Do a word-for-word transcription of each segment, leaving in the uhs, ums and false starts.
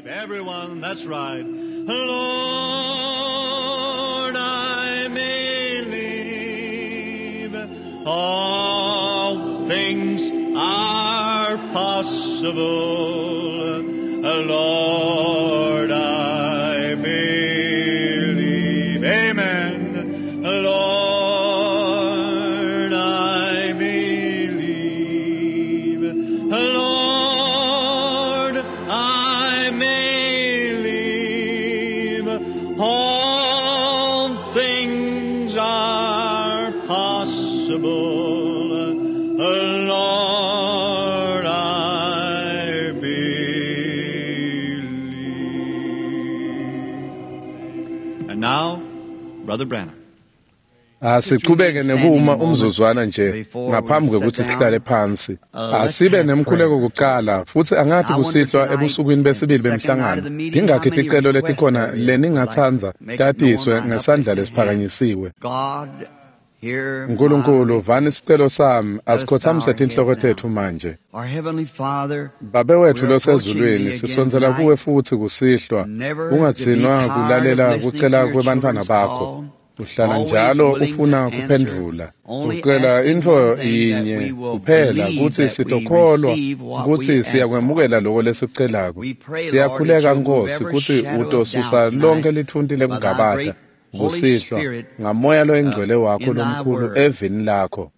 Everyone, that's right. Lord, I believe all things are possible. Lord, I believe. Amen. Lord, I believe. Lord, I believe. All things are possible. Lord, I believe. And now, Brother Branham. Asiqhubeke nekuma umzuzwana nje ngaphambi kokuthi sihlale phansi. Asibe nemkhuleko kuqala futhi angathi kusihlwa ebusukwini besibili bemhlangano. Dingakhi ticelo letikhona leningatsandza tatiswe ngesandla lesiphakanyisiwe. Nkulunkulu, vani isicelo sami, asikhothamise tinhloko tetfu manje. Babe wethu losezulwini, sisondzela kuwe futhi kusihlwa, ungatsinwa kulalela kucela kwebantfwana bakho. Uhlala njalo ufuna kuphendvula. Ucela intfo yinye kuphela kutsi sitokholwa kutsi siyakwemukela loko lesikucelako. Siyakhuleka Nkosi kutsi utosusa lonke litfunti lekungabata kusihlwa ngamoya loyingcwele wakho lomkhulu evini lakho.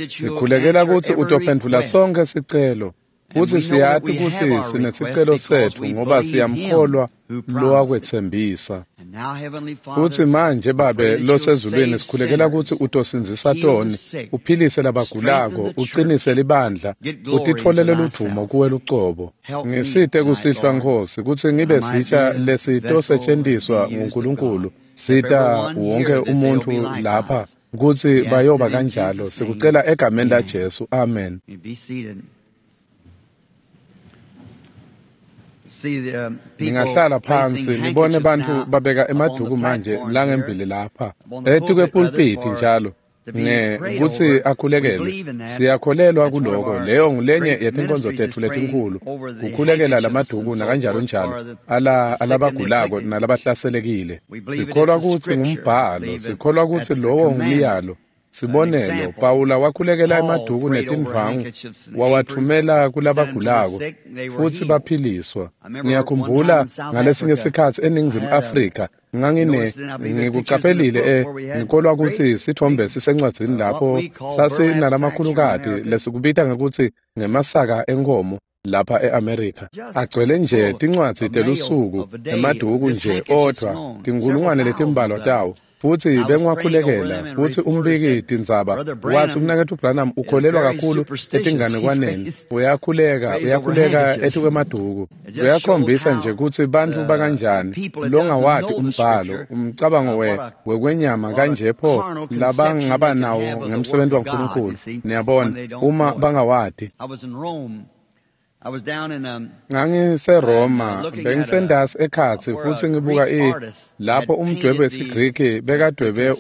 Sikhulekela kutsi utophendvula sonkhe sicelo. Futsi siyati kutsi sinesicelo setfu ngoba siyamkholwa lowakwetsembisa. Futsi manje Babe losezulwini, sikhulekela kutsi utosindzisa toni, uphilise labagulako, uqinise libandla, utitfolele ludvumo kuwe lucobo. Ngisite kusihlwa Nkosi kutsi ngibe sitsha lesitosetjentiswa nguNkulunkulu. Sita wonke umuntfu lapha kutsi bayoba kanjalo. Sikucela egameni laJesu. Amen. Ningahlala phansi nibone bantfu babeka emaduku manje langembili lapha etukwepulpiti njalo nge kutsi akhulekele. Siyakholelwa kuloko. Leyo ngulenye yetinkonzo tetfu letinkhulu, kukhulekela lamaduku nakanjalo njalo ala alabagulako nalabahlaselekile. Sikholwa kutsi ngumbhalo, sikholwa kutsi lowo ngumyalo. Sibonelo, Pawula wakhulekela emaduku netindvwangu wawathumela kulabagulako futsi baphiliswa. Ngiyakhumbula ngalesinye sikhatsi eNingizimu Afrika ngangine ngikucaphelile eh ngikholwa kutsi sithombe sisencwadzini lapho sasinalamakhulukati lesikubita ngekutsi ngemasaka enkomo lapha e-Amerika. Agcwele nje tincwadzi telusuku emaduku nje odvwa tinkulungwane letimbalwa tawo. Futsi bengiwakhulekela futsi umbiki tindzaba watsi umnaketfu Branham ukholelwa kakhulu etinganekwaneni, uyakhuleka uyakhuleka etukwemaduku. Uyakhombisa nje kutsi bantfu bakanjani longawati umbhalo, umcabango we wekwenyama kanje pho labangaba nawo ngemsebenti waNkulunkulu. Niyabona, uma bangawati. NgangiseRoma, bengisendasi ekhatsi futsi ngibuka i lapho umdwebo wesiGriki bekadwebe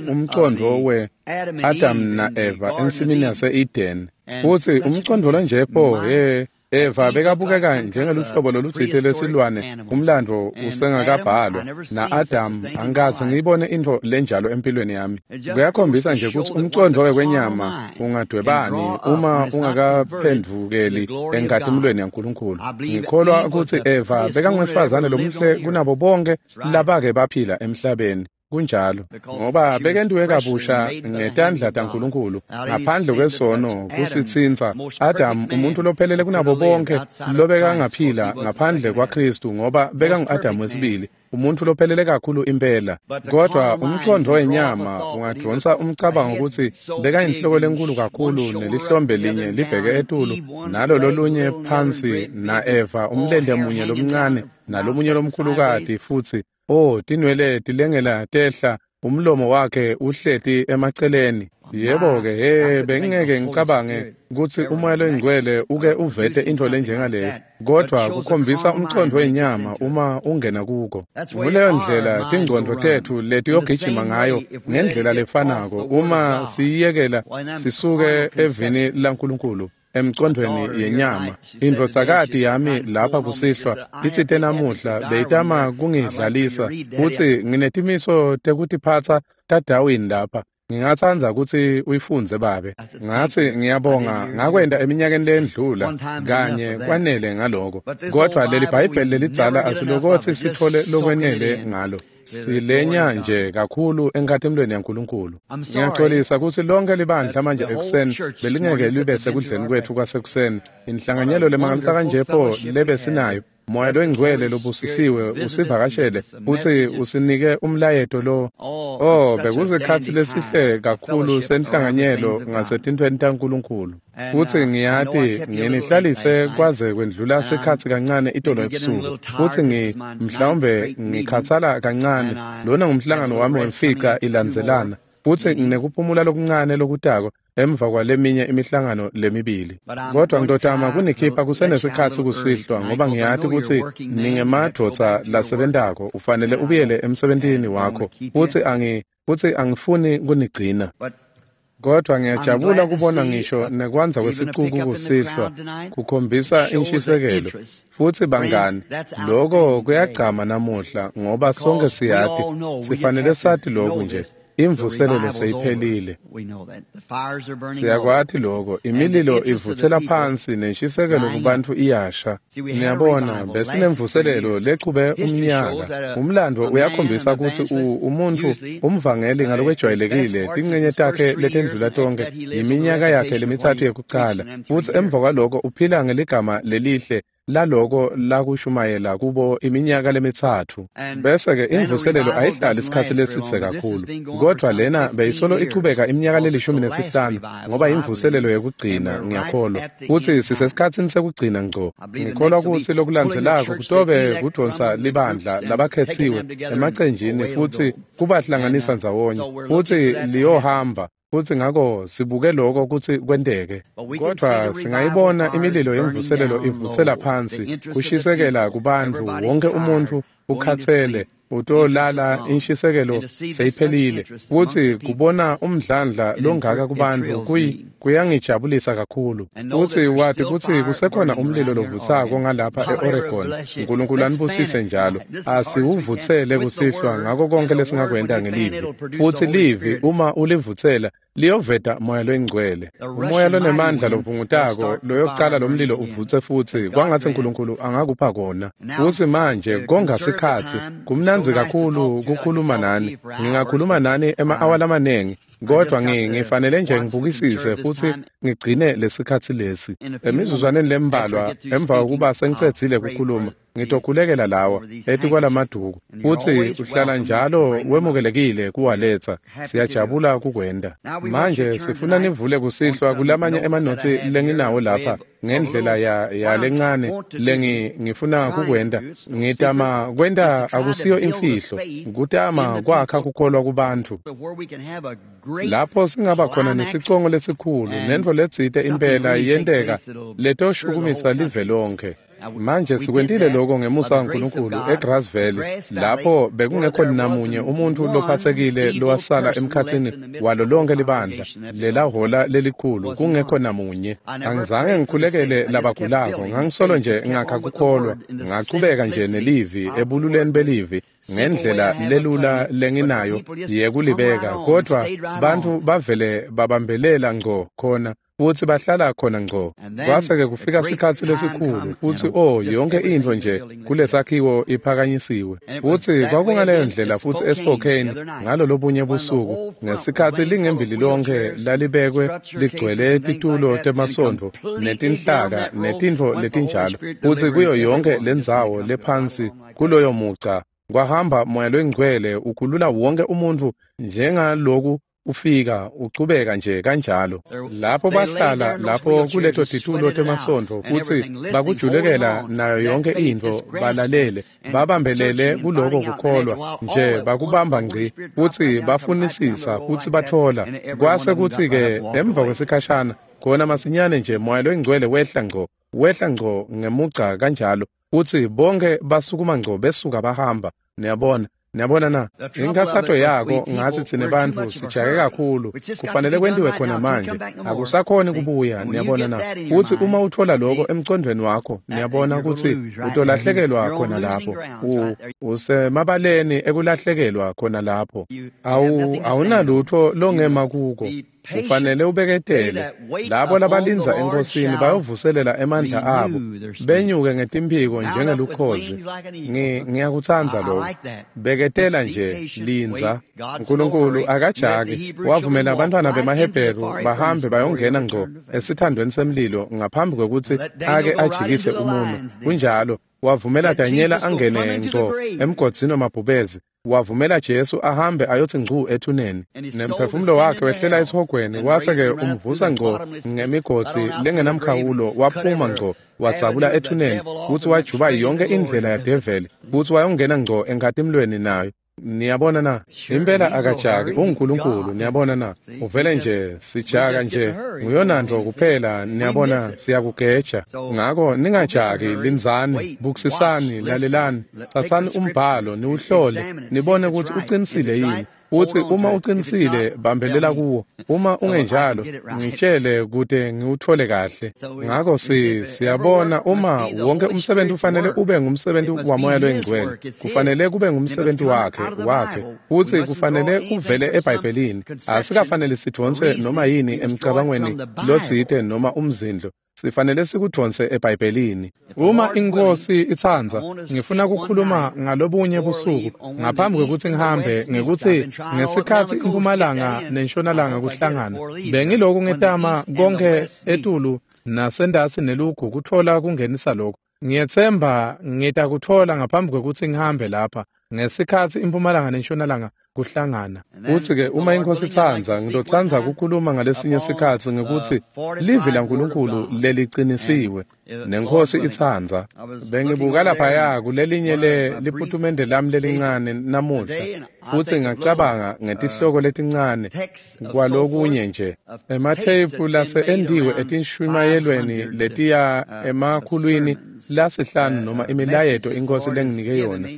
umcondvo we-Adam na-Eva ensimini yase-Eden. Futsi umcondvo lonje pho he Eva bekabukeka njengeluhlobo lolutsite lwesilwane, umlandvo usengakabhalwa, na-Adam angikaze ngiyibone intfo lenjalo empilweni yami. Kuyakhombisa nje kutsi umcondvo wekwenyama ungadwebani uma ungakaphendvukeli enkatimulweni yaNkulunkulu. Ngikholwa kutsi Eva bekangwesifazane lomuhle kunabo bonke labake baphila emhlabeni. Kunjalo, ngoba bekentiwe kabusha ngetandla taNkulunkulu ngaphandle kwesono kusitsintsa. Adam, umuntu lophelele kunabo bonke lobekangaphila ngaphandle kwaKristu, ngoba bekangu-Adam wesibili, umuntu lophelele kakhulu impela. Kodwa umqondo wenyama ungadonsa umcabango kutsi bekayinhloko lenkulu kakhulu nelihlombe linye libheke etulu nalo lolunye phansi, na-Eva umlente munye lomncane nalomunye lomkhulukati, futsi oh tinwele tilengela tehla, umlomo wakhe uhleti emaceleni. Yebo-ke, he bengingeke ngicabange kutsi umoya loyingcwele uke uvete intfo lenjengaleyo, kodvwa kukhombisa umcondvo wenyama uma ungena kuko. Nguleyo ndlela tingcondvo tetfu letiyogijima ngayo ngendlela lefanako uma siyiyekela sisuke evini laNkulunkulu. emcondweni yenyama. Indvodzakati yami lapha kusihlwa itsite namuhla beyitama kungidlalisa kutsi nginetimiso tekutiphatsa taDarwin lapha. Ngingatsandza kutsi uyifundze babe. Ngatsi ngiyabonga ngakwenta eminyakeni lendlula kanye kwanele ngaloko. Kodwa leli Bhayibheli lelidzala asilokothi sithole lokwenele ngalo. Silenya nje kakhulu enkhatimulweni yaNkulunkulu. Ngiyaxolisa kutsi lonke libandla manje ekuseni belingeke libe sekudleni kwetfu kwasekuseni. Inhlanganyelo lemangalisa kanje pho lebe sinayo. Moya loyingcwele lobusisiwe usivakashele futsi usinike umlayeto lo. Oh, bekusikhatsi lesihle kakhulu senhlanganyelo ngasetintfweni taNkulunkulu. Futsi ngiyati nginihlalise kwaze kwendlula sikhatsi kancane itolo ebusuku. Futsi ngi mhlawumbe ngikhatsala kancane. Lona ngumhlangano wami wemfica ilandzelana. Futsi nginekuphumula lokuncane lokutako emva kwaleminye imihlangano lemibili. Kodwa ngitotama kunikhipha kusenesikhatsi kusihlwa ngoba ngiyati kutsi ningemadvodza lasebentako, ufanele ubuyele emsebentini wakho. Futsi angi futsi angifuni kunigcina. Kodwa ngiyajabula kubona ngisho nekwandza kwesicuku kusihlwa kukhombisa inshisekelo. Futsi bangani, loko kuyagcama namuhla ngoba sonke siyati, sifanele sati lokhu nje. Imvuselelo seyiphelile. Siyakwati loko. Imililo ivutsela phansi nenshisekelo kubantfu iyasha. Niyabona, besinemvuselelo lechube umnyaka. Umlando uyakhombisa kutsi umuntfu umvangeli ngalokwejwayelekile tincenye takhe letendlula tonke iminyaka yakhe lemitsatfu yekucala. Futsi emva kwaloko uphila ngeligama lelihle laloko lakushumayela kubo iminyaka lemitsatfu. Bese-ke imvuselelo ayihlali isikhatsi lesidze kakhulu. Kodwa lena beyisolo ichubeka iminyaka lelishumi nesihlanu ngoba imvuselelo yekugcina ngiyakholwa. Futsi sisesikhatsini sekugcina ngco. Ngikholwa kutsi lokulandzelako kutobe kudvonsa libandla labakhetsiwe emacenjini futsi kubahlanganisa ndzawonye. Futsi liyohamba. Futsi ngako sibuke lokho kutsi kwenteke. Kodwa singayibona imililo yemvuselelo ivutsela phansi, kushisekela kubantfu, wonke umuntfu ukhatsele, utolala inshisekelo seyiphelile. Futsi kubona umdlandla longaka kubantfu kuyi kuyangijabulisa kakhulu. Futsi wati kutsi kusekhona umlilo lovutsako ngalapha e-Oregon. Nkulunkulu anibusise njalo. Asiwuvutsele kusihlwa ngako konke lesingakwenta ngelivi. Futsi livi uma ulivutsela liyoveta moya loyingcwele. Umoya lonemandla lovungutako loyokucala lomlilo uvutse futsi kwangatsi Nkulunkulu angakupha kona. Futsi manje konga sikhatsi kumnandzi kakhulu kukhuluma nani. Ngingakhuluma nani ema-awa lamanengi. Kodwa ngifanele nje ngibukisise futsi ngigcine lesikhatsi lesi. Emizuzwaneni lembalwa emva kokuba sengicedzile kukhuluma, ngitokhulekela lawa etikwalamaduku. Futsi uhlala njalo wemukelekile kuwaletsa. Siyajabula kukwenta. Manje sifuna nivule kusihlwa kulamanye emanotsi lenginawo lapha ngendlela ya yalencane lengi ngifuna kukwenta. Ngitama kwenta akusiyo imfihlo, kutama kwakha kukholwa kubantfu. Lapho singaba khona nesicongo lesikhulu nentfo letsite impela yenteka letoshukumisa live lonke. Manje sikwentile lokho ngemusa waNkulunkulu eGrass Valley, lapho bekungekho namunye umuntfu lophatsekile lowasala emkhatsini walo lonke libandla lelahola lelikhulu, kungekho namunye. Angizange ngikhulekele labagulako, ngangisolo nje ngakha kukholwa, ngachubeka nje nelivi ebululeni belivi ngendlela lelula lenginayo yekulibeka, kodwa bantfu bavele babambelela ngco khona futsi bahlala khona ngco. Kwase-ke kufika sikhatsi lesikhulu futsi oh yonke intfo nje kulesakhiwo iphakanyisiwe. Futsi kwakungaleyo ndlela futsi eSpokane ngalo lobunye busuku ngesikhatsi lingembili lonke lalibekwe ligcwele titulo temasontfo netinhlaka netintfo letinjalo, futsi kuyo yonke lendzawo lephansi kuloyo mugca kwahamba moya loyingcwele ukhulula wonke umuntfu njengaloku ufika uchubeka nje kanjalo. Lapho bahlala lapho kuleto titulo temasontfo futsi bakujulekela nayo yonke intfo, balalele babambelele kuloko kukholwa nje, bakubamba ngci futsi bafunisisa futsi batfola. Kwase kutsi-ke emva kwesikhashana khona masinyane nje moya loyingcwele wehla ngco wehla ngco ngemugca kanjalo, futsi bonke basukuma ngco besuka bahamba. Niyabona, Niyabona na? Inkathato yako ngathi tsine bantfu sijake kakhulu, kufanele kwentiwe khona manje, akusakhoni kubuya. Niyabona na? Futsi uma utfola lokho emcondvweni wakho, niyabona kutsi utolahlekelwa khona lapho. Usemabaleni ekulahlekelwa khona lapho. Awu awunalutho longema kuko. Kufanele ubeketele. Labo labalindza enkosini bayovuselela emandla abo, benyuke ngetimphiko njengelukhozi. Ngiyakutsandza lokho. Beketela nje, lindza. Nkulunkulu akajaki, wavumela abantwana bemaHebheru bahambe bayongena ngco esithandweni semlilo ngaphambi kwekutsi ake ajikise umuno. Kunjalo, wavumela Danyela angene ngco emgodzini wamabhubezi. Wavumela Jesu ahambe ayothi ngcu ethuneni, nemphefumulo wakhe wehlela esihogweni, wase-ke umvusa ngco ngemigodzi lengenamkhawulo, waphuma ngco wadzabula ethuneni, futsi wajuba yonke indlela yadeveli, futsi wayongena ngco enkhatimlweni nayo. Niyabona na? Impela akajaki, unguNkulunkulu. Niyabona na? Uvele nje, sijaka nje, nguyonantfo kuphela. Niyabona, siyakugeja. Ngako ningajaki, lindzani, bukisisani, lalelani, tsatsani umbhalo, niwuhlole, nibone kutsi uqinisile yini. Futsi uma uqinisile, bambelela kuwo. Uma ungenjalo, ngitshele kute ngiwutfole kahle. Ngako si siyabona uma wonke umsebenzi ufanele ube ngumsebenzi waMoya loyiNgcwele, kufanele kube ngumsebenzi wakhe wakhe, futsi kufanele kuvele eBhayibhelini. Asikafanele sidvonse noma yini emcabangweni lotsite noma umzindlo. Sifanele sikudvonse eBhayibhelini. Uma iNkhosi itsandza, ngifuna kukhuluma ngalobunye busuku ngaphambi kwekutsi ngihambe, ngekutsi ngesikhatsi impumalanga nentshonalanga kuhlangana. Bengiloku ngetama konke etulu nasentasi nelugu kutfola kungenisa lokhu. Ngiyetsemba ngitakutfola ngaphambi kwekutsi ngihambe lapha, ngesikhatsi impumalanga nentshonalanga kuhlangana. Futsi-ke uma iNkhosi itsandza, ngitotsandza kukhuluma ngalesinye sikhatsi ngekutsi livi laNkulunkulu leliqinisiwe, neNkhosi itsandza. Bengibuka laphaya kulelinye le liputumende lami lelincane namuhla, futsi ngacabanga ngetihloko letincane kwalokunye nje, ematheyiphu lase endiwe etinshumayelweni letiya emakhulwini lasihlanu noma imilayeto iNkhosi lenginike yona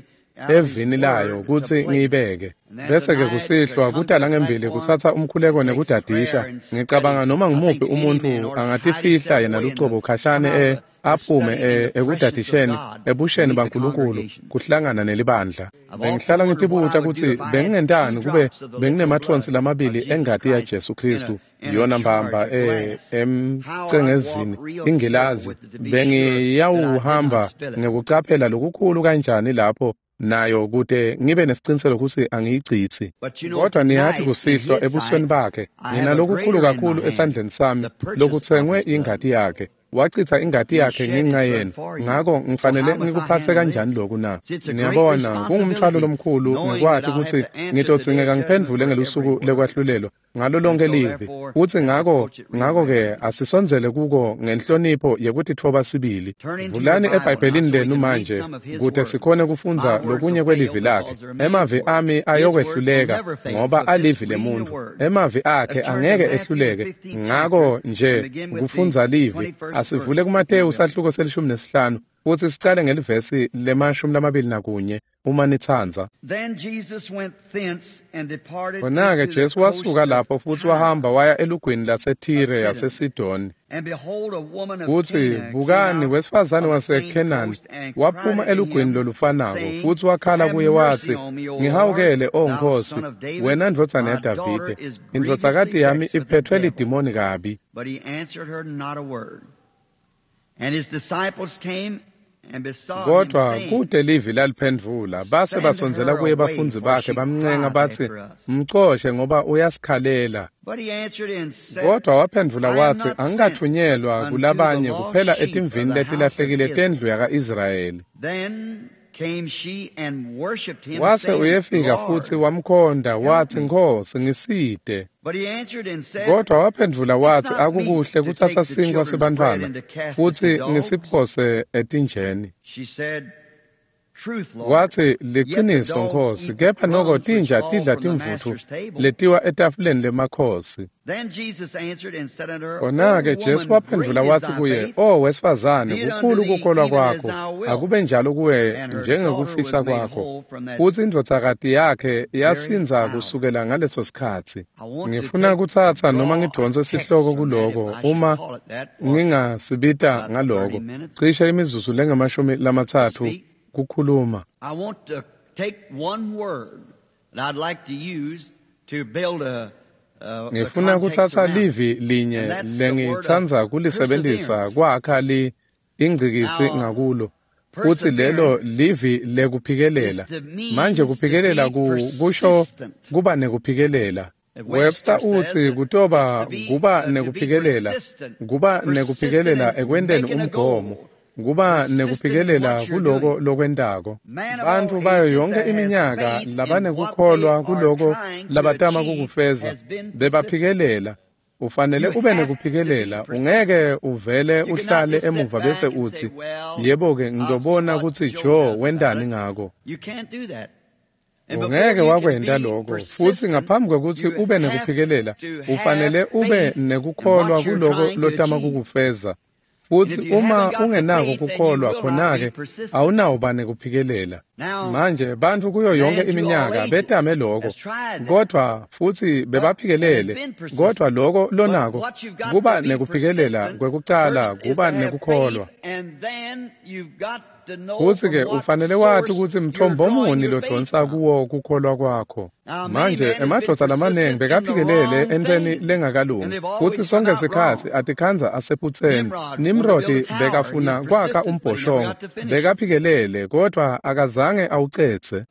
evini layo kutsi ngiyibeke. Bese-ke kusihlwa kuta langembili kutsatsa umkhuleko nekudadisha. Ngicabanga noma ngumuphi umuntfu angatifihla yena lucobo khashane e aphume ekudadisheni ebusheni baNkulunkulu kuhlangana nelibandla. Bengihlala ngitibuta kutsi bengingentani kube benginemathonsi lamabili engati yaJesu Khristu, yona mbamba e emcengezini ingilazi, bengiyawuhamba ngekucaphela lokukhulu kanjani lapho nayo kute ngibe nesiciniseko kutsi angiyicitsi. Kodwa niyati kusihlwa ebusweni bakhe nginalokukhulu kakhulu esandleni sami lokutsengwe ingati yakhe. Wachitha ingati yakhe ngenxa yenu, ngako ngifanele ngikuphatse kanjani lokhu na? Niyabona, kungumthwalo lomkhulu ngikwati kutsi ngitodzingeka ngiphendvule ngelusuku lekwahlulelwa ngalo lonke livi. Futsi ngako ngako-ke asisondzele kuko ngenhlonipho yekutitfoba sibili. Vulani eBhayibhelini lenu manje kute sikhone kufundza lokunye kwelivi lakhe. Emavi ami ayokwehluleka ngoba alivi lemuntfu. Emavi akhe angeke ehluleke. Ngako nje kufundza livi, asivule kuMateyu sahluko selishumi nesihlanu futsi sicale ngelivesi lemashumi lamabili nakunye uma nitsandza. Khona-ke Jesu wasuka lapho futsi wahamba waya elugwini laseThire yaseSidoni. Futsi bukani, wesifazane waseKhenani waphuma elugwini lolufanako futsi wakhala kuye watsi, "Ngihawukele, O Nkhosi, wena ndvodzana yaDavide, indvodzakati yami iphethwe lidimoni kabi." Kodwa kute livi laliphendvula. Base basondzela kuye bafundzi bakhe bamncenga batsi, "Mcoshe ngoba uyasikhalela." Kodwa waphendvula watsi, "Angikatfunyelwa kulabanye kuphela etimvini letilahlekile tendlu yaka-Israyeli." Wase uyefika futsi wamkhonda watsi, "Nkhosi, ngisite." Kodwa waphendvula watsi, "Akukuhle kutsatsa sinkhwa sebantfwana futsi ngisiphose etinjeni." Watsi, "Liciniso Nkhosi, kepha noko tinja tidla timvutfu letiwa etafuleni lemakhosi." Khona-ke Jesu waphendvula watsi kuye, "O wesifazane, kukhulu kukholwa kwakho, akube njalo kuwe njengekufisa kwakho." Futsi indvodzakati yakhe yasindza kusukela ngaleso sikhatsi. Ngifuna kutsatsa noma ngidvonse sihloko kuloko, uma ngingasibita ngaloko, cishe imizuzu lengamashumi lamatsatfu kukhuluma. I want to take one word that I'd like to use to build a Ngifuna kutsatsa livi linye lengitsandza kulisebentisa kwakha li ingcikitsi ngakulo, futsi lelo livi lekuphikelela. Manje kuphikelela kusho kuba nekuphikelela. Webster utsi kutoba kuba nekuphikelela, kuba nekuphikelela ekwenteni umgomo, kuba nekuphikelela kuloko lokwentako. Bantfu bayo yonke iminyaka labanekukholwa kuloko labatama kukufeza bebaphikelela. Ufanele ube nekuphikelela, ungeke uvele uhlale emuva bese utsi, "Yebo-ke, ngitobona kutsi Joe wentani ngako." Ungeke wakwenta loko, futsi ngaphambi kwekutsi ube nekuphikelela, ufanele ube nekukholwa kuloko lotama kukufeza. Futsi uma ungenako kukholwa, khona-ke awunawuba nekuphikelela. Manje bantfu kuyo yonke iminyaka betame loko, kodvwa futsi bebaphikelele, kodvwa loko lonako kuba nekuphikelela kwekucala kuba nekukholwa. Futsi-ke ufanele wati kutsi mthombo muni lodvonsa kuwo kukholwa kwakho. Manje emadvodza lamanengi bekaphikelele entweni lengakalungi, futsi sonke sikhatsi atikhandza asephutseni. Nimrodi bekafuna kwakha umbhoshongo, bekaphikelele, kodvwa akazange awucedze.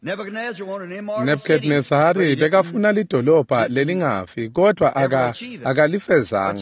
Nebukhadnezari bekafuna lidolobha lelingafi, kodvwa aka akalifezanga.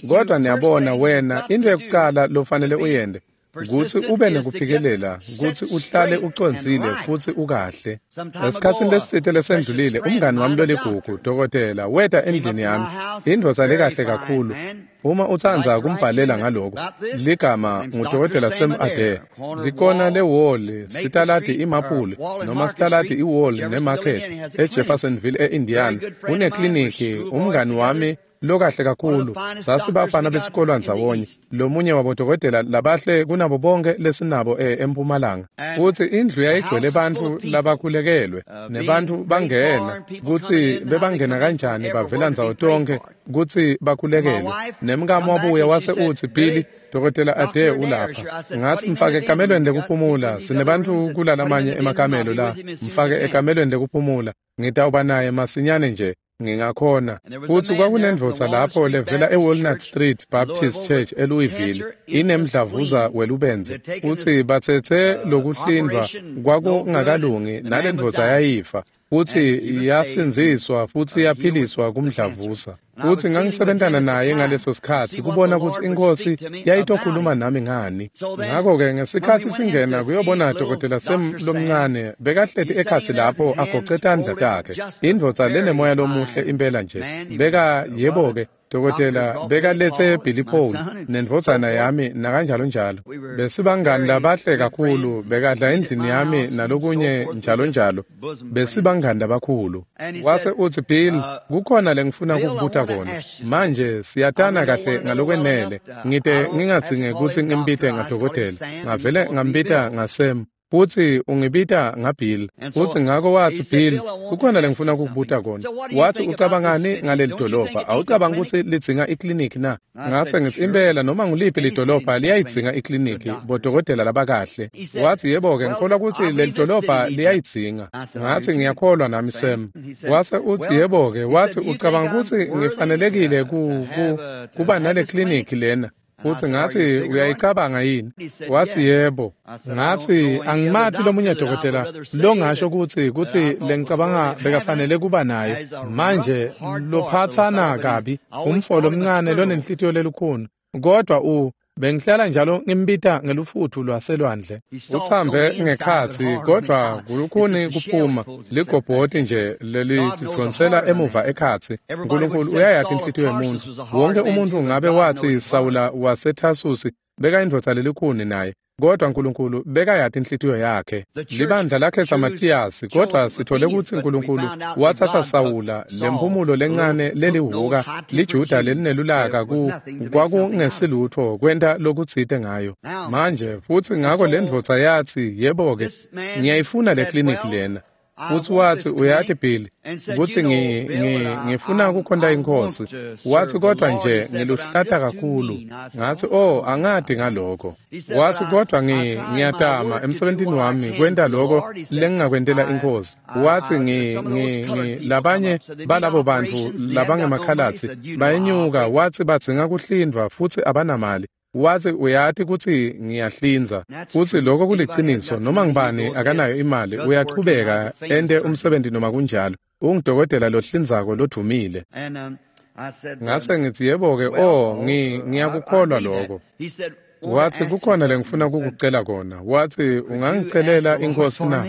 Kodvwa niyabona wena, into yekucala lofanele uyente kutsi ube nekuphikelela, kutsi uhlale ucondzile futsi ukahle. Esikhatsini lesitsite lesendlulile, umngani wami loligugu, dokotela, weta endlini yami, indvodza lekahle kakhulu. Uma utsandza kumbhalela ngaloko, ligama ngudokotela Sam Adair. Likona leWall, sitaladi iMaple, noma sitaladi iWall neMarket, eJeffersonville e-Indiana. Unekliniki, umngani wami lokahle kakhulu. Sasibafana besikolwa ndzawonye, lomunye wabodokotela labahle kunabo bonke lesinabo eMpumalanga. Futsi indlu yayigcwele bantfu labakhulekelwe, nebantfu bangena, kutsi bebangena kanjani bavela ndzawo tonkhe kutsi bakhulekelwe. Nemkami wabuya wase utsi, "Billy, Dokotela Adair ulapha." Ngatsi, "Mfake ekamelweni lekuphumula, sinebantfu kulalamanye emakamelo la, mfake ekamelweni lekuphumula, ngitawuba naye masinyane nje ngingakhona." Futsi kwakunendvodza lapho levela eWalnut Street Baptist Church eLouisville, inemdlavuza welubendze, futsi batsetse lokuhlindvwa kwakungakalungi, nalendvodza yayifa, futsi yasindziswa futsi yaphiliswa kumdlavuza. Futsi ngangisebentana naye ngaleso sikhatsi kubona kutsi iNkhosi yayitokhuluma nami ngani. Ngako-ke ngesikhatsi singena kuyobona Dokotela Sam lomncane, bekahleti ekhatsi lapho agoce tandla takhe, indvodza lenemoya lomuhle impela nje. Beka, yebo-ke, dokotela bekaletse Billy Paul nendvodzana yami nakanjalo njalo. Besibangani labahle kakhulu, bekadla endlini yami nalokunye njalo njalo. Besibangani labakhulu. Wase utsi, "Bill, kukhona lengifuna kukubuta kona. Manje siyatana kahle ngalokwenele, ngite ngingadzinge kutsi ngimbite ngadokotela. Ngavele ngambita ngaSam, futsi ungibita ngaBill." Futsi ngako watsi, "Bill, kukhona lengifuna kukubuta kona." Watsi, "Ucabangani ngaleli dolobha? Awucabangi kutsi lidzinga ikliniki na?" Ngase ngitsi, "Impela, noma nguliphi lidolobha liyayidzinga ikliniki, bodokotela labakahle." Watsi, "Yebo-ke, ngikholwa kutsi leli dolobha liyayidzinga." Ngatsi, "Ngiyakholwa nami, Sam." Wase utsi, "Yebo-ke," watsi, "ucabanga kutsi ngifanelekile ku, ku, kuba nale kliniki lena?" Futsi ngatsi, "Uyayicabanga yini?" Watsi, "Yebo." Ngatsi, "Angimati lomunye dokotela longasho kutsi kutsi lengicabanga bekafanele kuba nayo. Manje lophatsana kabi, umfo lomncane lonenhlitiyo lelukhuni, kodvwa u bengihlala njalo ngimbita ngelufutfu lwaselwandle. Uthambe ngekhatsi, kodvwa kulukhuni kuphuma, ligobhoti nje lelidvonsela emuva ekhatsi. Nkulunkulu uyayati inhlitiyo yemuntfu. Wonke umuntfu ngabe watsi Sawula waseThasusi bekayindvodza lelikhuni naye, Kodwa Nkulunkulu bekayati inhlitiyo yakhe. Libandla lakhetsa Mathiyasi, kodwa sithole kutsi Nkulunkulu watsatsa Sawula, lemphumulo lencane lelihuka, liJuda lelinelulaka ku kwakungesilutfo kwenta lokutsite ngayo. Manje futsi ngako lendvodza yatsi, yebo-ke, ngiyayifuna le kliniki lena. Futsi watsi, uyati Bill, kutsi ngifuna kukhonta iNkhosi. Watsi, kodwa nje ngiluhlata kakhulu. Ngatsi, oh, angati ngaloko. Watsi, kodwa ngiyatama emsebentini wami kwenta loko lengingakwentela iNkhosi. Watsi, ngi ngi labanye balabo bantfu labangemakhalatsi bayenyuka, watsi badzinga kuhlindvwa futsi abanamali. Watsi, uyati kutsi ngiyahlinza. Futsi lokho kuliciniso, noma ngibani akanayo imali, uyachubeka ente umsebenzi noma kunjalo. Ungudokotela lohlinzako lodvumile. Ngase ngitsi, yebo-ke, oh, ngiyakukholwa lokho. Watsi, kukhona lengifuna kukucela kona. Watsi, ungangicelela iNkhosi na?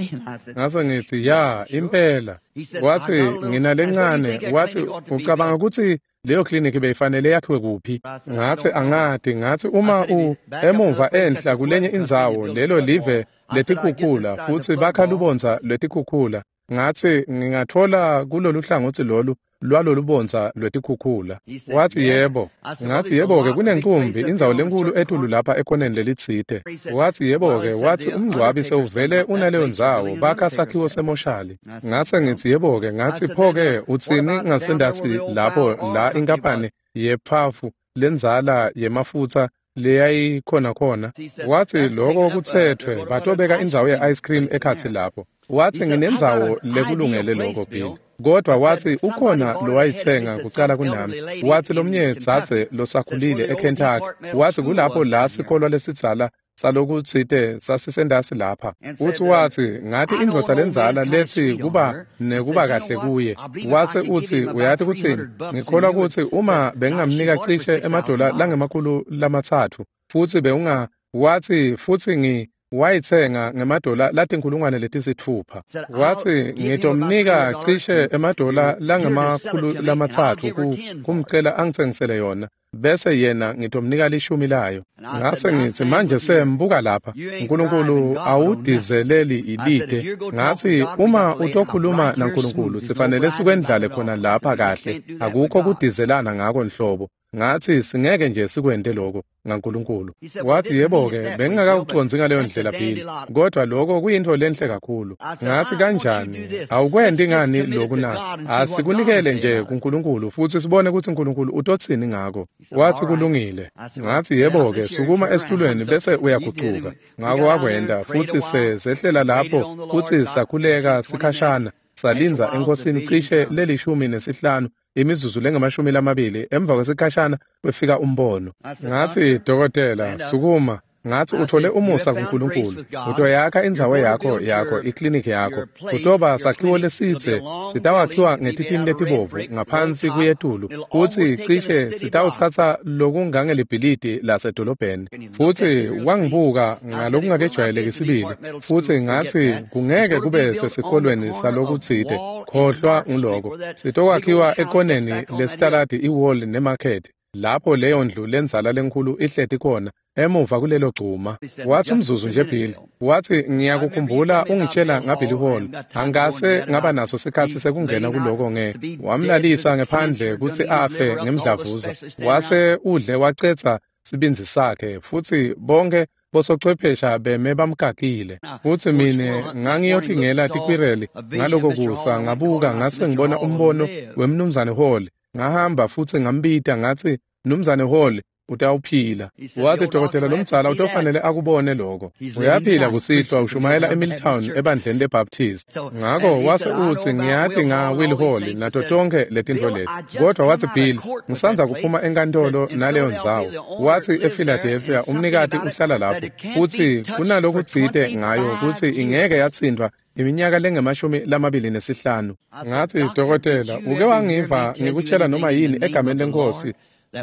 Ngase ngitsi, ya, impela. Watsi, nginalencane. Watsi, ucabanga kutsi leyo kliniki beyifanele yakhiwe kuphi? Ngatsi, angati. Ngatsi, uma u emuva enhla kulenye indzawo, lelo live letikhukhula, futsi bakha lubondza lwetikhukhula. Ngatsi, ngingatfola kulolu hlangotsi lolu lwalolubondza lwetikhukhula. Watsi, yebo. Ngatsi, yebo-ke, kunenkumbi indzawo lenkulu etulu lapha ekhoneni lelitsite. Watsi, yebo-ke. Watsi, umngcwabi sewuvele unaleyo ndzawo, bakha sakhiwo semoshali. Ngase ngitsi, yebo-ke. Ngatsi, pho-ke utsini ngasendasi lapho la inkampani yephafu lendzala yemafutsa leyayikhona khona? Watsi, loko kutsetfwe, batobeka indzawo ye-ice cream ekhatsi lapho. Watsi, nginendzawo lekulungele lokho, Bill. Kodwa watsi, ukhona lowayitsenga kucala kunami. Watsi, lomnye dzadze losakhulile eKentucky. Watsi, kulapho la sikolwa lesidzala salokutsite sasisendasi lapha. Futsi watsi, ngathi indvodza lendzala lethi kuba nekuba kahle kuye. Watsi, utsi, uyati kutsini? Ngikholwa kutsi uma bengingamnika cishe emadola langemakhulu lamatsatfu, futsi bewunga, watsi, futsi ngi wayitsenga ngemadola latinkhulungwane letisitfupha. Watsi, ngitomnika cishe emadola langemakhulu lamatsatfu kumcela angitsengisele yona, bese yena ngitomnika lishumi layo. Ngase ngitsi, manje sembuka lapha, Nkulunkulu awudizeleli ilide. Ngatsi, uma utokhuluma naNkulunkulu, sifanele sikwendlale khona lapha kahle, akukho kudizelana ngako nhlobo. Ngatsi, singeke nje sikwente lokho ngaNkulunkulu. Watsi, yebo-ke, bengingakawucondzi ngaleyo ndlela, Bill, kodwa lokho kuyintfo lenhle kakhulu. Ngatsi, kanjani? Awukwenti ngani lokhu na? Asikunikele nje kuNkulunkulu futsi sibone kutsi Nkulunkulu utotsini ngako. Watsi, kulungile. Ngatsi, yebo-ke, sukuma esitulweni bese uyagucuka. Ngako wakwenta, futsi sehlela lapho futsi sakhuleka sikhashana, salindza eNkhosini cishe lelishumi nesihlanu imizuzu lengamashumi lamabili. Emva kwesikhashana kwefika umbono. Ngatsi, dokotela, sukuma. Ngatsi, uthole umusa kuNkulunkulu. Utoyakha indzawo yakho yakho ikliniki yakho. Kutoba sakhiwo lesitse, sitawakhiwa ngetitini letibovu ngaphansi kuyetulu, futsi cishe sitawutsatsa lokungangelibhilidi lasedolobheni. Futsi wangibuka ngalokungakejwayeleki sibili, futsi ngatsi, kungeke kube sesikolweni salokutsite, khohlwa nguloko. Sitokwakhiwa ekoneni lesitaladi iWall neMarket, lapho leyo ndlu lendzala lenkhulu ihleti khona emuva kulelo gcuma. Watsi, umzuzu nje Bill. Watsi, ngiyakukhumbula ungitshela ngaBilly Hall. Angase ngaba naso sikhatsi sekungena kuloko nge. Wamlalisa ngephandle kutsi afe ngemdlavuza. Wase udle wacetsa sibindzi sakhe, futsi bonke bosochwephesha beme bamkakile. Futsi mine ngangiyotingela tikwireli ngaloko kusa, ngabuka ngase ngibona umbono wemnumzane Hall. Ngahamba futsi ngambita ngatsi, Mnumzane Hall, utawuphila. Watsi, dokotela lomdzala utofanele akubone lokho. Uyaphila kusihlwa, ushumayela eMilltown ebandleni leBaptist. Ngako wase utsi, ngiyati nga Will Hall nato tonke letintfo leti. Kodwa watsi, Bill, ngisandza kuphuma enkantolo naleyo ndzawo. Watsi, ePhiladelphia umnikati uhlala lapho, futsi kunalokutsite ngayo kutsi ingeke yatsintfwa iminyaka lengemashumi lamabili nesihlanu. Ngatsi, dokotela, uke wangiva ngikutshela noma yini egameni leNkhosi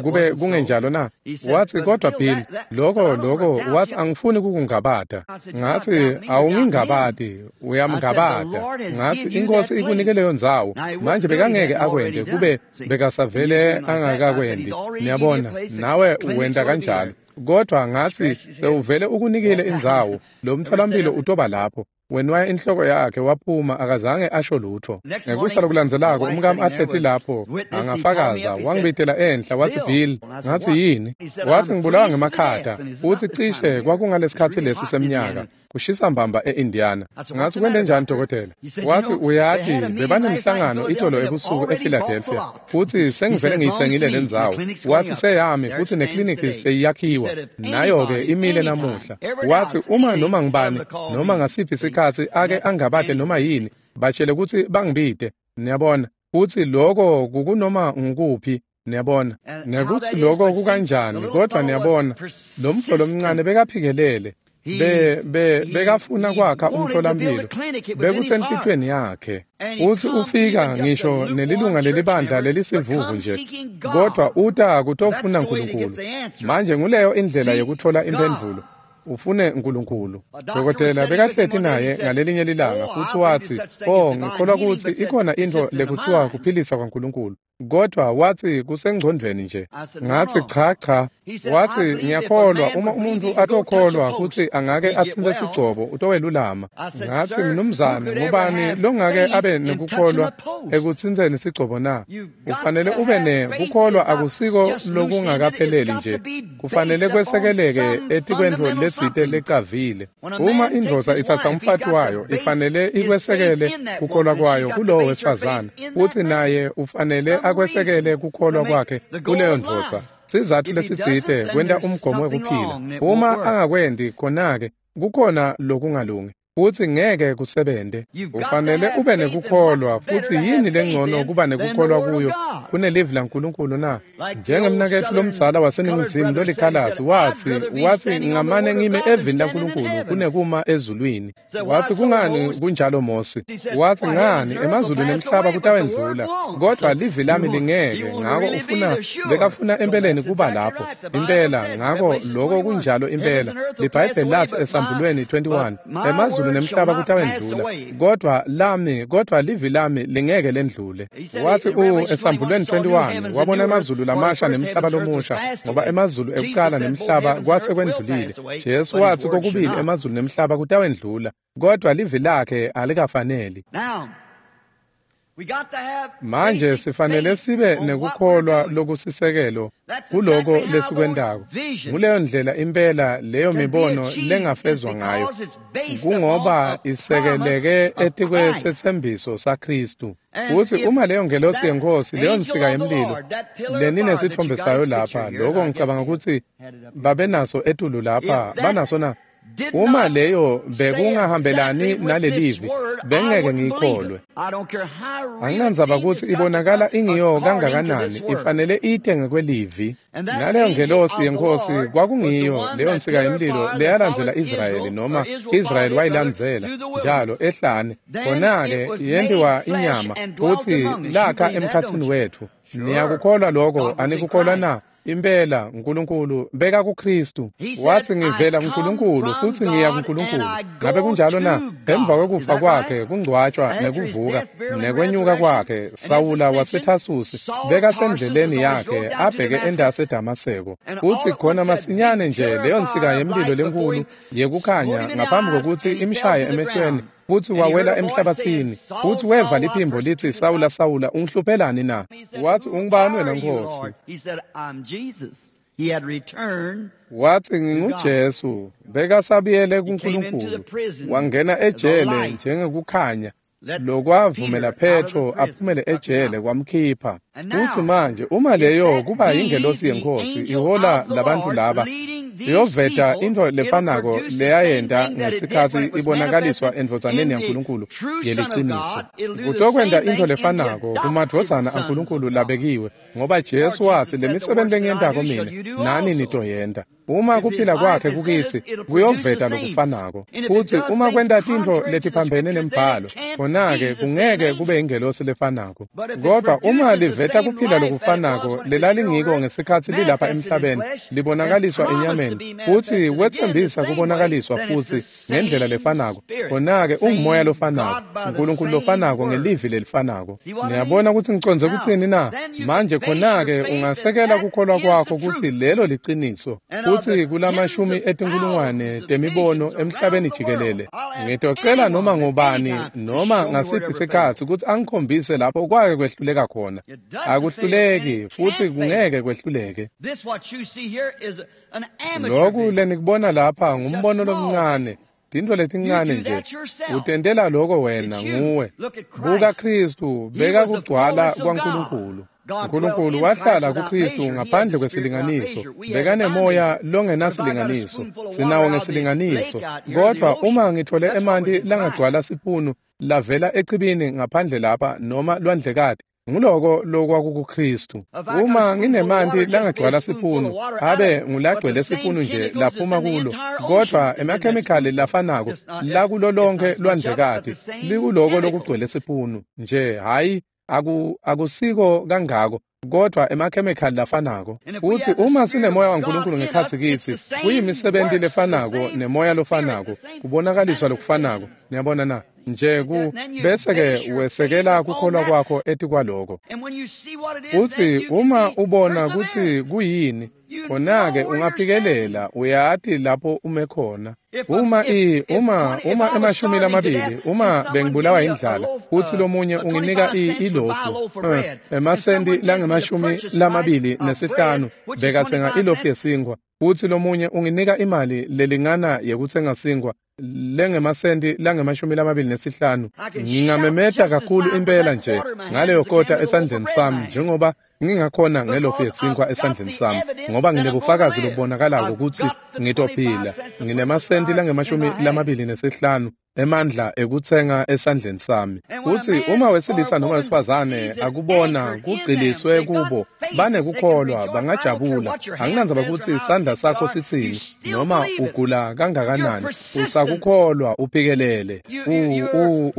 kube kungenjalo na? Watsi, kodwa Bill, lokho lokho, wathi angifuni kukungabata. Ngathi, awungingabati, uyamngabata. Ngathi, iNkosi ikunike leyo ndzawo. Manje bekangeke akwente kube bekasavele angakakwendi. Niyabona, nawe wenta kanjalo. Kodwa ngathi sewuvele ukunikile indzawo, lo mtholampilo utoba lapho. Wenwaya inhloko yakhe waphuma, akazange asho lutho. Ngekusa lokulandzelako umkami ahleti lapho angafakaza, wangibitela enhla wathi, Bill. Ngathi, yini? Wathi, ngibulawa ngemakhata. Uthi cishe kwakungalesikhatsi lesi semnyaka, kushisa mbamba e-Indiana. Ngathi, kwente njani dokotela? Wathi, uyati bebanemhlangano itolo ebusuku ePhiladelphia, futhi sengivele ngiyitsengile lendzawo. Wathi, seyami futhi nekliniki seyiyakhiwa, nayo-ke imile namuhla. Wathi, uma noma ngibani noma ngasiphi isikhatsi ake angabade noma yini, batshele ukuthi bangibide. Niyabona, futhi lokho kukunoma ngukuphi. Niyabona nekuthi lokho kukanjani. Kodwa niyabona, lo mfo lomncane bekaphikelele, be be bekafuna kwakha umtholampilo, bekusenhlitweni yakhe. Uthi ufika ngisho nelilunga lelibandla lelisivuvu nje, kodwa uta kutofuna uNkulunkulu. Manje nguleyo indlela yokuthola impendvulo, ufune uNkulunkulu. Dokotela bekahleti naye ngalelinye lilanga, futhi wathi, oh, ngikholwa ukuthi ikhona into lekuthiwa kuphilisa kwaNkulunkulu, kodwa wathi kusengcondweni nje. Ngathi, cha cha. Wathi, ngiyakholwa uma umuntu atokholwa ukuthi angake atsintse sigcobo utowelulama. Ngathi, mnumzane, ngubani longake abe nekukholwa ekutsintseni sigcobo na? Ufanele ube nekukholwa, akusiko lokungakapheleli nje, kufanele kwesekeleke etikwentfo letsite lecavile. Uma indvodza itsatsa umfati wayo, ifanele ikwesekele kukholwa kwayo kulowo wesifazane, futhi naye ufanele akwesekele kukholwa kwakhe kuleyo ndvodza. Sizathu lesitsite kwenta umgomo wekuphila. Uma angakwendi khona-ke kukhona lokungalungi, futhi ngeke kusebente. Ufanele ube nekukholwa, futhi yini lengcono kuba nekukholwa kuyo kunelivi laNkulunkulu na? Njengemnaketfu lomdzala waseNingizimu lolikhalatsi wathi, wathi ngamane ngime evini laNkulunkulu kunekuma ezulwini. Wathi, kungani kunjalo Mosi? Wathi, ngani emazulu nemhlaba kutawendlula, kodwa livi lami lingeke. Ngako ufuna bekafuna empeleni kuba lapho impela. Ngako lokho kunjalo impela. LiBhayibheli lathi esambulweni twenty-one, emazulu nemhlaba kutawendlula, kodwa lami kodwa livi lami lingeke lendlule. Wathi u esambulweni twenty-one wabona emazulu lamasha nemhlaba lomusha, ngoba emazulu ekuqala nemhlaba kwase kwendlulile. Jesu wathi kokubili emazulu nemhlaba kutawendlula, kodwa livi lakhe alikafaneli. Manje sifanele sibe nekukholwa lokusisekelo kuloko lesikwentako. Nguleyo ndlela impela leyo mibono lengafezwa ngayo, kungoba isekeleke etikwesethembiso saKristu. Uthi uma leyo ngelosi yenkosi, leyo nsika yemlilo leninesithombe sayo lapha, lokho ngicabanga ukuthi babenaso etulu lapha, banaso na? Uma leyo bekungahambelani nalelivi, bengeke ngiyikholwe. Anginandzaba ukuthi ibonakala ingiyo kangakanani, ifanele ite ngekwelivi. Naleyo ngelosi yenkosi kwakungiyo leyo nsika yemlilo leyalandzela Israyeli, noma Israyeli wayilandzela njalo ehlane. Khona-ke yentiwa inyama futhi lakha emkhatsini wethu. Niyakukholwa lokho, anikukholwa na? Impela uNkulunkulu beka kuKristu. Wathi, ngivela kuNkulunkulu futhi ngiya kuNkulunkulu. Ngabe kunjalo na? Emva kwekufa kwakhe, kungcwatshwa nekuvuka nekwenyuka kwakhe, Sawula waseThasusi bekasendleleni yakhe abheke endase eDamaseko. Uthi khona masinyane nje leyo nsika yemlilo lenkulu yekukhanya ngaphambi kokuthi imshaye emehlweni, futhi wawela emhlabathini, futhi weva liphimbo lithi, Sawula, Sawula, ungihluphelani na? Wathi, ungubani wena Nkosi? Wathi, nginguJesu. Bekasabuyele kuNkulunkulu, wangena ejele njengekukhanya lokwavumela Petro aphumele ejele kwamkhipha. Uthi manje uma leyo kuba yingelosi yenkosi ihola labantu laba, iyoveta into lefanako leyayenta ngesikhatsi ibonakaliswa endvodzaneni yaNkulunkulu yeliciniso. Kutokwenta into lefanako kumadvodzana aNkulunkulu labekiwe, ngoba Jesu wathi, lemisebenzi lengiyentako mina nani nitoyenta. Uma kuphila kwakhe kukitsi, kuyoveta lokufanako. Futhi uma kwenta tintfo letiphambene nembhalo, khona-ke kungeke kube ingelosi lefanako. Kodwa uma liveta Liveta kuphila lokufanako lelalingiko ngesikhatsi lilapha emhlabeni, libonakaliswa enyameni, futsi wetsembisa kubonakaliswa futsi ngendlela lefanako. Khona-ke ungumoya lofanako, uNkulunkulu lofanako ngelivi lelifanako. Niyabona kutsi ngicondze kutsini na? Manje khona-ke ungasekela kukholwa kwakho kutsi lelo liciniso, futsi kulamashumi etinkulungwane temibono emhlabeni jikelele. Ngitocela noma ngubani noma ngasiphi sikhatsi kutsi angikhombise lapho kwake kwehluleka khona. Akuhluleki futsi kungeke kwehluleke. Loku lenikubona lapha ngumbono lomncane, tintfo letincane nje. Utentela loko wena nguwe. Buka Khristu, beka kugcwala kwaNkulunkulu. uNkulunkulu wahlala kuKhristu ngaphandle kwesilinganiso, bekanemoya longenasilinganiso, sinawo ngesilinganiso. Kodvwa uma ngithole emanti langagcwala sipunu lavela echibini ngaphandle lapha noma lwandlekati, nguloko lokwakukuKhristu. Uma nginemanti langagcwala sipunu, abe ngulagcwele sipunu nje laphuma kulo, kodvwa emakhemikhali lafanako lakulo lonke lwandlekati likuloko lokugcwele sipunu nje, hhayi aku akusiko kangako, kodvwa emakhemikhali lafanako. Futsi uma sinemoya waNkulunkulu ngekhatsi kitsi, kuyimisebenti lefanako nemoya lofanako, kubonakaliswa lokufanako. Niyabona na? Nje ku bese-ke wesekela kukholwa kwakho etikwaloko. Futsi uma ubona kutsi kuyini, khona-ke ungaphikelela, uyati lapho ume khona. Uma i uma uma emashumi lamabili, uma bengibulawa indlala, futsi lomunye unginika i ilofu, uh, emasenti langemashumi lamabili nesihlanu, bekatsenga ilofu yesinkwa, futsi lomunye unginika imali lelingana yekutsenga sinkwa lengemasenti langemashumi lamabili nesihlanu, ngingamemeta kakhulu impela nje ngaleyo kota esandleni sami njengoba ngingakhona ngelofu yesinkwa esandleni sami, ngoba nginebufakazi lobubonakalako kutsi ngitophila. Nginemasenti langemashumi lamabili nesihlanu emandla ekutsenga esandleni sami. Futsi uma wesilisa noma wesifazane akubona kugciliswe kubo, banekukholwa, bangajabula. Anginandzaba kutsi isandla sakho sitsini noma ugula kangakanani, usakukholwa uphikelele. U u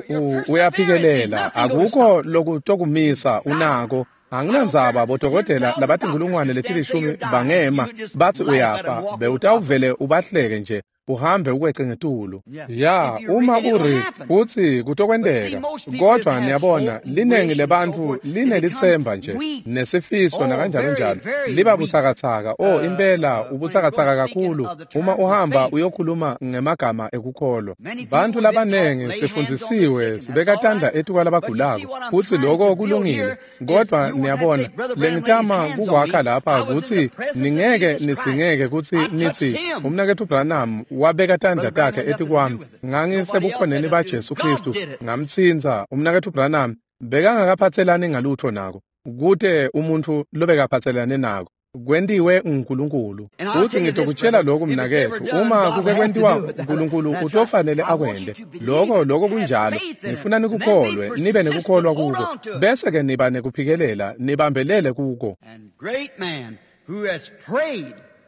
u uyaphikelela, akukho lokutokumisa unako. Anginandzaba bodokotela labatinkulungwane letilishumi bangema batsi uyafa, bewutawuvele ubahleke nje uhambe ukwece ngetulu. Ya, uma uri futsi kutokwenteka. Kodvwa niyabona, linengi lebantfu linelitsemba nje nesifiso nakanjalo njalo, liba butsakatsaka. Oh, impela ubutsakatsaka kakhulu uma uhamba uyokhuluma ngemagama ekukholwa. Bantfu labanengi sifundzisiwe sibeka tandla etikwalabagulako, futsi loko kulungile. Kodvwa niyabona, lengitama kukwakha lapha kutsi ningeke nidzingeke kutsi nitsi umnaketfu Branham wabeka tandla takhe etikwami, ngangisebukhoneni baJesu Khristu, ngamtsintsa. Umnaketfu Branham bekangakaphatselani ngalutfo nako, kute umuntfu lobekaphatselane nako, kwentiwe nguNkulunkulu. Futsi ngitokutshela lokhu mnaketfu, uma kuke kwentiwa uNkulunkulu utofanele akwente loko. Loko kunjalo. Ngifuna nikukholwe, nibe nekukholwa kuko, bese-ke niba nekuphikelela, nibambelele kuko.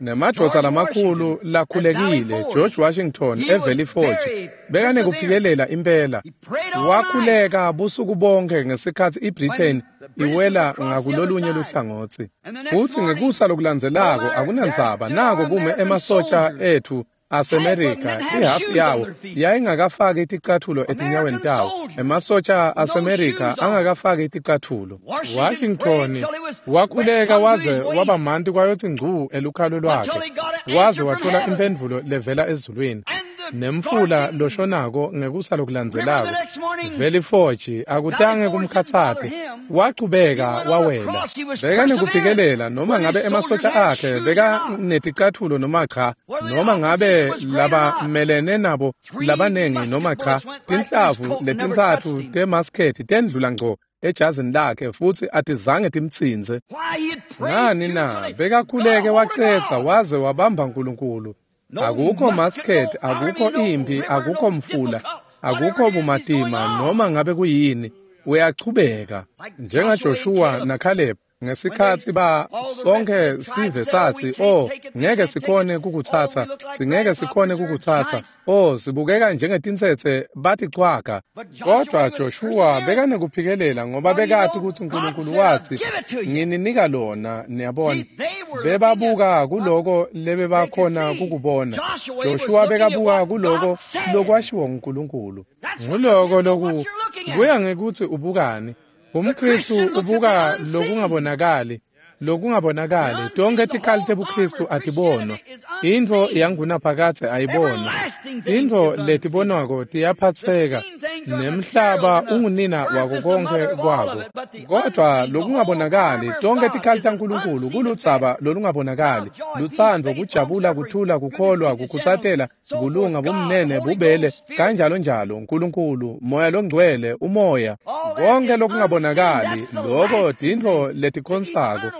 Nemadvodza lamakhulu lakhulekile, George Washington eValley Forge, bekanekuphikelela impela. Wakhuleka busuku bonke ngesikhatsi iBritain iwela ngakulolunye luhlangotsi. Futsi ngekusa lokulandzelako, akunandzaba, nako kume emasotja etfu aseMerika, ihafu yawo yayingakafaki ticatfulo etinyaweni tawo. Emasotja aseMerika angakafaki ticatfulo. Washington wakhuleka waze waba manti kwayotsi ngcu elukhalo lwakhe, waze wathola impendvulo levela ezulwini. Nemfula loshonako ngekusa lokulandzelako, Valley Forge, akutange kumkhatsate, wachubeka wawela. Bekanekuphikelela noma ngabe emasotja akhe bekaneticatfulo noma cha, noma ngabe labamelene nabo labanengi noma cha. Tinhlavu letintsatfu temaskethi tendlula ngco ejazini lakhe futsi atizange timtsintse. Ngani na? Bekakhuleke wacetsa waze wabamba uNkulunkulu. Akukho masket, akukho impi, akukho mfula, akukho bumatima, noma ngabe kuyini, uyachubeka. NjengaJoshua naCaleb Ngesikhatsi ba sonke sive sathi, oh, ngeke sikhone kukutsatsa, singeke sikhone kukutsatsa, oh, sibukeka njengetintsetse baticwaga. Kodwa Joshua bekanekuphikelela ngoba bekati kutsi uNkulunkulu watsi, ngininika lona, niyabona. Bebabuka kuloko lebebakhona kukubona. Joshua bekabuka kuloko lokwashiwo nguNkulunkulu. Nguloko loku kuya ngekutsi ubukani. UmKristu ubuka lokungabonakali, lokungabonakali. Tonkhe tikhali tebuKristu atibonwa. Intfo yangunaphakadze ayibonwa. Intfo letibonwako tiyaphatseka, nemhlaba ungunina wako konkhe kwako. Kodwa lokungabonakali, tonkhe tikhali taNkulunkulu kuludzaba lolungabonakali. Lutsandvo, kujabula, kuthula, kukholwa, kukhutsatela, kulunga, bumnene, bubele, kanjalo njalo. Nkulunkulu, Moya loNgcwele, umoya. Konke lokungabonakali, loko tintfo letikhonsako,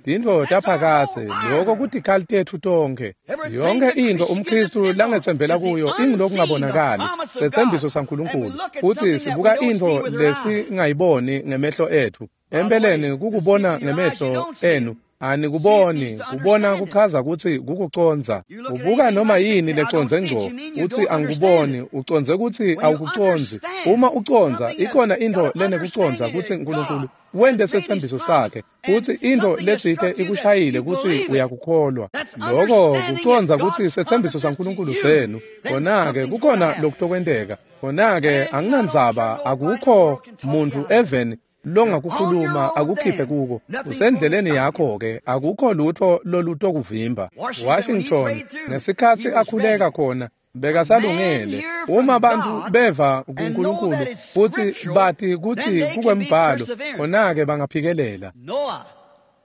tintfo taphakadze, loko kutikhali tetfu tonkhe. Yonke intfo umKristu langetsembela kuyo ingulokungabonakali, setsembiso saNkulunkulu. Futsi sibuka intfo lesingayiboni ngemehlo etfu. Empeleni kukubona ngemehlo enu anikuboni, kubona kuchaza kutsi kukucondza. Ubuka noma yini lecondze ngco, utsi angikuboni, ucondze kutsi awukucondzi. Uma ucondza, ikhona intfo lenekucondza kutsi uNkulunkulu wente setsembiso sakhe, kutsi intfo letsite ikushayile kutsi uyakukholwa. Loko kucondza kutsi setsembiso saNkulunkulu senu. Khona-ke kukhona lokutokwenteka. Khona-ke anginandzaba, akukho muntfu eveni longakukhuluma akukhiphe kuko. Usendleleni yakho-ke, akukho lutho lolutokuvimba. Washington, ngesikhatsi akhuleka khona, bekasalungele. Uma bantfu beva kuNkulunkulu futsi bati kutsi kukwembhalo, khona-ke bangaphikelela.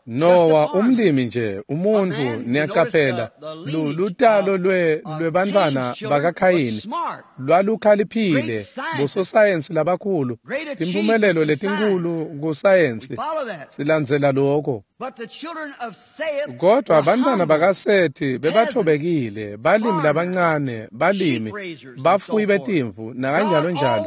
Noah, umlimi nje, umuntfu, niyacaphela, lutalo lwe lwebantfwana bakaKhayini lwalukhaliphile, bososayensi labakhulu, timphumelelo letinkulu kusayensi, silandzela loko. Kodwa bantfwana bakaSethi bebathobekile, balimi labancane, balimi, bafuyi betimvu, nakanjalo njalo.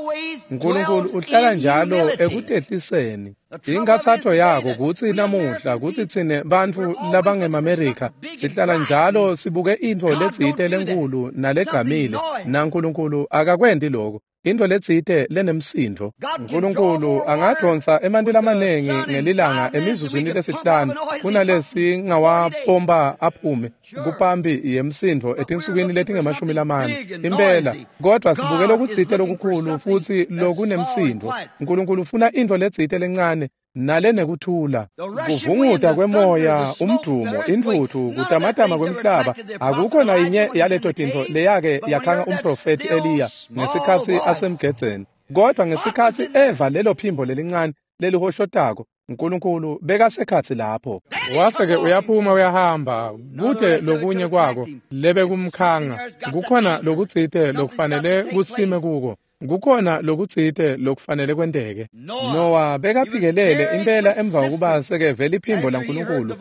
Nkulunkulu uhlala njalo ekutehliseni. Inkathatho yako kutsi namuhla kutsi tsine bantfu labangemaMerika sihlala njalo sibuke intfo letsite lenkulu nalegcamile, naNkulunkulu akakwenti loko. Intfo letsite lenemsindvo. Nkulunkulu angadvonsa emanti lamanengi ngelilanga emizuzwini lesihlanu kunalesingawapompa aphume kupampi yemsindvo etinsukwini letingemashumi lamane. Impela, kodwa sibuke lokutsite lokukhulu futsi lokunemsindvo. Nkulunkulu ufuna intfo letsite lencane nalenekuthula. Kuvunguta kwemoya, umdumo, intfutfu, kutamatama kwemhlaba, akukho nayinye yaleto tintfo leyake yakhanga umprofethi Eliya ngesikhatsi asemgedzeni. Kodwa ngesikhatsi eva lelo phimbo lelincane lelihoshotako, uNkulunkulu bekasekhatsi lapho. Wase-ke uyaphuma uyahamba, kute lokunye kwako lebekumkhanga. Kukhona lokutsite lokufanele kusime kuko. Kukhona lokutsite lokufanele kwenteke. Noah bekaphikelele impela emva kokuba sekeve liphimbo laNkulunkulu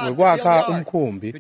wekwakha umkhumbi.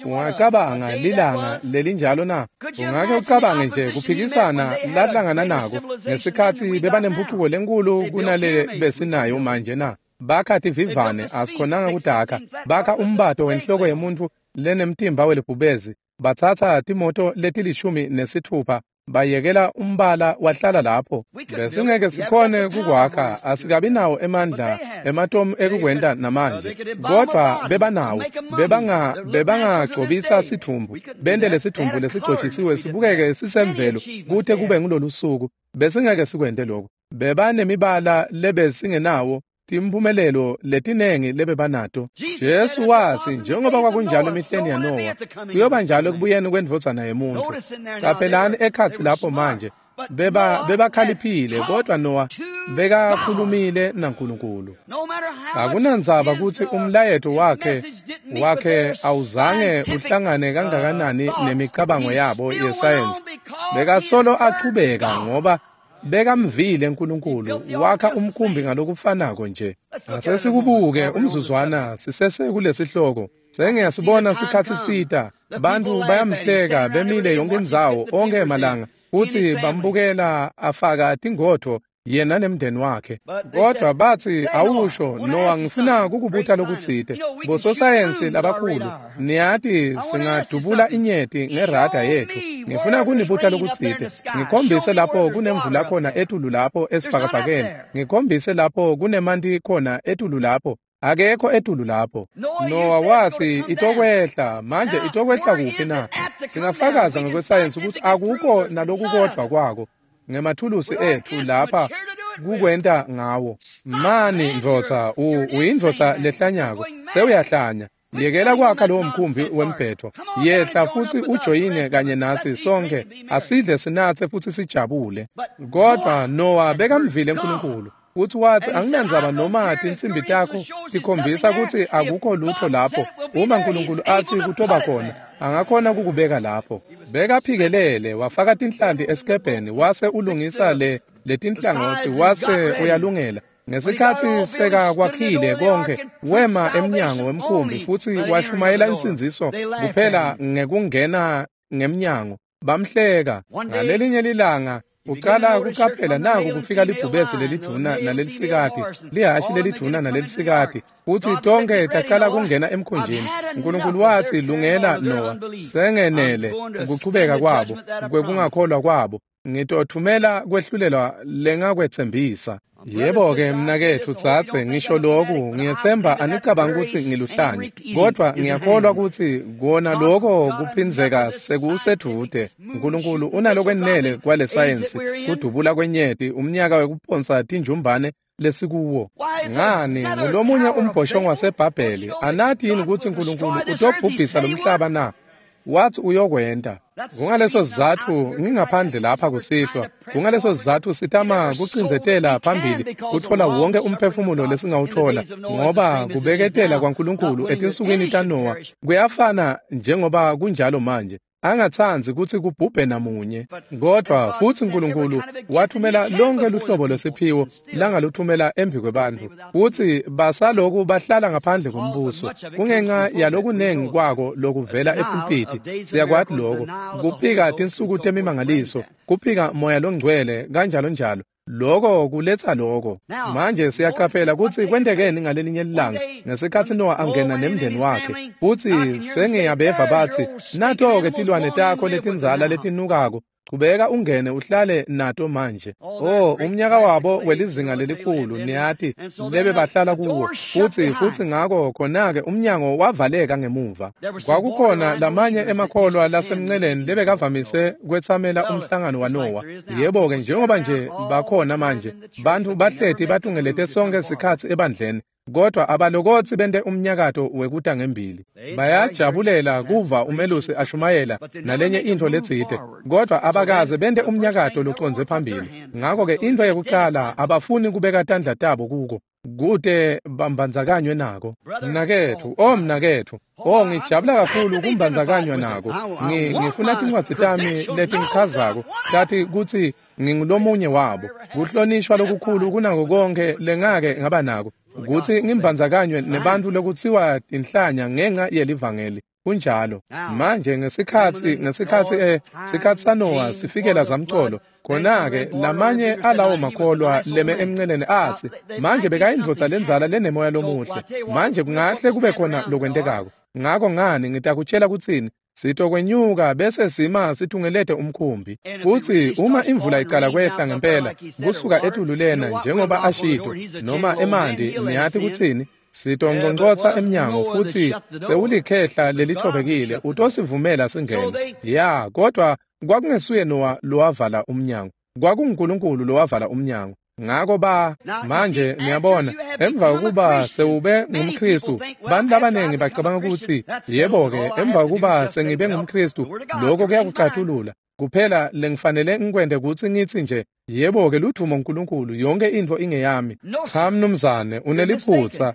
Ungacabanga lilanga lelinjalo na? Ungake ucabange nje kuphikisana lahlangana nako ngesikhatsi bebanempucuko lenkulu kunale besinayo manje na? Bakha tivivane, asikhonanga kudakha. Bakha umbato wenhloko yemuntfu lenemtimba welibhubezi. Batsatsa timoto letilishumi nesitfupha, bayekela umbala wahlala lapho. Besingeke sikhone kukwakha, asikabi nawo emandla ematomu ekukwenta namanje. Kodwa bebanawo, bebanga bebangagcobisa sithumbu, bente lesithumbu lesigcotshisiwe sibukeke sisemvelo kute kube ngulolu suku. Besingeke sikwente lokho. Bebanemibala lebesingenawo, timphumelelo letinengi lebebanato. Jesu watsi, njengoba kwakunjalo emihleni yaNowa, kuyoba njalo ekubuyeni kwendvodzana yemuntfu. Caphelani ekhatsi lapho manje, beba bebakhaliphile, kodwa Noah bekakhulumile naNkulunkulu. Akunandzaba kutsi umlayeto wakhe wakhe awuzange uhlangane kangakanani nemicabango yabo yesayensi, bekasolo achubeka ngoba bekamvile uNkulunkulu, wakha umkhumbi ngalokufanako nje. Ase sikubuke umzuzwana sisese kulesihloko. Sengiyasibona sikhatsi sita, bantfu bayamhleka bemile yonke indzawo onkhe emalanga, futsi bambukela afaka tingodvo yena nemndeni wakhe. Kodwa bathi, awusho Noah, ngifuna kukubuta lokutsite. Bososayensi labakhulu, niyati singadubula inyeti ngerada yethu. Ngifuna kunibuta lokutsite. Ngikhombise lapho kunemvula khona etulu lapho esibhakabhakeni. Ngikhombise lapho kunemanti khona etulu lapho. Akekho etulu lapho. Noah wathi itokwehla. Manje itokwehla kuphi na? Singafakaza ngokwesayensi ukuthi akukho nalokukodwa kwako ngemathulusi ethu lapha kukwenta ngawo. Mani ndvodza, uyindvodza lehlanyako, sewuyahlanya. Yekela kwakha lowo mkhumbi wemphetho. Yehla futhi ujoyine kanye natsi sonke, asidle sinatse futhi sijabule. Kodwa Noah bekamvile uNkulunkulu. Uthi wathi, anginandzaba noma tinsimbi takho tikhombisa kutsi akukho lutho lapho. Uma uNkulunkulu athi kutoba khona, angakhona kukubeka lapho. Bekaphikelele, wafaka tinhlanti esikebheni, wase ulungisa le letinhlangothi, wase uyalungela. Ngesikhatsi sekakwakhile konke, wema emnyango wemkhumbi futhi washumayela insindziso kuphela ngekungena ngemnyango. Bamhleka. Ngalelinye lilanga uqala kuqaphela naku kufika libhubesi lelidvuna nalelisikati, lihashi lelidvuna nalelisikati, futhi tonke taqala kungena emkhunjini. uNkulunkulu wathi, lungela Noah, sengenele ukuchubeka kwabo kwekungakholwa kwabo, ngitothumela kwehlulelwa lengakwetsembisa. Yebo-ke mnaketfu tsatse, ngisho loku, ngiyetsemba anicabanga kutsi ngiluhlanya, kodwa ngiyakholwa kutsi kona loko kuphindzeka sekusedvute. uNkulunkulu unalokwenele kwale sayensi, kudubula kwenyeti, umnyaka wekuphonsa tinjumbane lesikuwo. Ngani, ngulomunye umbhoshongo waseBhabheli. Anati yini kutsi uNkulunkulu utobhubhisa lomhlaba na? Wathi uyokwenta. Kungaleso sizatfu ngingaphandle lapha kusihlwa. Kungaleso sizatfu sitama kucindzetela phambili kutfola wonke umphefumulo lesingawutfola, ngoba kubeketela kwaNkulunkulu etinsukwini taNoah kuyafana njengoba kunjalo manje. Angatsandzi kutsi kubhubhe namunye. Kodwa futsi uNkulunkulu wathumela lonke luhlobo lwesiphiwo langaluthumela embi kwebantfu, futsi basaloku bahlala ngaphandle kombuso kungenxa yalokunengi kwako lokuvela epulpiti. Siyakwati loko, kuphika tinsuku temimangaliso, kuphika moya longcwele, kanjalo njalo. Loko kuletsa loko. Manje siyaqaphela kutsi kwentekeni ngalelinye ilanga ngesikhatsi Noah angena nemndeni wakhe. Futsi sengiyabeva batsi, nato-ke tilwane takho letindzala letinukako, chubeka ungene uhlale nato manje. Oh, umnyaka wabo welizinga lelikhulu, niyati, lebe bahlala kuwo. Futsi futsi ngako khona-ke umnyango wavaleka ngemuva. Kwakukhona lamanye emakholwa lasemnceleni lebekavamise kwetsamela umhlangano waNoah. Yebo-ke, njengoba nje bakhona manje, bantfu bahleti batungelete sonke sikhatsi ebandleni, kodwa abalokotsi bente umnyakato wekuta ngembili. Bayajabulela kuva umelusi ashumayela nalenye intfo letsite, kodwa abakaze bente umnyakato locondze phambili. Ngako-ke intfo yekucala abafuni kubeka tandla tabo kuko, kute bambandzakanywe nako. Mnaketfu, oh mnaketfu, oh ngijabula kakhulu kumbandzakanywa nako. Ngifuna tincwadzi tami letingichazako tati kutsi ngingulomunye wabo. Kuhlonishwa lokukhulu kunako konke lengake ngaba nako, kutsi ngimbandzakanywe nebantfu lokutsiwa tinhlanya ngenxa yelivangeli. Kunjalo. Manje ngesikhatsi ngesikhatsi eh sikhatsi saNoah sifikela zamcolo, khona-ke lamanye alawo makholwa leme emnceleni atsi, manje bekayindvodza lendzala lenemoya lomuhle, manje kungahle kube khona lokwentekako. Ngako ngani ngitakutshela kutsini, sitokwenyuka bese sima situngelete umkhumbi. Futsi uma imvula icala kwehla ngempela kusuka etulu lena njengoba ashito, noma emanti, niyati kutsini, sitonconcotsa emnyango futsi sewulikhehla lelithobekile utosivumela singene. Ya, kodwa kwakungesuye Noah lowavala umnyango, kwakunguNkulunkulu lowavala umnyango. Ngako ba manje niyabona, emva kokuba sewube ngumKristu, bantu labanengi bacabanga ukuthi, yebo-ke, emva kokuba sengibe ngumKristu, lokho kuyakucatulula. Kuphela lengifanele ngikwente kutsi ngitsi nje, yebo-ke, ludvumo uNkulunkulu, yonke intfo ingeyami. Cha mnumzane, uneliphutsa.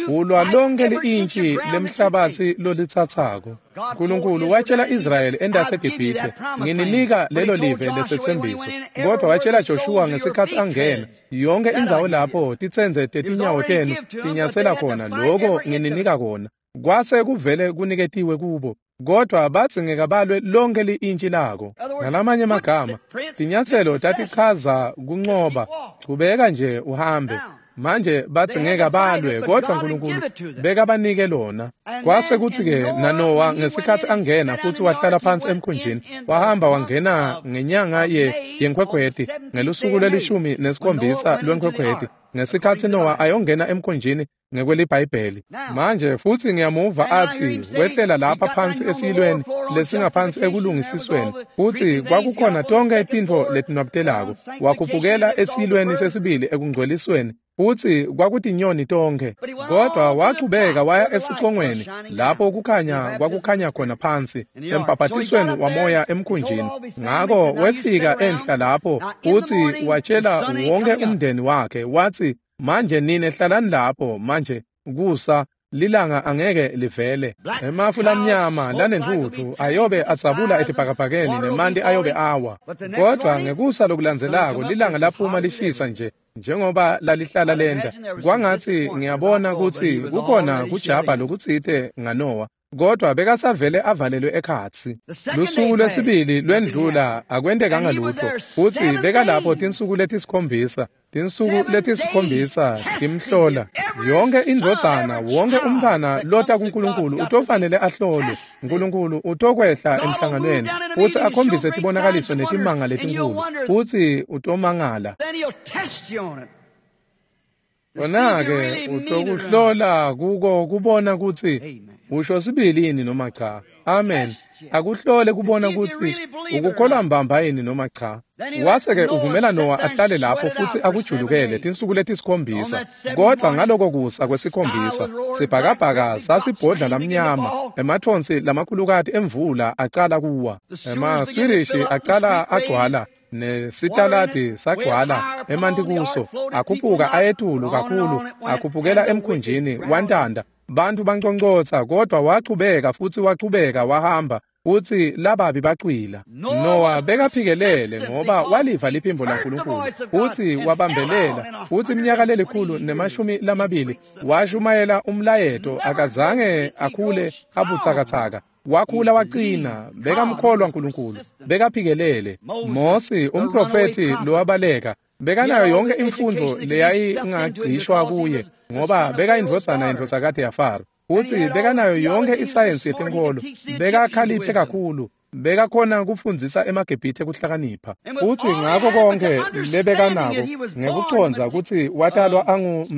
Ulwa lonke li-intshi lemhlabatsi lolitsatsako. uNkulunkulu watshela Israyeli endaseGibhithe, ngininika lelo live lesetsembiso. Kodwa watshela Joshua ngesikhatsi angena, yonke indzawo lapho titsendze tetinyawo tenu tinyatsela khona, loko ngininika kona. Kwase kuvele kuniketiwe kubo, Kodwa badzingeka balwe lonke li-intshi lako. Ngalamanye amagama, tinyatselo tatichaza kuncoba. Chubeka nje uhambe. Manje badzingeka balwe, kodwa Nkulunkulu bekabanike lona. Kwase kutsi-ke naNowa ngesikhatsi angena futsi wahlala phansi emkhunjini, wahamba wangena ngenyanga ye yeNkhwekhweti, ngelusuku lwelishumi nesikhombisa lweNkhwekhweti, ngesikhatsi Nowa ayongena emkhunjini ngekweliBhayibheli. Manje futsi ngiyamuva atsi wehlela lapha phansi esiyilweni lesingaphansi ekulungisisweni, futsi kwakukhona tonkhe tintfo letinwabutelako. Wakhuphukela esiyilweni sesibili ekungcwelisweni, futsi kwakutinyoni tonkhe. Kodwa wachubeka waya esicongweni lapho kukhanya kwakukhanya khona phansi embhabhatisweni wamoya emkhunjini. Ngako wefika enhla lapho futsi watshela wonke umndeni wakhe watsi, manje nine hlalani lapho manje kusa lilanga angeke livele. Emafu lamnyama lanentfutfu ayobe adzabula etibhakabhakeni nemanti ayobe awa. Kodwa ngekusa lokulandzelako lilanga laphuma lishisa nje njengoba lalihlala lenta. Kwangatsi ngiyabona kutsi kukhona kujabha lokutsite ngaNowa, kodwa bekasavele avalelwe ekhatsi. Lusuku lwesibili lwendlula akwentekanga lutfo, futsi bekalapho tinsuku letisikhombisa. Tinsuku letisikhombisa timhlola. Yonke indvodzana, wonke umntfwana lota kuNkulunkulu utofanele ahlolwe. Nkulunkulu utokwehla emhlanganweni futsi akhombise tibonakaliso netimanga letinkulu, futsi utomangala. Kona-ke utokuhlola kuko kubona kutsi usho sibili yini noma cha. Amen. Akuhlole kubona kutsi ukukholwa mbamba yini noma cha. Wase-ke uvumela Nowa ahlale lapho futsi akujulukele tinsuku letisikhombisa. Kodwa ngaloko kusa kwesikhombisa, sibhakabhaka sasibhodla lamnyama, emathonsi lamakhulukati emvula acala kuwa. Emaswirishi acala agcwala, nesitaladi sagcwala emanti kuso, akhuphuka ayetulu kakhulu, akhuphukela emkhunjini wantanda. Bantfu banconcotsa, kodwa wachubeka futsi wachubeka wahamba, futsi lababi bacwila. Nowa bekaphikelele ngoba waliva liphimbo laNkulunkulu futsi wabambelela, futsi iminyaka lelikhulu nemashumi lamabili washumayela umlayeto. Akazange akhule abutsakatsaka, wakhula waqina, bekamkholwa Nkulunkulu, bekaphikelele. Mosi umprofethi lowabaleka bekanayo yonke imfundo leyayingagcishwa kuye ngoba bekayindvodzana yendvodzakati yaFaro, futsi bekanayo yonke isayensi yetinkholo, bekakhaliphe kakhulu, bekakhona kufundzisa emaGibhithe kuhlakanipha. Futsi ngako konke lebekanako ngekucondza kutsi watalwa angu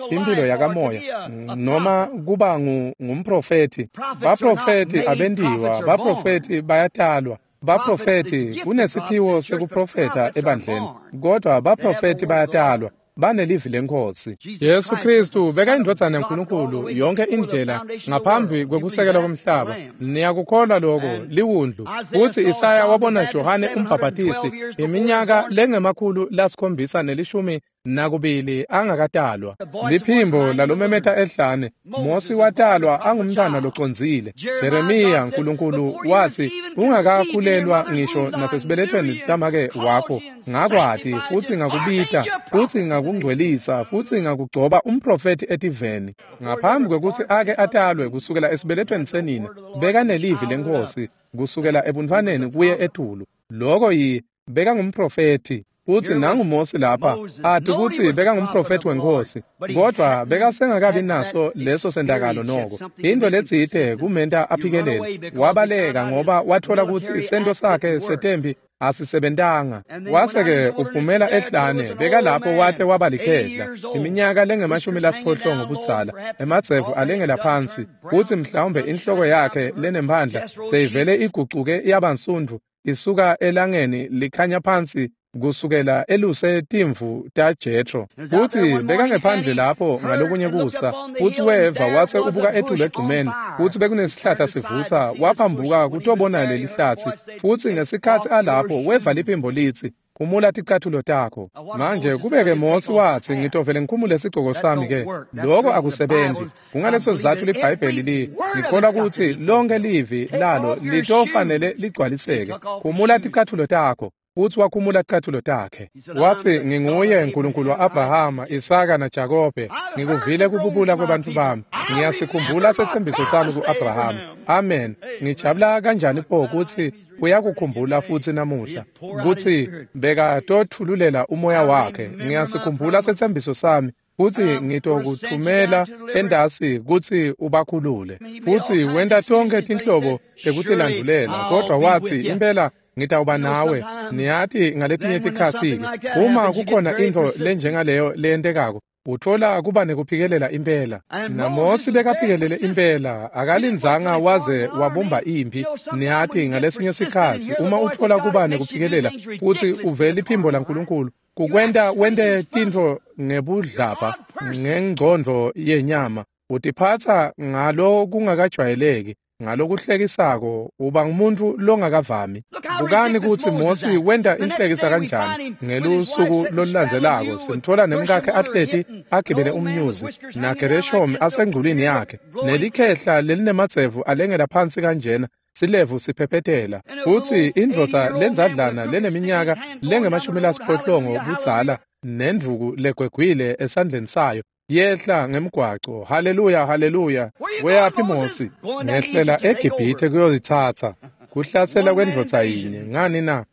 imphilo yakamoya noma kuba ngumprofethi. Baprofethi abentiwa, baprofethi bayatalwa. Baprofethi kunesiphiwo sekuprofetha ebandleni, kodwa baprofethi bayatalwa, banelivi leNkhosi. Jesu Kristu bekayindvodzana yaNkulunkulu yonke indlela ngaphambi kwekusekela komhlaba. Niyakukholwa lokho, liwundlu. Futsi Isaya wabona Johane umbhabhatisi iminyaka lengemakhulu lasikhombisa nelishumi nakubili angakatalwa. Liphimbo lalomemeta ehlane. Mosi watalwa angumntwana locondzile. Jeremiya, Nkulunkulu watsi, ungakakhulelwa ngisho nasesibelethweni tamake wakho, ngakwati futsi ngakubita futsi ngakungcwelisa futsi ngakugcoba umprofethi etiveni. Ngaphambi kwekutsi ake atalwe kusukela esibelethweni senina, bekanelivi leNkhosi kusukela ebuntfwaneni kuye etulu. Loko yi bekangumprofethi. Futsi nangu Mosi lapha ati kutsi bekangumprofethi weNkhosi, kodwa bekasengakabi naso leso sentakalo noko. Intfo letsite kumenta aphikelele. Wabaleka ngoba watfola kutsi isento sakhe setempi asisebentanga. Wase-ke uphumela ehlane, bekalapho wate waba likhehla, iminyaka lengemashumi lasiphohlongo budzala, emadzevu alengela phansi, futsi mhlawumbe inhloko yakhe lenemphandla seyivele igucuke yaba nsundvu isuka elangeni likhanya phansi kusukela eluse timvu taJethro. Futsi bekangephandle lapho ngalokunye kusa, futsi weva wase ubuka etulu egcumeni, futsi bekunesihlahla sivutsa, waphambuka kutobona leli hlatsi. Futsi ngesikhatsi alapho weva liphimbo litsi, khumula ticathulo takho. Manje kubeke Mosi watsi, ngitovele ngikhumule sigcoko sami ke. Lokho akusebenti. Kungaleso sizatfu liBhayibheli li ngikholwa kutsi lonke livi lalo litofanele ligcwaliseke. Khumula ticathulo takho. Futsi wakhumula ticatfulo takhe. Watsi, nginguye Nkulunkulu wa-Abrahama, Isaka naJakobe. Ngikuvile kububula kwebantfu bami. Ngiyasikhumbula setsembiso sami ku-Abrahama. Amen. Ngijabula kanjani pho kutsi uyakukhumbula futsi namuhla kutsi bekatotfululela umoya wakhe. Ngiyasikhumbula setsembiso sami futsi ngitokuthumela entasi kutsi ubakhulule. Futsi wenta tonkhe tinhlobo tekutilandulela, kodvwa watsi impela ngitawuba nawe. Niyati ngaletinye tikhatsi-ke uma kukhona intfo lenjengaleyo leyentekako, utfola kuba nekuphikelela impela. NaMosi bekaphikelele impela, akalindzanga waze wabumba imphi. Niyati ngalesinye sikhatsi uma utfola kuba nekuphikelela futsi uvele iphimbo laNkulunkulu, kukwenta wente tintfo ngebudlabha ngengcondvo yenyama, utiphatsa ngalokungakajwayeleki, ngalokuhlekisako, uba ngumuntu longakavami. Bukani kutsi Mosi wenta inhlekisa kanjani. Ngelusuku lolulandzelako simtfola nemkakhe ahleti agibele umnyuzi, naGereshomi asengculwini yakhe, nelikhehla lelinemadzevu alengela phansi kanjena, silevu siphephethela. Futsi indvodza lendzadlana leneminyaka lengemashumi lasiphohlongo budzala nendvuku legwegwile esandleni sayo yehla ngemgwaco. Haleluya, haleluya. Weyaphi Mosi? Ngehlela eGibhithe kuyolitsatsa. Kuhlasela kwendvodza yinye. Ngani na?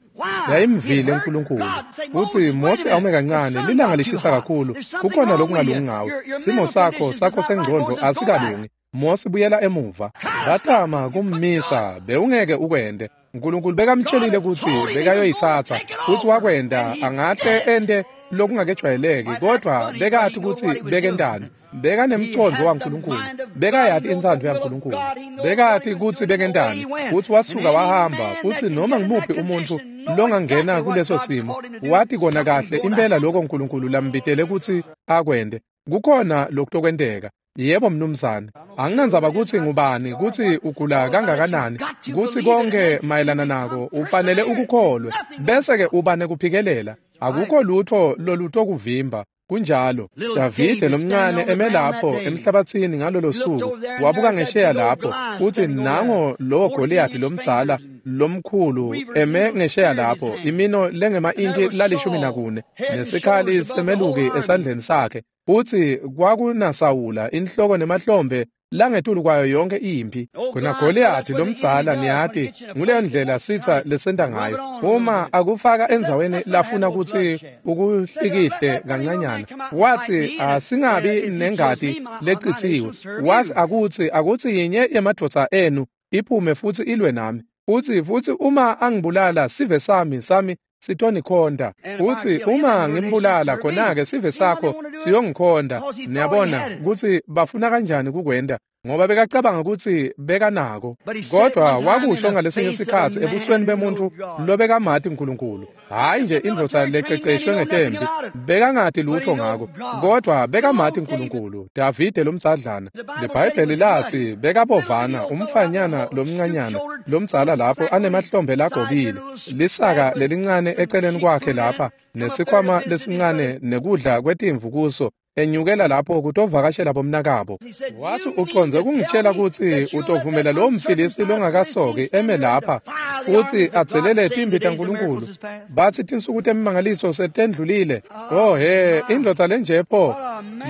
Yayimvile uNkulunkulu. Futsi Mosi awume kancane, lilanga lishisa kakhulu. Kukhona lokungalungi ngawe. Simo sakho sakho sengcondvo asikalungi. Mosi buyela emuva. Batama kummisa, bewungeke ukwente. Nkulunkulu bekamtshelile kutsi bekayoyitsatsa, futsi wakwenta. Angahle ente lokungakejwayeleki, kodvwa bekati kutsi bekentani. Bekanemcondvo waNkulunkulu, bekayati intsandvo yaNkulunkulu, bekati kutsi bekentani, futsi wasuka wahamba. Futsi noma ngimuphi umuntfu longangena kuleso simo wati kona kahle impela lokho Nkulunkulu lambitele kutsi akwente. Kukhona lokutokwenteka. Yebo mnumzane, anginandzaba kutsi ngubani, kutsi ugula kangakanani, kutsi konke mayelana nako, ufanele ukukholwe, bese-ke uba nekuphikelela. Akukho lutho lolutokuvimba. Kunjalo. Davide lomncane eme lapho emhlabatsini ngalolo suku, wabuka ngesheya lapho, futsi nango lowo Goliyathi lomdzala lomkhulu eme ngesheya lapho, imino lengema-intshi lalishumi nakune, nesikhali semeluki esandleni sakhe. Futsi kwakunaSawula inhloko nemahlombe langetulu kwayo yonke imphi. Khona Goliyathi lomdzala, niyati, nguleyo ndlela sitsa lesenta ngayo. Uma akufaka endzaweni lafuna kutsi ukuhlikihle kancanyana, watsi asingabi nengati lecitsiwe. Watsi akutsi akutsi yinye yemadvodza enu iphume futsi ilwe nami. Futsi futsi uma angibulala sive sami sami sitonikhonda. Futsi uma ngimbulala khona-ke sive sakho siyongikhonda. Niyabona kutsi bafuna kanjani kukwenta, ngoba bekacabanga kutsi bekanako. Kodwa wakusho ngalesinye sikhatsi ebusweni bemuntfu lobekamati Nkulunkulu. Hhayi nje indvodza lececeshwe ngetempi, bekangati lutho ngako, kodwa bekamati Nkulunkulu. Davide lomdzadlana, liBhayibheli latsi bekabovana, umfanyana lomncanyana lomdzala lapho anemahlombe lagobile, lisaka lelincane eceleni kwakhe lapha, nesikhwama lesincane nekudla kwetimvu kuso, enyukela lapho kutovakashela bomnakabo. Watsi ucondze kungitshela kutsi utovumela lowo mFilisti longakasoki eme lapha futsi atselele timbi taNkulunkulu. Batsi tinsuku temimangaliso setendlulile. Oh he, indvodza lenje pho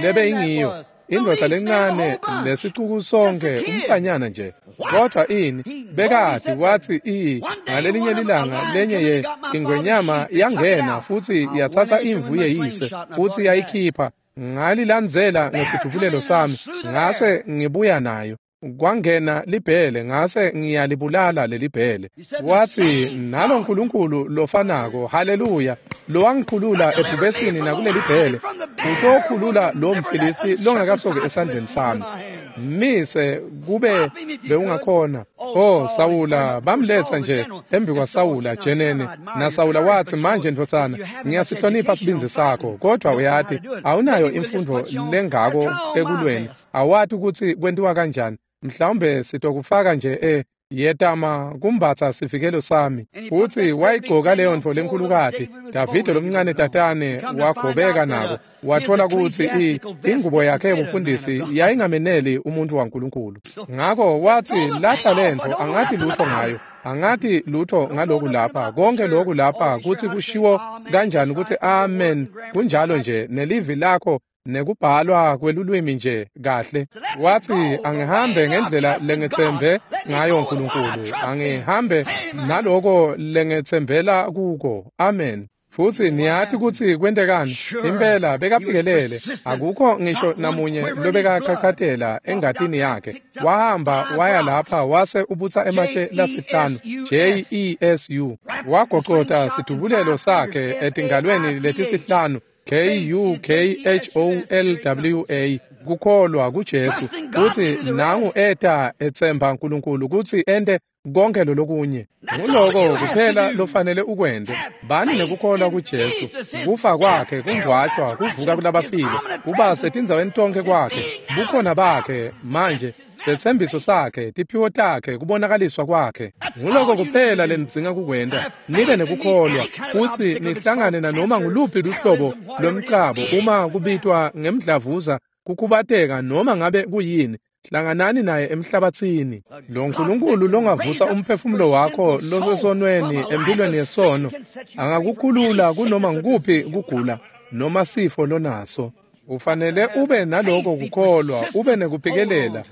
lebe ingiyo. Indvodza lencane lesicuku sonke, umfanyana nje. Kodwa ini bekati watsi i ngalelinye lilanga lenye ye ingwenyama yangena futsi yatsatsa imvu yeyise futsi yayikhipha. Ngalilandzela ngesidubulelo sami, ngase ngibuya nayo. Kwangena libhele, ngase ngiyalibulala lelibhele. Watsi nalo Nkulunkulu lofanako, haleluya, lowangikhulula ebhubesini nakuleli bhele, utokhulula lo mFilisti longakasoki esandleni sami. Mise kube bewungakhona. Oh Sawula, bamletsa nje embi kwaSawula jenene. NaSawula watsi, manje ndvodzana, ngiyasihlonipha sibindzi sakho, kodwa uyati awunayo imfundvo lengako ekulweni, awati kutsi kwentiwa kanjani. Mhlawumbe sitokufaka nje e Yetama kumbatsa sivikelo sami. Futsi wayigcoka leyo ntfo lenkhulukati. Davide lomncane tatane wagobeka nako. Wathola kutsi ingubo yakhe yobufundisi yayingameneli umuntu waNkulunkulu. Ngako watsi lahla lentfo, angathi lutho ngayo. Angathi lutho ngaloku lapha, konke loku lapha kutsi kushiwo kanjani kutsi amen, kunjalo nje nelivi lakho nekubhalwa kwelulwimi nje kahle. Wathi angihambe ngendlela lengethembe ngayo uNkulunkulu, angihambe naloko lengethembela kuko. Amen. Futsi niyathi kutsi kwentekani? Impela bekaphikelele, akukho ngisho namunye lobekachachatela engatini yakhe. Wahamba waya lapha wase ubutsa ematshe lasihlanu, J E S U. Wagocota sidubulelo sakhe etingalweni letisihlanu, K U K H O L W A, kukholwa kuJesu. Kutsi nangu eta etsemba uNkulunkulu kutsi ente konke lolokunye. Nguloko kuphela lofanele ukwente. Bani nekukholwa kuJesu, kufa kwakhe, kungcwatshwa, kuvuka kulabafile, kuba setindzaweni tonke kwakhe, bukhona bakhe manje, setsembiso sakhe, tiphiwo takhe, kubonakaliswa kwakhe. Nguloko kuphela lenidzinga kukwenta. Nibe nekukholwa kutsi nihlangane nanoma nguluphi luhlobo lwemcabo, uma kubitwa ngemdlavuza, kukhubateka noma ngabe kuyini. Hlanganani naye emhlabathini. Lo Nkulunkulu longavusa umphefumulo wakho losesonweni empilweni yesono angakukhulula kunoma ngukuphi kugula noma sifo lonaso. Ufanele ube naloko kukholwa, ube nekuphikelela.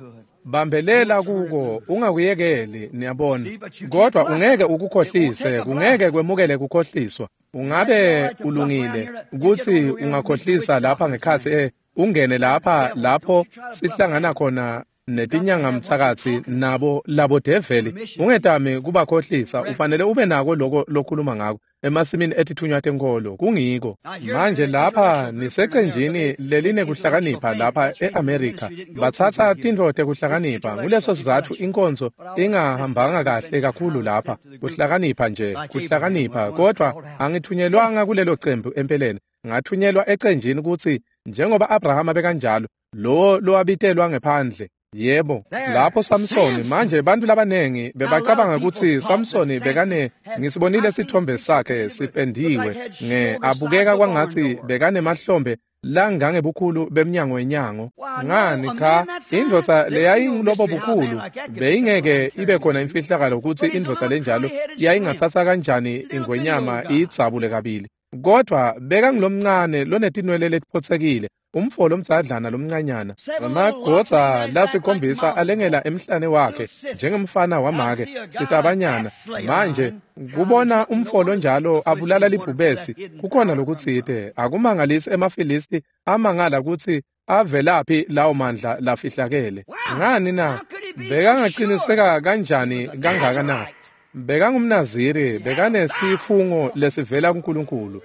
Bambelela kuko, ungakuyekeli, niyabona. Kodwa ungeke ukukhohlise, kungeke kwemukele kukhohliswa. Ungabe ulungile kutsi ungakhohlisa lapha ngekhatsi eh ungene lapha lapho sihlangana khona netinyanga mthakathi nabo labo develi. Ungetami kubakhohlisa, ufanele ube nako loko lokhuluma ngako emasimini etithunywa tenkolo. Kungiko manje lapha nisecenjini lelinekuhlakanipha lapha eAmerica. Batsatsa tintfo tekuhlakanipha. Nguleso sizatfu inkonzo ingahambanga kahle kakhulu lapha. Kuhlakanipha nje, kuhlakanipha. Kodwa angithunyelwanga kulelo cembu empeleni. Ngathunyelwa ecenjini kutsi njengoba Abrahama bekanjalo, lowo lowabitelwa ngephandle. Yebo, lapho Samsoni. Manje bantu labanengi bebacabanga kutsi Samsoni bekane, ngisibonile sithombe sakhe sipendiwe nge abukeka kwangatsi bekanemahlombe langangebukhulu bemnyango wenyango. Ngani cha, indvodza leyayingulobo bukhulu beyingeke ibe khona imfihlakalo kutsi indvodza lenjalo yayingatsatsa kanjani ingwenyama iyidzabule kabili. Kodwa bekangulomncane lonetinwele letiphotsekile, umfo lomdzadlana lomncanyana, emagodza lasikhombisa alengela emhlane wakhe njengemfana wamake sitabanyana. Manje kubona umfo lonjalo abulala libhubesi kukhona lokutsite. Akumangalisi emaFilisti amangala kutsi avelaphi lawo mandla lafihlakele. Ngani na? Bekangaqiniseka kanjani kangaka na? Bekangumnaziri, bekanesifungo lesivela kuNkulunkulu.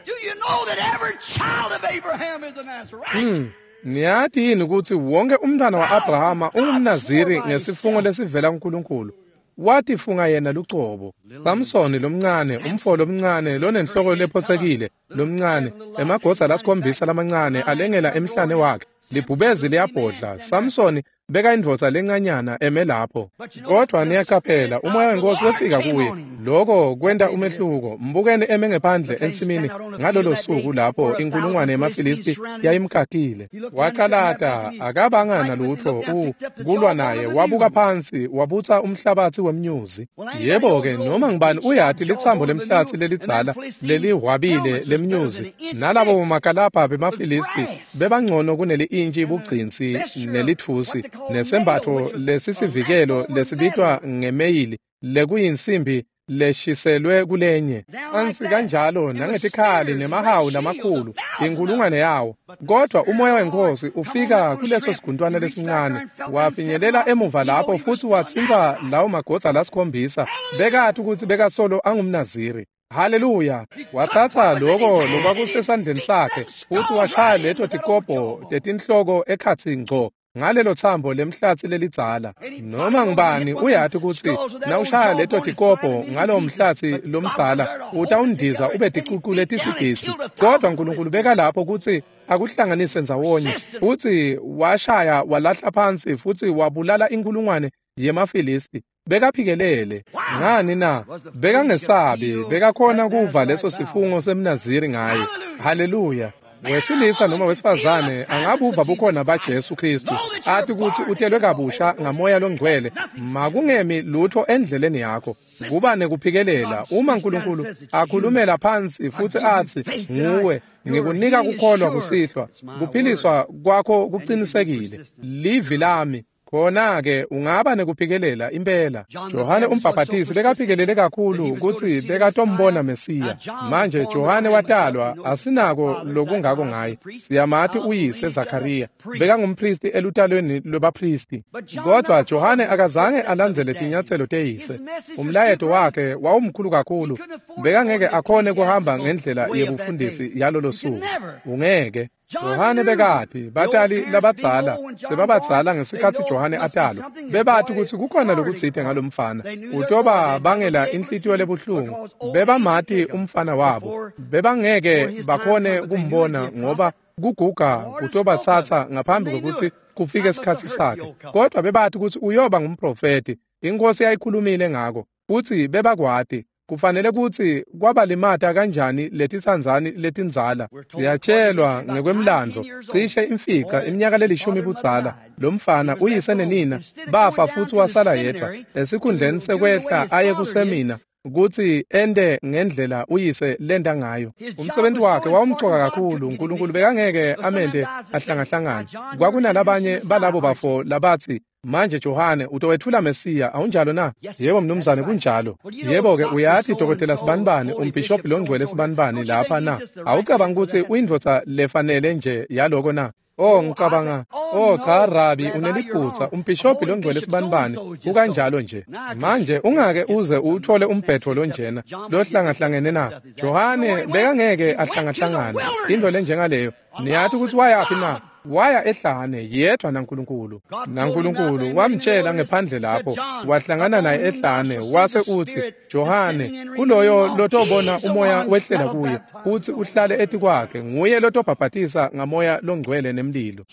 Do you know that every child of Abraham is a Nazarite? Mm. Niyathi yini kutsi wonke umntwana wa-Abrahama ungumnaziri ngesifungo lesivela kuNkulunkulu? Watifunga yena lucobo. Samsoni lomncane, umfo lomncane lonenhloko lephotsekile lomncane, emagodza lasikhombisa lamancane alengela emhlane wakhe. Libhubezi liyabhodla. Samsoni beka indvodza lencanyana eme lapho. Kodwa niyaqaphela, umoya wenkosi wefika kuye. Loko kwenta umehluko. Mbukeni eme ngephandle ensimini ngalolo suku lapho inkulungwane yemaFilisti yayimkakile. Wacalata, akabanga nalutho u kulwa naye. Wabuka phansi, wabutsa umhlabatsi wemnyuzi. Yebo-ke, noma ngibani uyati litsambo lemhlatsi lelidzala lelihwabile lemnyuzi, nalabo makalabha bemaFilisti bebangcono kuneli-intshi bugcinsi nelitfusi nesembatfo lesisivikelo lesibitwa ngemeyili lekuyinsimbi leshiselwe kulenye ansi kanjalo nangetikhali nemahawu lamakhulu inkulungwane yawo. Kodwa umoya wenkosi ufika kuleso siguntwana lesincane, wafinyelela emuva lapho futsi watsintsa lawo magodza lasikhombisa. Bekati kutsi bekasolo angumnaziri. Haleluya! Watsatsa loko lokwakusesandleni sakhe futsi washaya leto tikobho tetinhloko ekhatsi ngco ngalelo tsambo lemhlatsi lelidzala. Noma ngubani uyati kutsi nawushaya leto tikobho ngalowo mhlatsi lomdzala utawundiza ube ticucu letisigidzi. Kodwa Nkulunkulu beka lapho kutsi akuhlanganise ndzawonye, futsi washaya walahla phansi futsi wabulala inkulungwane yemaFilisti. Bekaphikelele. Ngani na? Bekangesabi, bekakhona kuva leso sifungo semNaziri ngaye. Haleluya. Wesilisa noma wesifazane angabuva bukhona baJesu Kristu athi ukuthi utelwe kabusha ngamoya longcwele, makungemi lutho endleleni yakho. Kuba nekuphikelela. Uma uNkulunkulu akhulumela phansi futhi athi nguwe, ngikunika kukholwa kusihlwa, kuphiliswa kwakho kuqinisekile, livi lami, khona-ke ungaba nekuphikelela impela. Johane umbhaphatisi bekaphikelele kakhulu kutsi bekatombona Mesiya. Manje Johane watalwa, asinako lokungako ngaye. Siyamati uyise Zakariya, bekangumphristi elutalweni lwebaphristi. Kodwa Johane akazange alandzele tinyatselo teyise. Umlayeto wakhe wawumkhulu kakhulu, bekangeke akhone kuhamba ngendlela yebufundisi yalolo suku. Ungeke. Johane bekati batali labadzala sebabadzala ngesikhatsi Johane atalwa, bebati kutsi kukhona lokutsite ngalomfana utoba bangela inhlitiyo lebuhlungu. Bebamati umfana wabo, bebangeke bakhone kumbona ngoba kuguga kutobatsatsa ngaphambi kwekutsi kufike isikhatsi sakhe. Kodwa bebati kutsi uyoba ngumprofeti, inkosi yayikhulumile ngako, futsi bebakwati. Kufanele kutsi kwabalimata kanjani letitsandzani letindzala. Siyatshelwa ngekwemlando, cishe imfica iminyaka lelishumi budzala, lomfana uyise nenina bafa futsi wasala yedvwa. Esikhundleni sekwehla aye kusemina kutsi ente ngendlela uyise lenta ngayo. Umsebenzi wakhe wawumcoka kakhulu, uNkulunkulu bekangeke amente ahlangahlangane. Kwakunalabanye balabo bafo labatsi, manje Johane utowetfula Mesiya, awunjalo na? Yebo mnumzane, kunjalo. Yebo-ke uyati dokotela sibanibani, umbhishobhi longcwele sibanibani lapha na? Awucabangi kutsi uyindvodza lefanele nje yaloko na? Oh, ngicabanga, oh cha Rabi, uneliphutsa, umbhishobhi longcwele sibanibani kukanjalo nje. Manje ungake uze uwuthole umbhetho lonjena lohlangahlangene na? Johane bekangeke ahlangahlangane into lenjengaleyo. Niyati kutsi wayaphi na? Waya ehlane yedvwa naNkulunkulu. NaNkulunkulu wamtshela ngephandle lapho, wahlangana naye ehlane, wase utsi, Johane, kuloyo lotobona umoya wehlela kuye futsi uhlale etikwakhe, nguye lotobhabhatisa ngamoya longcwele nemlilo.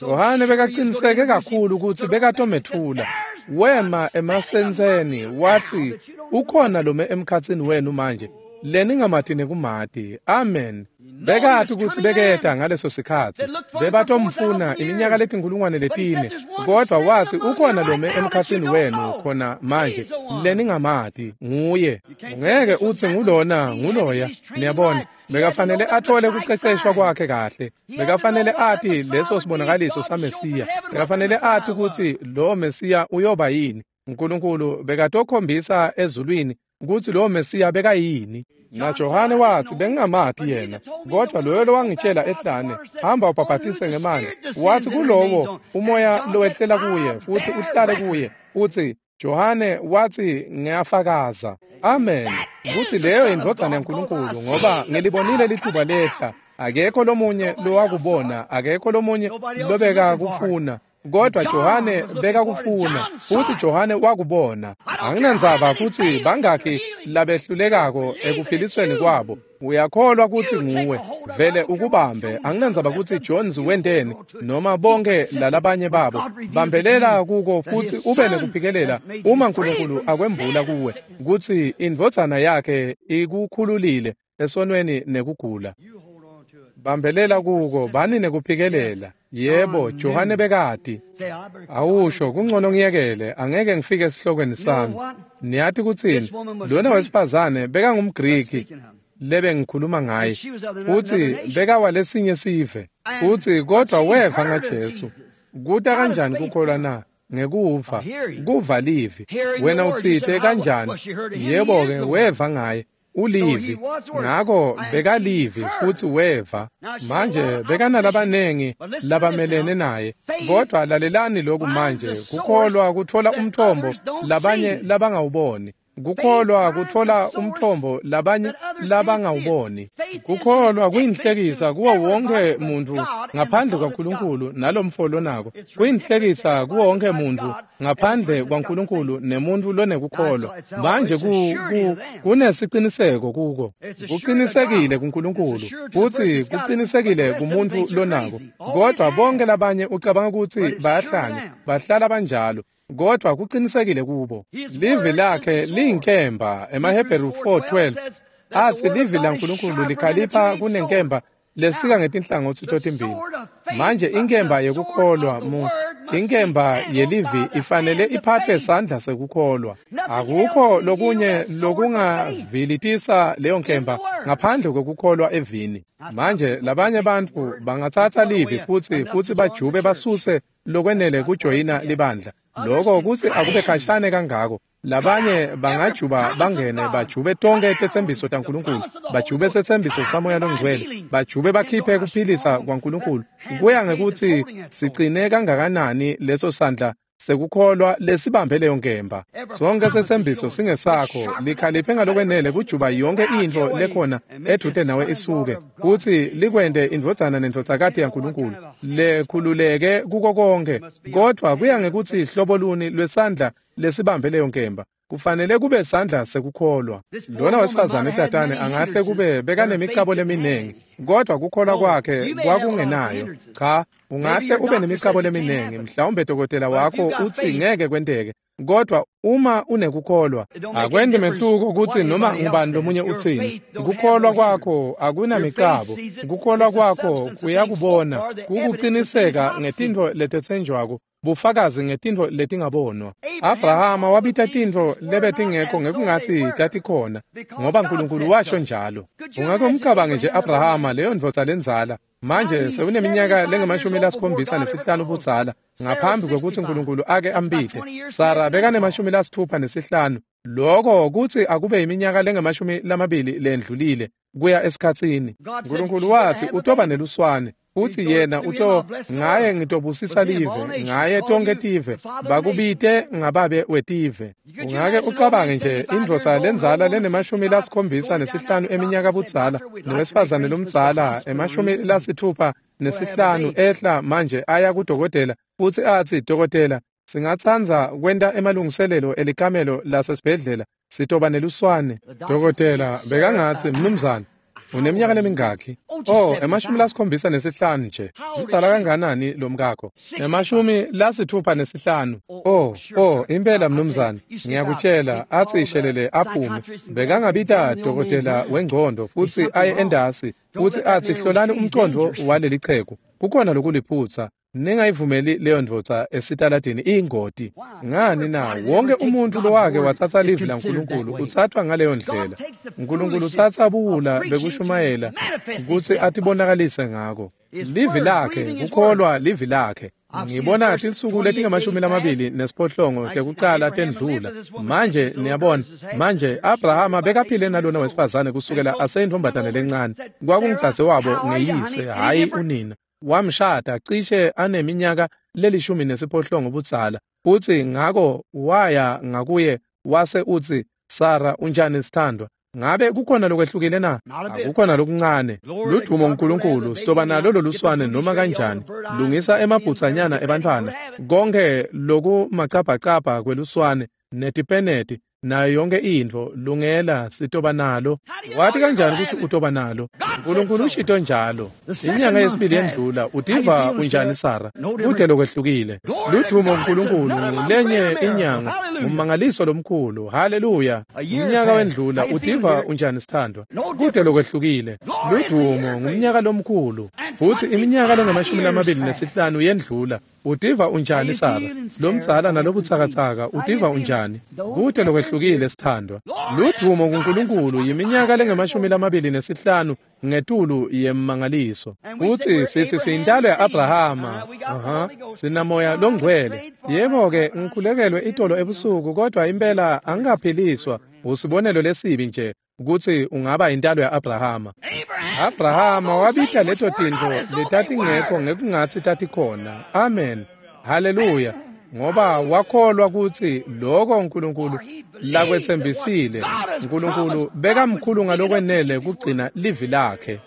Johane bekaqiniseke kakhulu kutsi bekatometfula. Wema emasentseni watsi, ukhona lome emkhatsini wenu manje leningamati nekumati. Amen. Bekati kutsi beketa ngaleso sikhatsi, bebatomfuna iminyaka letinkulungwane letine, kodwa watsi ukhona lome emkhatsini wenu khona manje leningamati, nguye. Ungeke utsi ngulona nguloya. Niyabona, bekafanele athole kuceceshwa kwakhe kahle, bekafanele ati leso sibonakaliso saMesiya, bekafanele ati kutsi lo Mesiya uyoba yini. uNkulunkulu bekatokhombisa ezulwini kutsi lo Mesiya bekayini. Na Johane watsi, bengingamati yena, kodwa loyo lowangitshela ehlane, hamba ubhabhatise ngemanti, watsi kulowo umoya lowehlela kuye futsi uhlale kuye, utsi Johane watsi ngiyafakaza. Amen. Kutsi leyo indvodzana yaNkulunkulu, ngoba ngilibonile lituba lehla, akekho lomunye lowakubona, akekho lomunye lobeka kufuna, kodwa Johane bekakufuna, futsi Johane wakubona. Anginandzaba kutsi bangakhi labehlulekako ekuphilisweni kwabo, uyakholwa kutsi nguwe, vele ukubambe. Anginandzaba kutsi Jones wenteni noma bonke lalabanye babo, bambelela kuko futsi ube nekuphikelela uma uNkulunkulu akwembula kuwe kutsi indvodzana yakhe ikukhululile esonweni nekugula. Bambelela kuko, bani nekuphikelela. Yebo, Johane bekati. Awusho, kungcono ngiyekele, angeke ngifike esihlokweni sami. Niyati kutsini? Lona wesifazane bekangumGriki lebe ngikhuluma ngaye, futsi bekawalesinye sive, futsi kodwa weva ngaJesu. Kuta kanjani kukholwa na? Ngekuva, kuva livi. Wena utsite kanjani? Yebo-ke, weva ngaye. Ulivi, ngako bekalivi futsi weva. Manje bekanalabanengi labamelene naye, kodwa lalelani lokhu manje. Kukholwa kutfola umthombo labanye labangawuboni. Kukholwa kutfola umthombo labanye labangawuboni. Kukholwa kuyinhlekisa kuwo wonke muntfu ngaphandle kwaNkulunkulu nalomfo lonako. Kuyinhlekisa kuwo wonke muntfu ngaphandle kwaNkulunkulu nemuntfu lonekukholwa. Manje ku, ku, kunesiciniseko kuko. Kuqinisekile kuNkulunkulu futsi kuqinisekile kumuntfu lonako. Kodwa bonke labanye ucabanga kutsi bayahlanya, bahlala banjalo. kodwa kucinisekile kubo. Livi lakhe liyinkemba. EmaHebheru four twelve athi livi laNkulunkulu likhalipha kunenkemba lesika ngetinhlangotsi totimbili. Manje inkemba yekukholwa mu inkemba yelivi ifanele iphathwe sandla sekukholwa. Akukho lokunye lokungavilitisa leyo nkemba ngaphandle kwekukholwa evini. Manje labanye bantfu bangatsatsa livi futsi futsi bajube basuse lokwenele kujoyina libandla. Lokho kutsi akube khashane kangako. Labanye bangajuba bangene bajube tonke tetsembiso taNkulunkulu, bajube setsembiso saMoya Longcwele, bajube bakhiphe kuphilisa kwaNkulunkulu. Kuya ngekutsi sigcine kangakanani leso sandla sekukholwa lesibambe leyo nkemba. Sonke setsembiso singesakho, likhaliphe ngalokwenele kujuba yonke intfo lekhona edvute nawe isuke, kutsi likwente indvodzana nendvodzakati yaNkulunkulu lekhululeke kuko konke. Kodwa kuya ngekutsi hlobo luni lwesandla lesibambe leyo nkemba. Kufanele kube sandla sekukholwa. Lona wesifazane tatane angahle kube bekanemicabo leminengi, kodwa kukholwa kwakhe kwakungenayo. Cha, ungahle ube nemicabo leminengi, mhlawumbe dokotela wakho utsi ngeke kwenteke, kodwa uma unekukholwa akwendi mehluko kutsi noma ngubani lomunye utsini. Kukholwa kwakho akunamicabo, kukholwa kwakho kuyakubona, kukuqiniseka ngetintfo letetsenjwako, bufakazi ngetintfo letingabonwa. Abrahama wabita tintfo lebetingekho ngekungatsi tatikhona, ngoba Nkulunkulu washo njalo. Ungake umcabange nje Abrahama, leyo ndvodza lendzala, manje sewuneminyaka lengemashumi lasikhombisa nesihlanu budzala ngaphambi kwekutsi Nkulunkulu ake ambite. Sara bekanemashumi lasitfupha nesihlanu, lokho kutsi akube iminyaka lengemashumi lamabili lendlulile kuya esikhatsini. Nkulunkulu watsi utoba neluswane, uthi yena uto ngaye ngitobusisa live, ngaye tonke tive, bakubite ngababe wetive. Ungake ucabange nje indvodza lendzala lenemashumi lasikhombisa nesihlanu eminyaka budzala, nowesifazane lomdzala emashumi lasithupha nesihlanu ehla manje aya kudokotela futsi atsi, dokotela, singatsandza kwenta emalungiselelo elikamelo lasesibhedlela, sitoba neluswane. Dokotela bekangatsi, mnumzane, uneminyaka lemingakhi? Oh, emashumi lasikhombisa nesihlanu nje. Mdzala kanganani lomkakho? Emashumi lasithupha nesihlanu. Oh, oh, impela mnumzane, ngiyakutshela, atsi ishelele aphume. Bekangabita dokotela wengcondo futsi aye endasi, futsi atsi hlolani umcondvo waleli chegu. Kukhona lokuliphutsa. Ningayivumeli leyo ndvodza esitaladini iyingoti. Ngani na? Wonke umuntu lowake watsatsa livi laNkulunkulu utsathwa ngaleyo ndlela. Nkulunkulu utsatsa buwula bekushumayela kutsi atibonakalise ngako. Livi lakhe, kukholwa livi lakhe. Ngibona tinsuku letingamashumi lamabili nesiphohlongo tekucala tendlula. Manje niyabona, manje Abrahama bekaphile nalona wesifazane kusukela aseyintombatane lencane. Kwakungdzadze wabo ngeyise, hhayi unina. Wamshada cishe aneminyaka lelishumi nesiphohlongo budzala, futsi ngako waya ngakuye wase utsi, Sara, unjani sithandwa? Ngabe kukhona lokwehlukile na? Akukhona lokuncane. Ludumo uNkulunkulu, sitoba nalo loluswane noma kanjani. Lungisa emabhutsanyana ebantfwana, konke lokumacabhacabha kweluswane netipeneti nayo yonke intfo, lungela, sitoba nalo. Wati kanjani kutsi utoba nalo? Nkulunkulu ushito njalo. Inyanga yesibili yendlula, utiva unjani Sara? Kude lokwehlukile. Ludumo uNkulunkulu, lenye inyanga, ummangaliso lomkhulu. Haleluya. Umnyaka wendlula, utiva unjani sithandwa? Kude lokwehlukile. Ludumo ngumnyaka lomkhulu. Futsi iminyaka lengamashumi lamabili nesihlanu yendlula. Utiva unjani Sara? Lomdzala nalobutsakatsaka, utiva unjani? Kude lokwehlukile sithandwa. Ludumo kuNkulunkulu, yiminyaka lengamashumi lamabili nesihlanu ngetulu yemmangaliso. Futsi sithi siyintalo ya-Abrahama. Aha, sinamoya longcwele. Yebo-ke, ngikhulekelwe itolo ebusuku, kodwa impela angikaphiliswa. Usibonelo lesibi nje kutsi ungaba intalo ya-Abrahama. Abrahama wabita leto tintfo letatingekho ngekungatsi tatikhona. Amen. Haleluya. Ngoba wakholwa kutsi lokho uNkulunkulu lakwetsembisile, uNkulunkulu bekamkhulu ngalokwenele kugcina livi lakhe.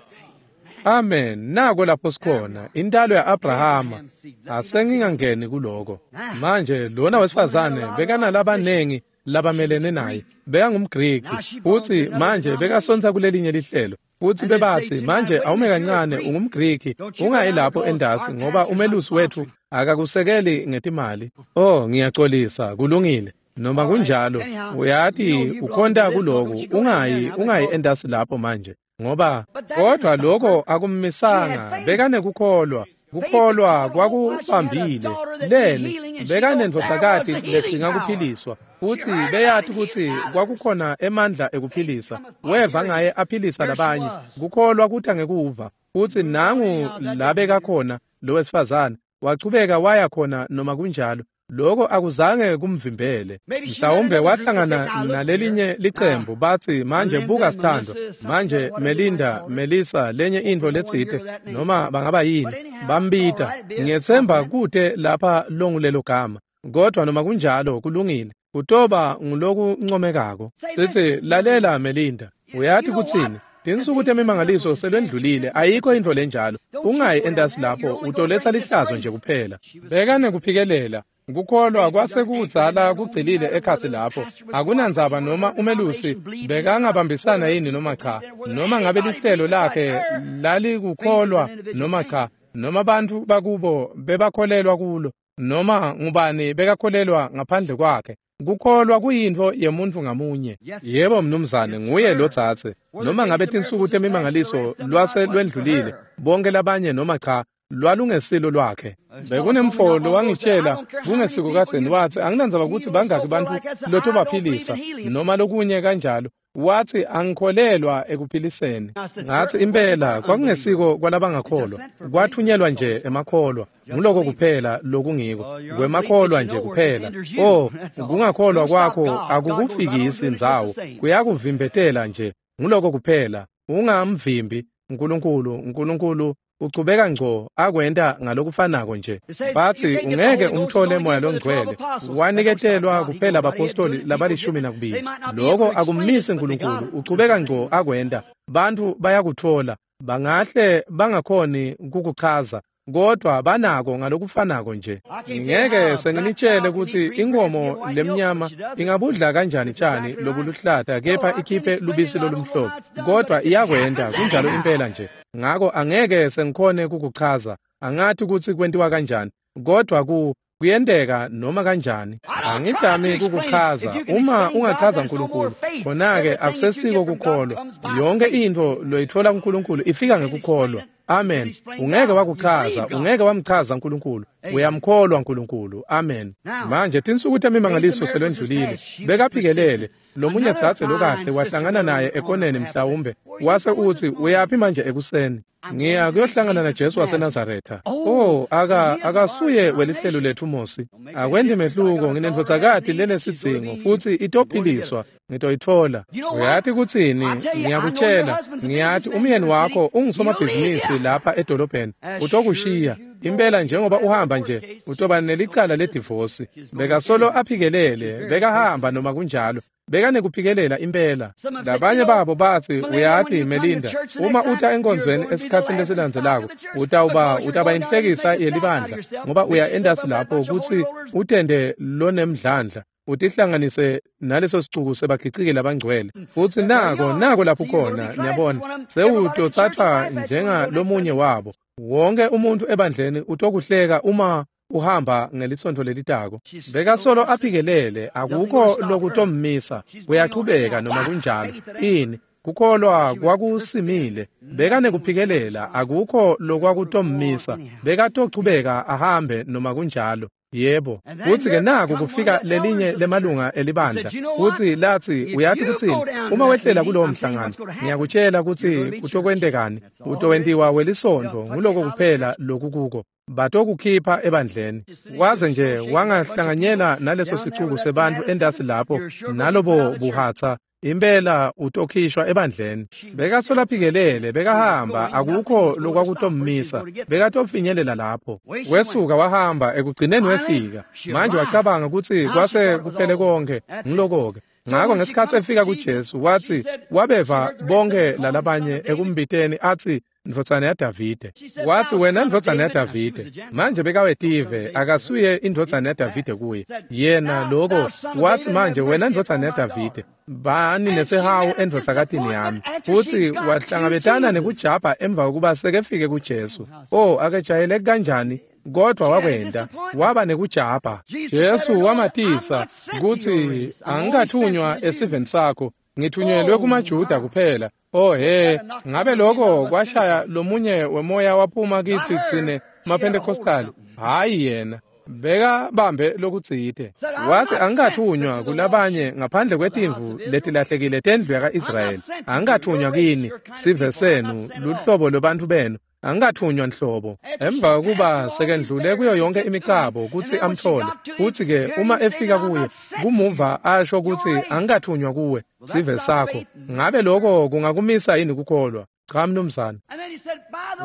Amen. Nako lapho sikhona, intalo ya-Abrahama. Asengingangeni kuloko. Manje lona wesifazane bekanalabanengi labamelene naye. BekangumGriki, futsi manje bekasontsa kulelinye lihlelo. Futsi bebatsi, manje awume kancane, ungumGriki, ungayi lapho endasi ngoba umelusi wethu akakusekeli ngetimali. Oh, ngiyaxolisa, kulungile. Noma kunjalo, uyati ukhonta kuloku, ungayi ungayi endasi lapho manje ngoba kodwa lokho akummisanga, bekanekukholwa. Kukholwa kwakubambile. Leni bekanendvodzakati ledzinga kuphiliswa, futsi beyati kutsi kwakukhona emandla ekuphilisa. Weva ngaye aphilisa labanye. Kukholwa kuta ngekuva, futsi nangu labekakhona lowesifazane wachubeka waya khona noma kunjalo. Lokho akuzange kumvimbele. Mhlawumbe wahlangana nalelinye licembu batsi, manje buka sithandwa, manje Melinda, Melissa, lenye intfo letsite, noma bangaba yini, bambita. Ngiyetsemba kute lapha longulelo gama, kodwa noma kunjalo kulungile, kutoba ngulokuncomekako. Sithi, lalela Melinda, uyati kutsini? Tinsuku temimangaliso selwendlulile, ayikho intfo lenjalo. Ungayi endasi lapho, utoletsa lihlazo nje kuphela. Bekanekuphikelela. Kukholwa kwase kudzala kugcilile ekhatsi lapho. Akunandzaba noma umelusi bekangabambisana yini noma cha, noma ngabe lihlelo lakhe lalikukholwa noma cha, noma bantfu bakubo bebakholelwa kulo, noma ngubani bekakholelwa ngaphandle kwakhe. Kukholwa kuyintfo yemuntfu ngamunye. Yebo mnumzane, nguye lotsatse. Noma ngabe tinsuku temimangaliso lwase lwendlulile, bonke labanye noma cha, lwalungesilo lwakhe. Bekunemfo lowangitshela kungesiko kadzeni, watsi anginandzaba kutsi bangaki bantfu lotobaphilisa noma lokunye kanjalo. Watsi angikholelwa ekuphiliseni. Ngatsi impela kwakungesiko kwalabangakholwa, kwathunyelwa nje emakholwa. Nguloko kuphela lokungiko, kwemakholwa nje kuphela. Oh, kungakholwa kwakho akukufikisi ndzawo, kuyakuvimbetela nje. Nguloko kuphela. Ungamvimbi uNkulunkulu. uNkulunkulu uchubeka ngco akwenta ngalokufanako nje. Batsi ungeke umthole moya longcwele, waniketelwa kuphela abapostoli labalishumi nakubili. Lokho akummisi uNkulunkulu, uchubeka ngco akwenta. Bantfu bayakutfola, bangahle bangakhoni kukuchaza, kodwa banako ngalokufanako nje. Ngingeke senginitshele kutsi inkomo lemnyama ingabudla kanjani tshani lobuluhlata kepha ikhiphe lubisi lolumhlophe, kodwa iyakwenta kunjalo impela nje. Ngako angeke sengikhone kukuchaza, angati kutsi kwentiwa kanjani, kodwa ku kuyenteka noma kanjani. Angidami kukuchaza. Uma ungachaza uNkulunkulu, khona-ke akusesiko kukholwa. Yonke intfo loyitfola kuNkulunkulu ifika ngekukholwa. Amen. Ungeke wakuchaza, ungeke wamchaza uNkulunkulu. Uyamkholwa uNkulunkulu. Amen. Manje tinsuku temimangaliso selwendlulile. Bekaphikelele. Lomunye dzadze lokahle wahlangana naye ekoneni mhlawumbe, wase utsi, uyaphi manje ekuseni? Ngiya kuyohlangana naJesu waseNazaretha. Oh, aka akasuye welihlelo lethu Mosi. Akwendi mehluko, nginendvodzakati lenesidzingo futsi itophiliswa, ngitoyitfola. Uyati kutsini? Ngiyakutshela, ngiyati umyeni wakho ungusomabhizinisi lapha edolobheni, utokushiya. Impela njengoba uhamba nje, utoba nelicala ledivosi. Bekasolo aphikelele, bekahamba noma kunjalo. Bekanekuphikelela impela. Labanye babo batsi, uyati Melinda, uma uta enkonzweni esikhatsini lesilandzelako, utawuba utaba inhlekisa yelibandla, ngoba uya endasi lapho kutsi utende lonemdlandla, utihlanganise naleso sicuku sebagiciki labangcwele. Futsi nako nako lapho khona, niyabona, sewutotsathwa njengalomunye wabo. Wonke umuntu ebandleni utokuhleka uma uhamba ngelisontfo lelitako. Bekasolo aphikelele, akukho lokutommisa, kuyachubeka noma kunjalo. Ini kukholwa kwakusimile, bekanekuphikelela, akukho lokwakutommisa, bekatochubeka ahambe noma kunjalo. Yebo. Futsi-ke naku kufika lelinye lemalunga elibandla, futsi latsi, uyati kutsini? Uma wehlela kulowo mhlangano, ngiyakutshela kutsi kutokwentekani. Utowentiwa welisontfo, nguloko kuphela lokukuko. Batokukhipha ebandleni. Waze nje wangahlanganyela naleso sicuku sebantfu endasi lapho, nalobo buhatsa, impela utokhishwa ebandleni. Bekasola aphikelele, bekahamba, akukho lokwakutommisa, bekatofinyelela lapho. Wesuka wahamba, ekugcineni wefika. Manje wacabanga kutsi kwase kuphele konke, ngiloko-ke. Ngako ngesikhatsi efika kuJesu wathi wabeva bonke lalabanye ekumbiteni athi ndvodzana yaDavide. Wathi wena ndvodzana yaDavide. Manje bekawetive akasuye indvodzana yaDavide kuye. Yena lokho wathi manje wena ndvodzana yaDavide bani nesihawu endvodzakatini yami. Futhi wahlangabetana nekujabha emva kokuba sekefike kuJesu. Oh akejayeleki kanjani kodwa wakwenda waba nekujabha. Jesu wamatisa kutsi angikathunywa esiveni sakho ngithunyelwe kumaJuda kuphela. Oh he ngabe lokho kwashaya lomunye wemoya waphuma kithi tsine maPentecostal. Hayi yena beka bambe lokutsite. Wathi angikathunywa kulabanye ngaphandle kwetimvu letilahlekile tendlu yaka-Israyeli. Angikathunywa kini sive senu luhlobo lwabantu benu. Angikathunywa nhlobo. Emva kokuba sekendlule kuyo yonke imicabo kutsi amthole. Futhi ke uma efika kuye kumuva asho kutsi angikathunywa kuwe sive sakho. Ngabe lokho kungakumisa yini kukholwa? Cha mnumzane.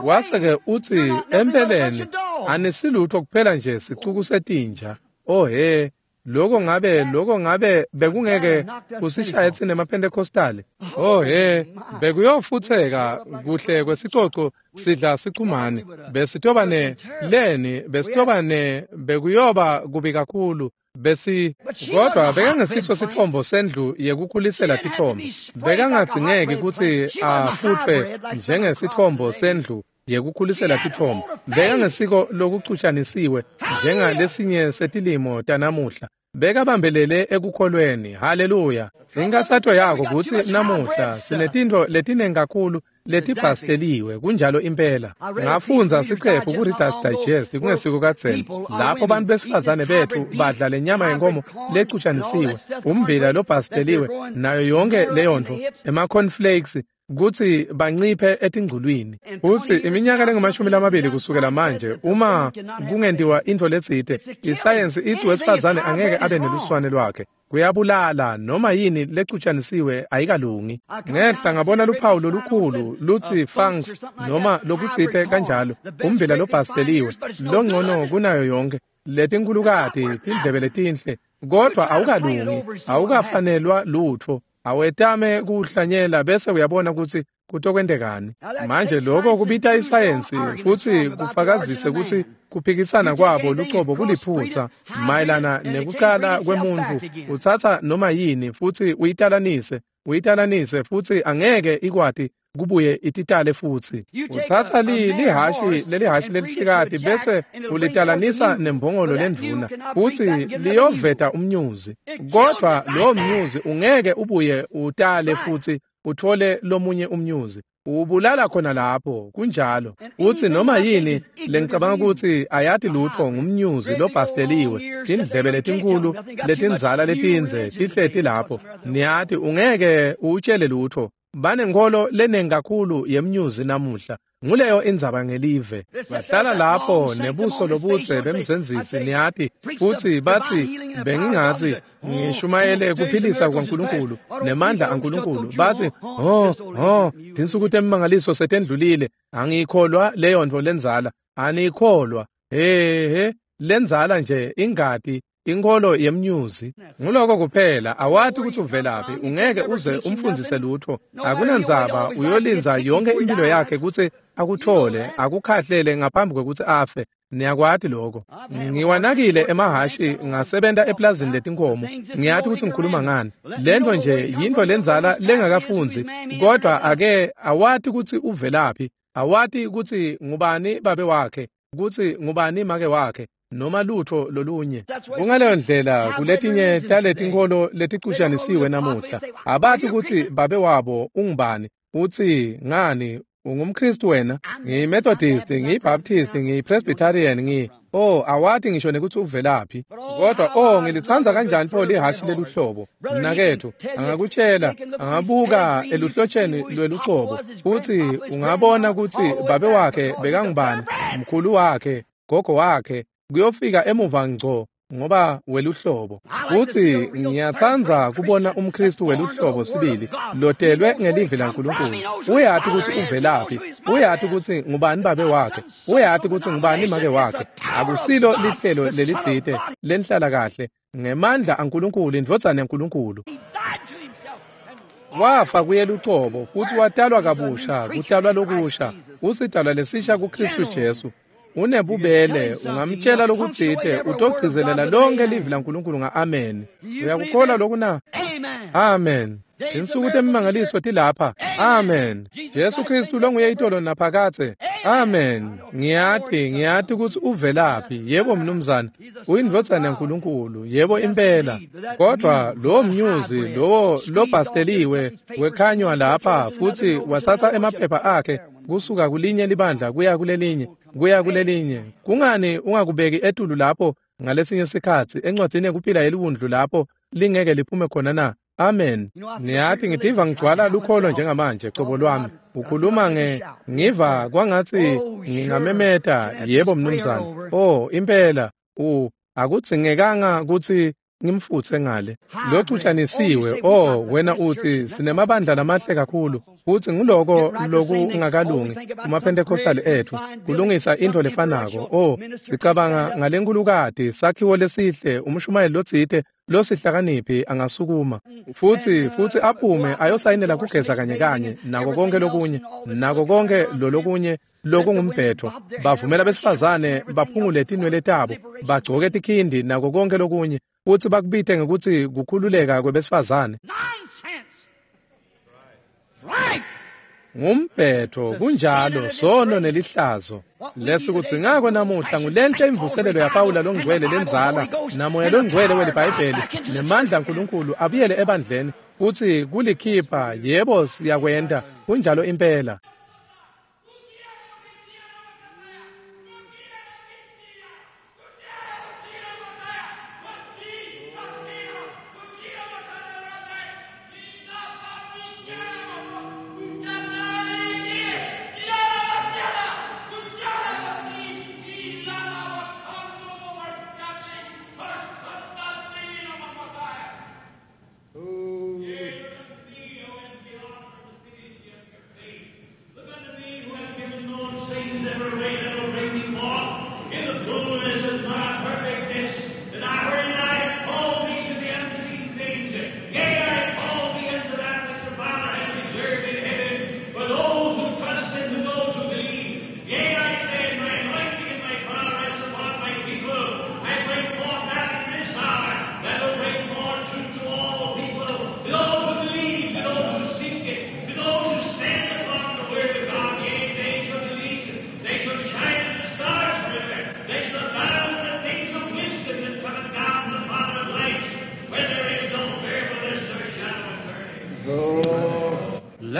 Wase ke uthi empeleni anisilutho kuphela nje sicuku setinja. Oh he lokho ngabe lokho ngabe bekungeke kusishaye tsine emaPentecostal. Oh he bekuyofutheka kuhle kwesicoco sidla sichumane besitoba ne leni besitoba ne bekuyoba kubi kakhulu besi. Kodwa bekangesiso sithombo sendlu yekukhulisela tithombo. Bekangadzingeki kutsi afutfwe njengesithombo sendlu yekukhulisela tithombo. Bekangesiko lokucutshanisiwe njengalesinye setilimo tanamuhla. Bekabambelele ekukholweni. Haleluya. Inkathato yako kutsi namuhla sinetintfo letinengi kakhulu letibhasteliwe. Kunjalo impela. Ngafundza siqephu ku-Reader's Digest kungesiko kadzeni lapho bantu besifazane bethu badla lenyama yenkomo lecutshanisiwe, ummbila lobhasteliwe nayo yonke leyo nto, ema-cornflakes kutsi banciphe etingculwini. Futsi iminyaka lengamashumi lamabili kusukela manje uma kungentiwa intfo letsite, isayensi itsi wesifazane angeke abe neluswane lwakhe. Kuyabulala noma yini lecutshanisiwe ayikalungi. Ngehla ngabona luphawu lolukhulu lutsi funks noma lokutsite kanjalo, ummbila lobhasteliwe longcono kunayo yonke, letinkhulukati tindlebe letinhle, kodwa awukalungi, awukafanelwa lutfo. Awetame kuhlanyela bese uyabona ukuthi kutokwentekani. Manje lokho kubita isayensi futhi kufakazise ukuthi kuphikisana kwabo lucobo kuliphutha mayelana nekucala kwemuntu. Utsatsa noma yini futhi uyitalanise uyitalanise futhi angeke ikwati kubuye ititale futhi. Utsatsa li lihashi lelihashi lelisikati bese ulitalanisa nembongolo lendvuna futhi liyoveta umnyuzi, kodwa lo mnyuzi ungeke ubuye utale futhi uthole lomunye umnyuzi. Ubulala khona lapho. Kunjalo. Uthi noma yini lengicabanga ukuthi ayati lutho ngumnyuzi lobhasteliwe, tindlebe letinkulu letinzala letinze tihleti lapho. Niyati ungeke utshele lutho. Banenkholo lenengi kakhulu yemnyuzi namuhla. Nguleyo indzaba ngelive. Bahlala lapho nebuso lobudze bemzenzisi niyati futhi bathi bengingathi ngishumayele kuphilisa kwaNkulunkulu nemandla aNkulunkulu. Bathi oh oh tinsuku temimangaliso setendlulile, angiyikholwa leyo nto lenzala. Anikholwa. He he lenzala nje ingati inkholo yemnyuzi. Nguloko kuphela. Awati ukuthi uvelaphi, ungeke uze umfundzise lutho. Akunandzaba uyolinza yonke impilo yakhe kutsi akuthole akukhahlele ngaphambi kwekutsi afe. Niyakwati lokho. Ngiwanakile emahashi ngasebenta eplazini letinkomo. Ngiyati ukuthi ngikhuluma ngani. Lento nje yinto lenzala lengakafundzi, kodwa ake awati ukuthi uvelaphi, awati ukuthi ngubani babe wakhe, ukuthi ngubani make wakhe, noma lutho lolunye. Kungaleyo ndlela kuletinye taletinkholo leticutshanisiwe namuhla. Abati ukuthi babe wabo ungubani. Uthi ngani ungumKristu wena? NgiyiMethodist, ngiyiBaptist, ngiyiPresbyterian, ngi oh awati ngisho nekuthi uvelaphi. Kodwa oh ngilitsandza kanjani pho lihashi leluhlobo. Mnakethu angakutshela, angabuka eluhlotsheni lwelucobo futhi ungabona ukuthi babe wakhe bekangubani, mkhulu wakhe, gogo wakhe, kuyofika emuva ngco ngoba weluhlobo. Futhi ngiyatsandza kubona umKristu weluhlobo sibili lotelwe ngelivi laNkulunkulu. Uyati ukuthi uvelaphi, uyati ukuthi ngubani babe wakhe, uyati ukuthi ngubani make wakhe. Akusilo lihlelo lelitsite lenhlala kahle ngemandla aNkulunkulu, indvodzana yaNkulunkulu. Wafa kuye lucobo futsi watalwa kabusha, kutalwa lokusha, usidalwa lesisha kuKristu Jesu. Unebubele, ungamtshela lokutsite, utogcizelela lonke livi laNkulunkulu nga-amen. Uyakukholwa loku na? Amen. Tinsuku temimangaliso tilapha. Amen. Jesu Kristu longuye itolo naphakadze. Amen. Ngiyati, ngiyati kutsi uvelaphi. Yebo mnumzane, uyindvodzana yaNkulunkulu. Yebo impela. Kodwa lowo mnyuzi, lowo lobhasteliwe wekhanywa lapha futsi watsatsa emaphepha akhe kusuka kulinye libandla kuya kulelinye, kuya kulelinye. Kungani ungakubeki etulu lapho ngalesinye sikhatsi encwadzini yekuphila yeliwundlu lapho lingeke liphume khona na? Amen. Niyati ngitiva ngigcwala lukholo njengamanje cobo lwami. Ukhuluma nge ngiva kwangatsi ngingamemeta. Yebo mnumzane. Oh impela u akudzingekanga kutsi ngimfutse ngale. Locutshanisiwe. Oh wena uthi sinemabandla lamahle kakhulu futsi nguloko lokungakalungi kumaPentecostal ethu kulungisa intfo lefanako. Oh sicabanga ngalenkulukati sakhiwo lesihle umshumayeli lotsite losihlakaniphi angasukuma futsi futsi aphume ayosayinela kugeza kanye kanye nako konke lokunye nako konke lolokunye lokungumbhetho. Bavumela besifazane baphungule tinwele tabo bagcoke tikhindi nako konke lokunye futsi bakubite ngekutsi kukhululeka kwebesifazane. Ngumbhetho kunjalo sono nelihlazo. Lesikudzingako namuhla ngulenhle imvuselelo yaPawula longcwele lendzala namoya longcwele weliBhayibheli nemandla aNkulunkulu abuyele ebandleni futsi kulikhipha. Yebo siyakwenta kunjalo impela.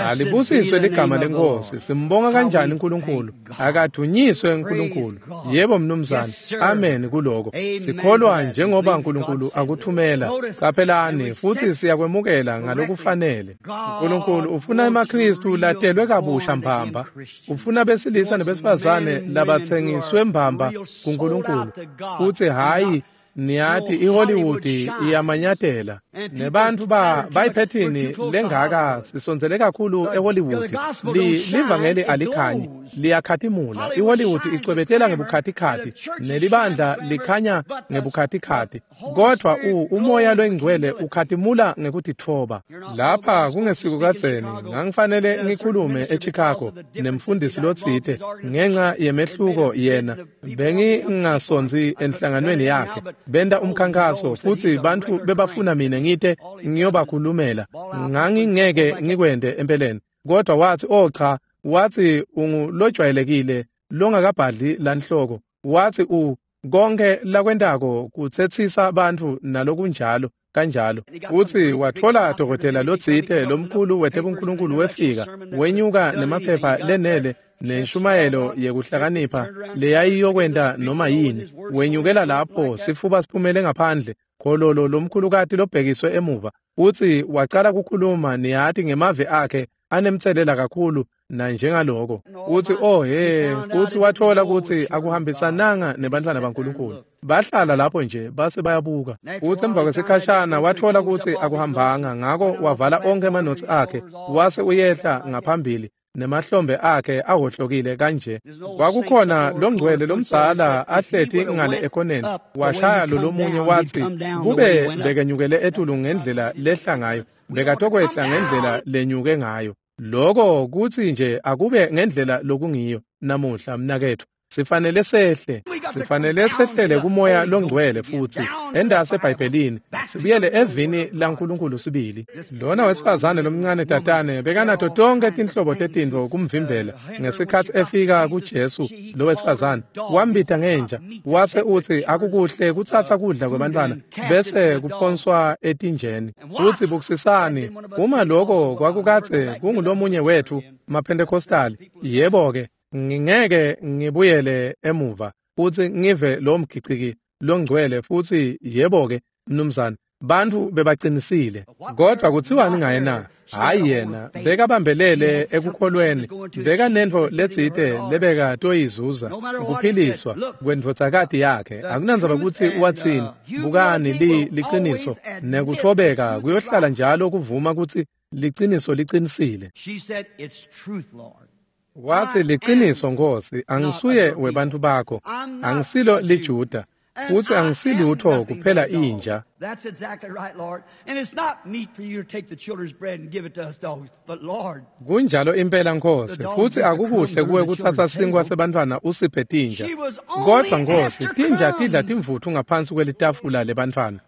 Alibusiswe ligama lenkosi. Simbonga kanjani uNkulunkulu? Akadunyiswe uNkulunkulu. Yebo mnumzane. Amen kuloko. Sikholwa njengoba uNkulunkulu akuthumela. Qaphelani futhi siyakwemukela ngalokufanele. uNkulunkulu ufuna emaKristu latelwe kabusha mbamba. Ufuna besilisa nebesifazane labathengiswe mbamba kuNkulunkulu. Futhi hayi niyati iHollywood iyamanyatela nebantu ba bayiphethini lengaka sisondzele kakhulu eHollywood. Li livangeli alikhanyi liyakhatimula. iHollywood icwebetela ngebukhatikhathi nelibandla likhanya ngebukhatikhathi, kodwa u umoya lwengcwele ukhatimula ngekutitfoba. Lapha kungesiko kadzeni ngangifanele ngikhulume eChicago nemfundisi lotsite ngenxa yemehluko yena bengingasonzi enhlanganweni yakhe. Benta umkhankaso futsi bantfu bebafuna mina ngite ngiyobakhulumela. Ngangingeke ngikwente empeleni, kodwa wathi oh cha, wathi ungulojwayelekile longakabhadli lanhloko. Wathi u konke lakwentako kutsetsisa bantfu nalokunjalo kanjalo. Uthi watfola dokotela lotsite lomkhulu wetebunkulunkulu wefika wenyuka nemaphepha lenele nenshumayelo yekuhlakanipha leyayiyokwenta noma yini. Wenyukela lapho sifuba siphumele ngaphandle khololo lomkhulukati lobhekiswe emuva. Uthi wacala kukhuluma niyati ngemave akhe anemtselela kakhulu nanjengaloko. Uthi oh he, uthi wathola ukuthi akuhambisananga nebantwana baNkulunkulu. Bahlala lapho nje base bayabuka. Uthi emva kwesikhashana wathola ukuthi akuhambanga, ngako wavala onke emanotsi akhe wase uyehla ngaphambili nemahlombe akhe ahohlokile kanje. Kwakukhona longcwele lomdzala ahleti ngale ekhoneni, washaya lo lomunye wathi kube bekenyukele etulu ngendlela lehla ngayo Bekatokwehla ngendlela lenyuke ngayo. Loko kutsi nje akube ngendlela lokungiyo namuhla mnaketfu. Sifanele sehle, sifanele sehlele kumoya longcwele futsi endase eBhayibhelini, sibuyele evini laNkulunkulu sibili. Lona wesifazane lomncane tatane bekanato tonke tinhlobo tetintfo kumvimbela. Ngesikhatsi efika kuJesu lo wesifazane wambita ngenja, wase utsi akukuhle kutsatsa kudla kwebantfwana bese kuphonswa etinjeni. Futsi bukisisani, uma loko kwakukadze kungulomunye wetfu maPhentekostali, yebo-ke, ngingeke ngibuyele emuva futsi ngive lo mgiciki longcwele futsi yebo-ke mnumzane, bantfu bebacinisile. Kodwa kutsiwani ngaye na? Hhayi yena, bekabambelele ekukholweni, bekanentfo letsite lebekatoyizuza, kuphiliswa kwendvodzakati yakhe. Akunandzaba kutsi watsini, bukani li liciniso nekutfobeka kuyohlala njalo kuvuma kutsi liciniso licinisile. Watsi liciniso Nkosi, angisuye webantfu bakho, angisilo liJuda, futsi angisilutho kuphela inja. That's exactly right, Lord. And it's not meet for you to take the children's bread and give it to us dogs, but Lord, Kunjalo impela Nkosi, futsi akukuhle kuwe kutsatsa sinkwa sebantfwana usiphe tinja. Kodwa Nkosi, tinja tidla timvutfu ngaphansi kwelitafula lebantfwana.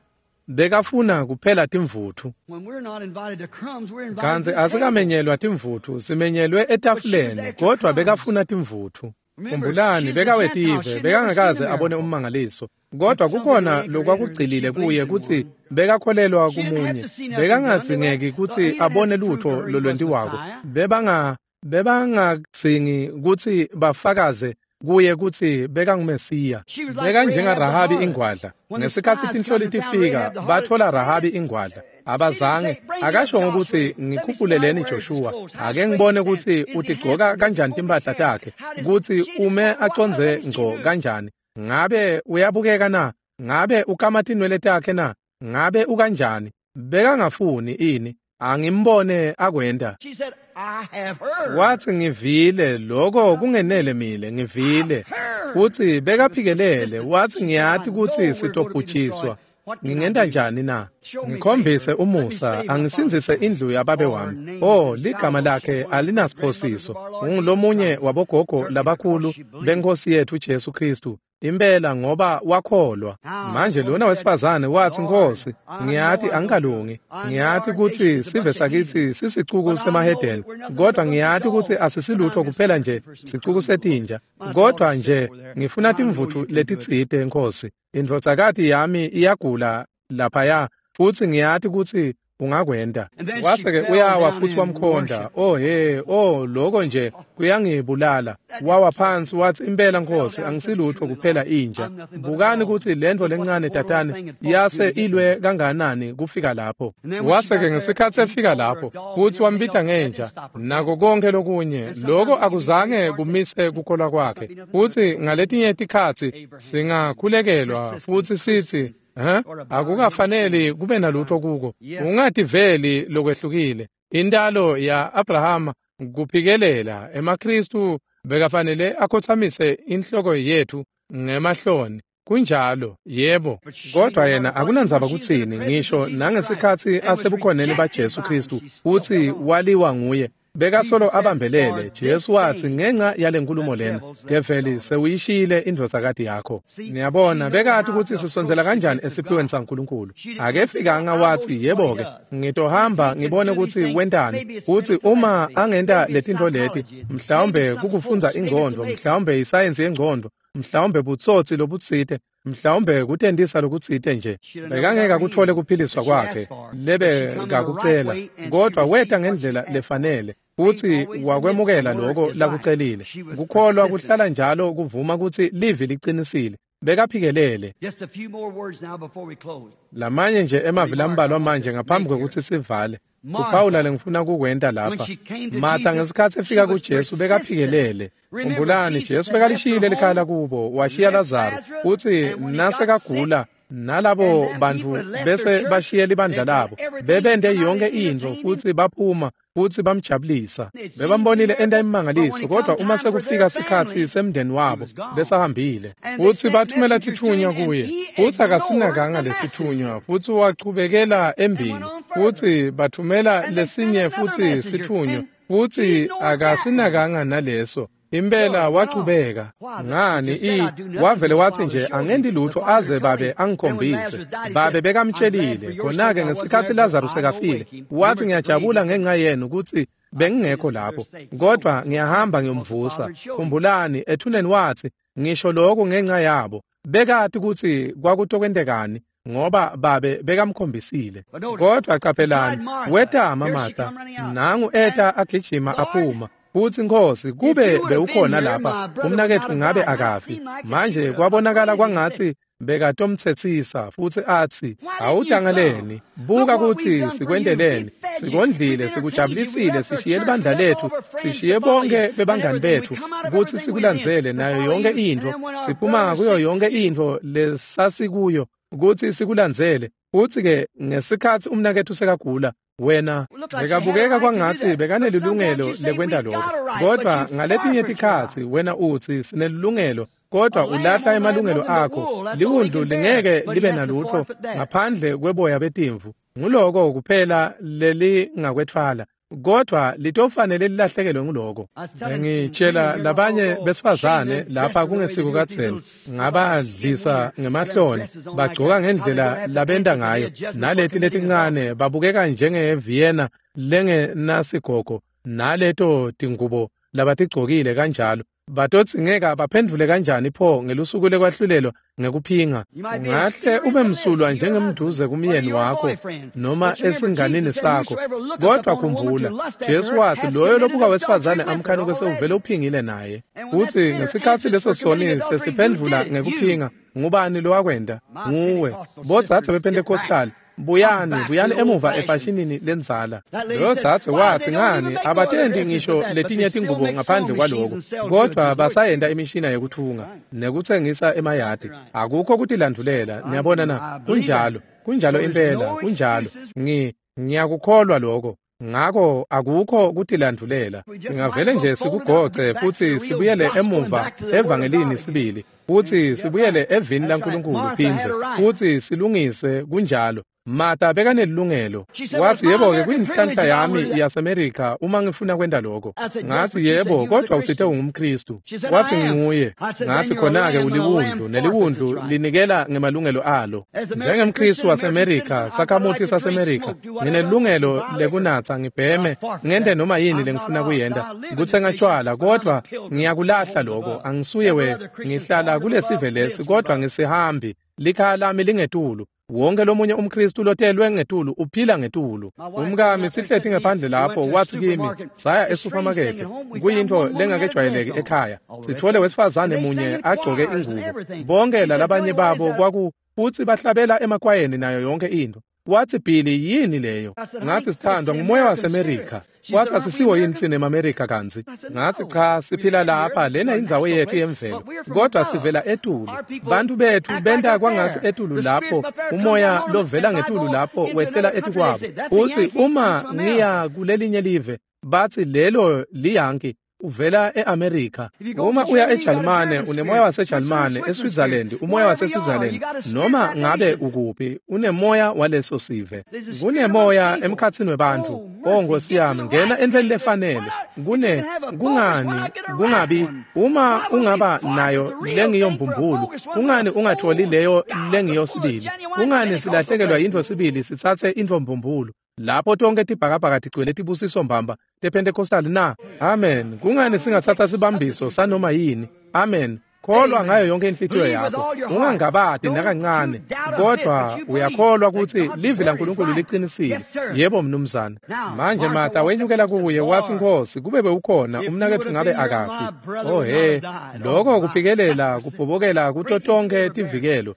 Bekafuna kuphela timvutfu. when we're not invited to crumbs, we're invited Kantsi to the table. asikamenyelwa timvutfu, simenyelwe etafuleni, kodwa bekafuna timvutfu. Khumbulani, bekawetive, bekangakaze abone ummangaliso. Kodwa kukhona lokwakugcilile kuye kutsi bekakholelwa kumunye. Bekangadzingeki kutsi abone lutfo lolwentiwako. Bebanga bebangadzingi kutsi bafakaze kuye kutsi bekanguMesiya. BekanjengaRahabi ingwadla. Ngesikhatsi tinhloli tifika, batfola Rahabi ingwadla. Abazange akasho ngokuthi ngikhuphuleleni Joshua, ake ngibone kutsi utigcoka kanjani timphahla takhe, kutsi ume acondze ngco kanjani. Ngabe uyabukeka na? Ngabe ukama tinwele takhe na? Ngabe ukanjani? Bekangafuni ini? Angimbone akwenta. She said, I have heard. Watsi ngivile, loko kungenele mile, ngivile. Futsi bekaphikelele, watsi ngiyati kutsi sitobhujiswa. Ngingenta njani na? Ngikhombise umusa, angisindzise indlu yababe wami. Oh, ligama lakhe alinasiphosiso. Ungulomunye wabogogo labakhulu benkosi yethu Jesu Kristu. Impela ngoba wakholwa. Manje lona wesifazane watsi Nkosi, ngiyati angikalungi. Ngiyati kutsi sive sakitsi sisicuku semahedeni, kodwa ngiyati kutsi asisilutho kuphela nje sicuku setinja. Kodwa nje ngifuna timvutfu letitsite Nkosi. Indvodzakati yami iyagula laphaya, futsi ngiyati kutsi ungakwenta. Wase-ke uyawa futsi wamkhonta. Oh he, oh loko nje kuyangibulala. Wawa phansi watsi impela Nkosi, angisilutho kuphela inja. Bukani kutsi lentfo lencane tatane yase ilwe kanganani kufika lapho. Wase-ke ngesikhatsi efika lapho, futsi wambita ngenja, nako konke lokunye, loko akuzange kumise kukholwa kwakhe. Futsi ngaletinye tikhatsi singakhulekelwa futsi sitsi, Huh? Akukafaneli kube nalutho kuko. Ungativeli lokwehlukile. Intalo ya Abrahama kuphikelela emaKristu bekafanele akhothamise inhloko yethu ngemahloni. Kunjalo, yebo. Kodwa yena akunandzaba kutsini, ngisho nangesikhatsi asebukhoneni baJesu Kristu, futsi waliwa nguye. Bekasolo abambelele. Jesu watsi ngenxa yale nkulumo lena, develi sewuyishiyile indvodzakati yakho. Niyabona, bekati kutsi sisondzela kanjani esiphiweni saNkulunkulu. Akefikanga watsi yebo-ke, ngitohamba ngibone kutsi wentani. Kutsi uma angenta letintfo leti, mhlawumbe kukufundza ingcondvo, mhlawumbe isayensi yengcondvo, mhlawumbe butsotsi lobutsite, mhlawumbe kutentisa lokutsite nje. Bekangeke akutfole kuphiliswa kwakhe lebekakucela, kodwa weta ngendlela lefanele futsi wakwemukela loko lakucelile. Kukholwa kuhlala njalo kuvuma kutsi livi licinisile. Bekaphikelele. Just a few more words now before we close. Lamanye nje emavi lambalwa manje ngaphambi kwekutsi sivale. Kuphawula lengifuna kukwenta lapha. Martha ngesikhatsi efika kuJesu bekaphikelele. Khumbulani, Jesu bekalishiyile likhaya lakubo, washiya Lazaro. Futsi nasekagula nalabo bantfu bese bashiye libandla labo, bebente yonke intfo futsi baphuma futsi bamjabulisa. Bebambonile enta imimangaliso, kodwa uma sekufika sikhatsi semndeni wabo besahambile. Futsi bathumela titfunywa kuye, futsi akasinakanga lesitfunywa, futsi wachubekela embili. Futsi bathumela lesinye futsi sitfunywa, futsi akasinakanga naleso. Impela wachubeka. Ngani i wavele wathi nje angendi lutho aze babe angikhombise. Babe bekamtshelile. Khona-ke ngesikhatsi Lazarus sekafile, wathi ngiyajabula ngenxa yenu kutsi bengingekho lapho, kodwa ngiyahamba ngiyomvusa. Khumbulani ethuneni wathi ngisho lokhu ngenxa yabo. Bekati kutsi kwakutokwentekani ngoba babe bekamkhombisile. Kodwa qaphelani, wetama Martha, nangu eta agijima aphuma. Futsi Nkosi, kube bewukhona lapha, umnaketfu ngabe akafi. Manje kwabonakala kwangatsi bekatomtsetsisa futsi atsi, awutangaleni, buka kutsi sikwenteleni, sikondlile, sikujabulisile, sishiye libandla letfu, sishiye bonke bebangani betfu, kutsi sikulandzele nayo yonke intfo, siphuma kuyo yonke intfo lesasikuyo, kutsi sikulandzele. Futsi-ke ngesikhatsi umnaketfu sekagula, wena bekabukeka kwangatsi bekanelilungelo lekwenta lokho, kodwa ngaletinye tikhatsi wena utsi sinelilungelo, kodwa ulahla emalungelo akho. Liwundlu lingeke libe nalutho ngaphandle kweboya betimvu, nguloko kuphela lelingakwetfwala, kodwa litofanele lilahlekelwe nguloko. Bengitshela labanye besifazane lapha kungesiko kadzeni, ngabadlisa ngemahloni, bagcoka ngendlela labenta ngayo, naleti letincane babukeka njenge-Vienna lengenasigogo, naleto tingubo labatigcokile kanjalo. Batodzingeka baphendvule kanjani pho ngelusuku lekwahlulelwa ngekuphinga? Ungahle ube msulwa njengemduze kumyeni wakho noma esinganini sakho, kodwa khumbula Jesu wathi loyo lobuka wesifazane amkhanuke sewuvele uphingile naye. Futsi ngesikhatsi leso soni sesiphendvula ngekuphinga, ngubani lowakwenta? Nguwe. Bodzadze bePentecostal, buyani, buyani emuva efashinini lendzala. Loyo dzadze wathi ngani abatendi ngisho letinye tingubo ngaphandle kwaloko, kodwa basayenta imishina yekutfunga nekutsengisa emayadi. Akukho kutilandvulela, niyabona na? Kunjalo, kunjalo impela, kunjalo. Ngi ngiyakukholwa lokho. Ngako akukho kutilandvulela. Singavele nje sikugoce futsi sibuyele emuva evangelini sibili, futsi sibuyele evini laNkulunkulu phindze, futsi silungise. Kunjalo. Martha bekanelilungelo. Wathi yebo-ke kuyinhlanhla yami yaseMerika uma ngifuna kwenta lokho. Ngathi yebo, kodwa utsite ungumKristu. Wathi nginguye. Ngathi khona-ke uliwundlu, neliwundlu linikela ngemalungelo alo. NjengemKristu waseMerika, sakhamuti saseMerika, nginelilungelo lekunatsa ngibheme, ngente noma yini lengifuna kuyenta, kutsenga tjwala, kodwa ngiyakulahla lokho. Angisuye we, ngihlala kulesive lesi, kodwa ngisihambi. Likhaya lami lingetulu. Wonke lomunye umKristu lotelwe ngetulu uphila ngetulu. Umkami sihleti ngaphandle lapho wathi kimi, saya esupermarket, kuyintfo lengakejwayeleki ekhaya. Sithole wesifazane munye agcoke ingubo. Bonke lalabanye babo kwaku futsi bahlabela emakwayeni nayo yonke intfo. Wathi Billy, yini leyo? Ngathi sithandwa ngumoya waseMerika. Wathi asisiwo yini tsine emaMerika kantsi? Ngathi cha, siphila lapha, lena indzawo yethu yemvelo, kodwa sivela etulu. Bantu bethu benta kwangatsi etulu lapho, umoya lovela ngetulu lapho wehlela etukwabo. Futsi uma ngiya kulelinye live, bathi lelo liyanki, uvela eAmerica. Uma uya eJalimane unemoya waseJalimane, eSwitzerland umoya waseSwitzerland, noma ngabe ukuphi unemoya waleso sive. Kunemoya emkhatsini webantfu. Oh Nkosi yami, ngena entweni lefanele. Kune kungani kungabi uma ungaba nayo lengiyo mbumbulu, kungani ungatholi leyo lengiyo sibili? Kungani silahlekelwa yintfo sibili sitsatse intfo mbumbulu? Lapho tonke tibhakabhaka tigcwele tibusiso mbamba tePentecostal na? Amen. Kungani singatsatsa sibambiso sanoma yini? Amen. Kholwa ngayo yonke inhlitiyo yakho, ungangabati nakancane, kodwa uyakholwa kutsi livi laNkulunkulu liqinisile. Yebo mnumzane. Manje Martha wenyukela kuye wathi, Nkosi, kube bewukhona umnaketfu ngabe akafi. Oh he, lokho kuphikelela kubhobokela kuto tonke tivikelo.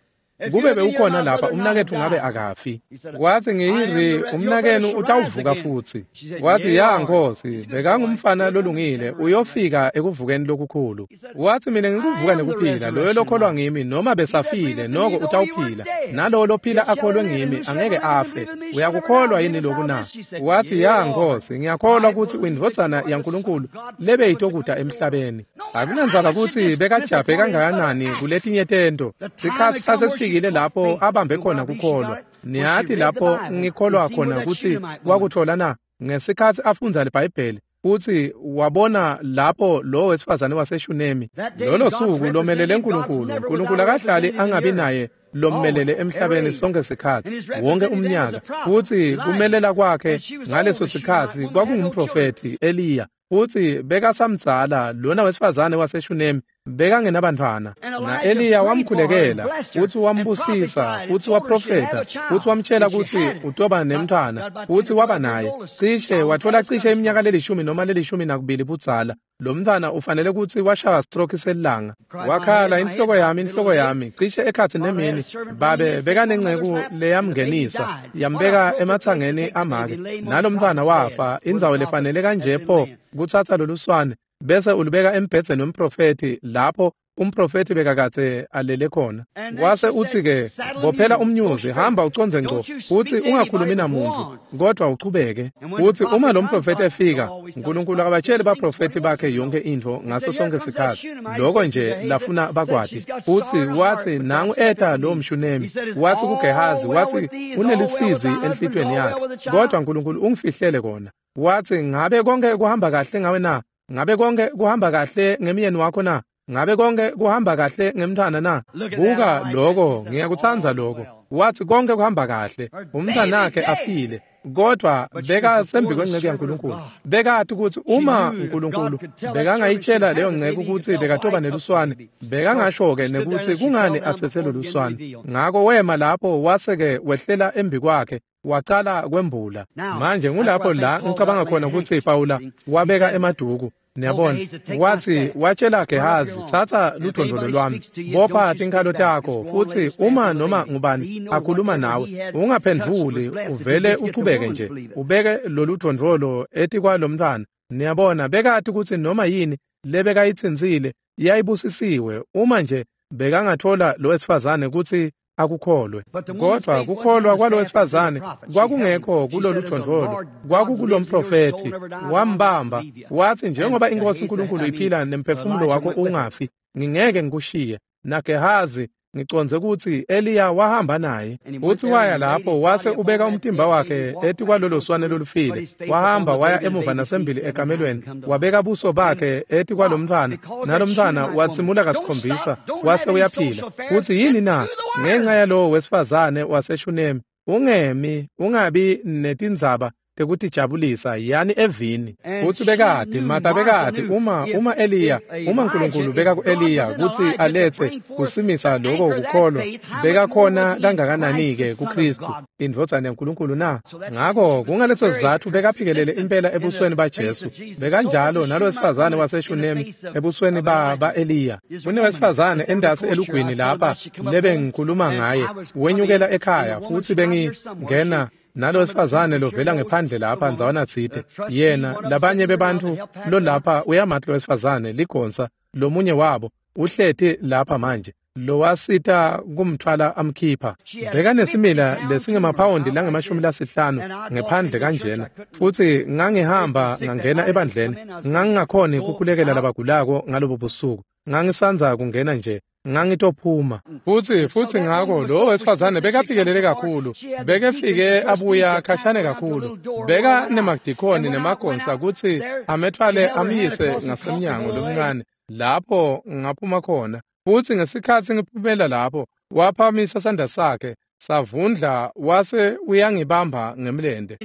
Kube bewukhona lapha umnaketfu ngabe akafi. Wathi ngiyiri umnakenu utawuvuka futsi. Wathi ya Nkosi, bekangumfana lolungile, uyofika ekuvukeni lokukhulu. Wathi mina ngikuvuka nekuphila, loyo lokholwa ngimi noma besafile noko utawuphila, nalowo lophila akholwe ngimi angeke afe. Uyakukholwa yini lokhu na? Wathi ya Nkosi, ngiyakholwa kutsi uyindvodzana yaNkulunkulu lebeyitokuta emhlabeni. Akunandzaba kutsi bekajabhe kangakanani kuletinye tento. Sikhatsi sasesifika Sekafikile lapho abambe khona kukholwa. Niyati lapho ngikholwa khona kutsi wakuthola na? Ngesikhatsi afundza liBhayibheli futsi wabona lapho lo wesifazane waseShunemi. Lolo suku lomelele uNkulunkulu. uNkulunkulu akahlali angabi naye lommelele emhlabeni sonke sikhatsi, wonke umnyaka. Futsi kumelela kwakhe ngaleso sikhatsi kwakungumprofethi Eliya. Futsi bekasamdzala lona wesifazane waseShunemi bekangenabantfwana. Na Eliya wamkhulekela futsi wambusisa futsi waprofetha futsi wamtshela kutsi utoba nemntfwana futsi waba naye. Cishe wathola cishe iminyaka lelishumi noma lelishumi nakubili budzala. Lo mntfwana ufanele kutsi washaya stroke selanga. Wakhala, inhloko yami, inhloko yami, cishe ekhatsi nemini. Babe bekanenceku leyamngenisa, yambeka ematsangeni amake. Nalo mntfwana wafa, indzawo lefanele kanje pho kutsatsa loluswane bese ulubeka embhedzeni wemprofethi lapho umprofethi bekakadze alele khona. Wase uthi-ke, bophela umnyuzi, hamba ucondze ngco, futsi ungakhulumi namuntu, kodwa uchubeke. Futsi uma lo mprofethi efika, uNkulunkulu akabatsheli baprofethi bakhe yonke intfo ngaso sonke sikhatsi. Loko nje lafuna bakwati. Futsi watsi nangu eta lo mShunemi, wathi kuGehazi, wathi unelusizi enhlitiyweni yakhe, kodwa uNkulunkulu ungifihlele kona. Wathi ngabe konke kuhamba kahle ngawe na? Ngabe konke kuhamba kahle ngemyeni wakho na? Ngabe konke kuhamba kahle ngemntwana na? Buka lokho, ngiyakutsandza lokho. Wathi konke kuhamba kahle, umntwanakhe afile, kodwa bekasembi kwenceku yaNkulunkulu. Bekati kutsi uma uNkulunkulu bekangayitshela leyo nceku kutsi bekatoba neluswane, bekangasho-ke nekutsi kungani atsetse loluswane. Ngako wema lapho wase-ke wehlela embi kwakhe, wacala kwembula. Manje ngulapho la ngicabanga khona kutsi Pawula wabeka emaduku. Niyabona, wathi watshela Gehazi, thatha ludvondvolo lwami, bopha tinkhalo takho, futsi uma noma ngubani akhuluma nawe, ungaphendvuli, uvele uchubeke nje, ubeke lolu dvondvolo etikwalomntfwana. Niyabona, bekati kutsi noma yini lebekayitsintsile yayibusisiwe uma nje bekangathola lo wesifazane kutsi akukholwe. Kodwa kukholwa kwalo wesifazane kwakungekho kulolu dvondvolo, kwakukulomprofethi. Wambamba wathi njengoba inkosi uNkulunkulu iphila nemphefumulo wakho ungafi, ngingeke ngikushiye. NaGehazi ngicondze kutsi Eliya wahamba naye. Futsi waya lapho wase ubeka umtimba wakhe etikwalolo swane lolufile. Wahamba waya emuva nasembili ekamelweni, wabeka buso bakhe etikwalomntfwana, nalomntfwana watsimula kasikhombisa wase uyaphila. Futsi yini na? Ngenxa yalowo wesifazane waseShunemi, ungemi ungabi netindzaba tekutijabulisa, yani evini. Futsi bekati, Mata bekati, uma uma Eliya, uma uNkulunkulu beka ku-Eliya kutsi aletse kusimisa loko kukholwa, bekakhona kangakanani-ke kuKhristu, indvodzana yaNkulunkulu na? Ngako kungaleso sizatfu bekaphikelele impela ebusweni baJesu. Bekanjalo nalowesifazane waseShunemi ebusweni ba ba-Eliya. Kunewesifazane endasi elugwini lapha lebengikhuluma ngaye, wenyukela ekhaya, futsi bengingena nalo wesifazane lovela ngephandle lapha ndzawana tsite. Yena labanye bebantfu lolapha uyamati lo wesifazane ligonsa, lomunye wabo uhleti lapha manje, lowasita kumthwala amkhipha. Bekanesimila lesingemaphawundi langemashumi lasihlanu ngephandle kanjena. Futsi ngangihamba ngangena ebandleni, ngangingakhoni kukhulekela labagulako ngalobo busuku. Ngangisandza kungena nje, ngangitophuma. Futsi futsi ngako lo wesifazane bekaphikelele kakhulu, bekefike abuya khashane kakhulu. Beka nemadikoni nemagonsa kutsi amethwale amyise ngasemnyango lomncane lapho ngaphuma khona. Futsi ngesikhatsi ngiphumela lapho, waphakamisa sandla sakhe savundla wase uyangibamba ngemlente.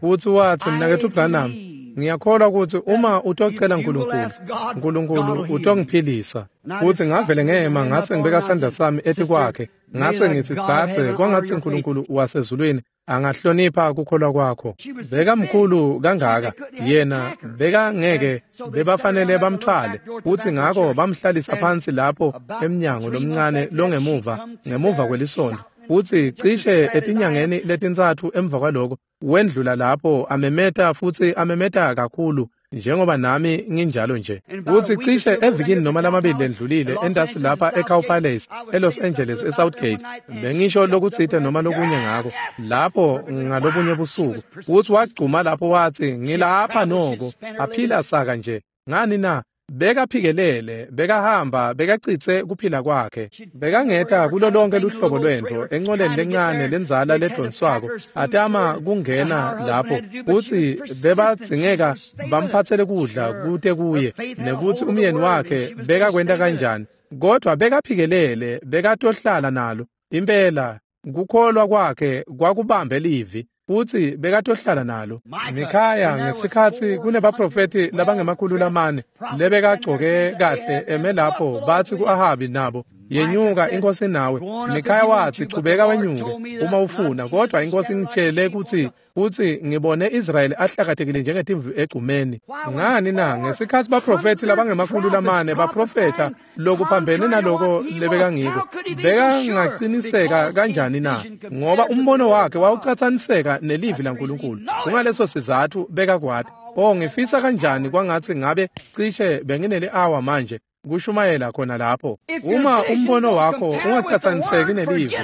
Futsi watsi, mnaketfu Branham, ngiyakholwa kutsi uma utocela uNkulunkulu, uNkulunkulu utongiphilisa. Futsi ngavele ngema ngase ngibeka sandla sami etikwakhe, ngase ngitsi, dzadze, kwangatsi uNkulunkulu wasezulwini angahlonipha kukholwa kwakho. Bekamkhulu kangaka yena, bekangeke bebafanele bamthwale. Futsi ngako bamhlalisa phansi lapho emnyango lomncane longemuva ngemuva kwelisonto. Futsi cishe etinyangeni letintsatfu emva kwaloko wendlula lapho amemeta, futsi amemeta kakhulu njengoba nami nginjalo nje. Futsi cishe evikini noma lamabili lendlulile entasi lapha eCow Palace eLos Angeles eSouthgate, bengisho lokutsite noma lokunye ngako lapho ngalobunye busuku. Futsi wagcuma lapho watsi, ngilapha noko, aphila saka nje. Ngani na? Bekaphikelele, bekahamba, bekacitse kuphila kwakhe. Bekangeta kulo lonke luhlobo lwento enqoleni lencane lenzala ledonswako atama kungena lapho kutsi bebadzingeka bamphatsele kudla kute kuye nekutsi umyeni wakhe bekakwenta kanjani. Kodwa bekaphikelele, bekatohlala nalo. Impela kukholwa kwakhe kwakubambe livi futsi bekatohlala nalo. Mikhaya ngesikhatsi kunebaprofeti labangemakhulu lamane lebekagcoke kahle eme lapho batsi ku-Ahabi nabo, yenyuka inkosi nawe. Mikhaya watsi chubeka wenyuke uma ufuna, kodwa inkosi ingitshele kutsi futsi ngibone Israyeli ahlakatekile njengetimvu egcumeni. Ngani na? Ngesikhatsi baprofeti labangemakhulu lamane baprofetha lokuphambene naloko lebekangiko, bekangaciniseka kanjani na? Ngoba umbono wakhe wawucatsaniseka nelivi laNkulunkulu. Kungaleso sizatfu bekakwati. Oh, ngifisa kanjani kwangatsi ngabe cishe benginele hour manje kushumayela khona lapho. Uma umbono wakho ungacatsaniseki nelivi,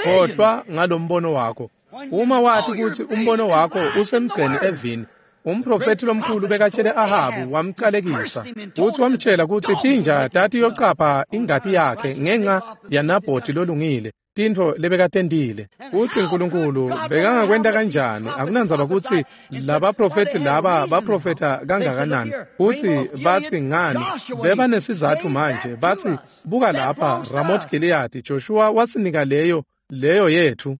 khohlwa ngalombono wakho. Uma wathi kutsi umbono wakho usemgceni evini, umprofeti lomkhulu bekatshele Ahabu wamcalekisa futsi wamtshela kutsi tinja tatiyocapha ingati yakhe ngenxa yaNabhoti lolungile, tintfo lebekatentile. Futsi Nkulunkulu bekangakwenta kanjani? Akunandzaba kutsi labaprofeti laba baprofetha kangakanani futsi batsi ngani, bebanesizatfu manje. Batsi buka lapha Ramoth Gilead, Joshua wasinika leyo leyo yethu.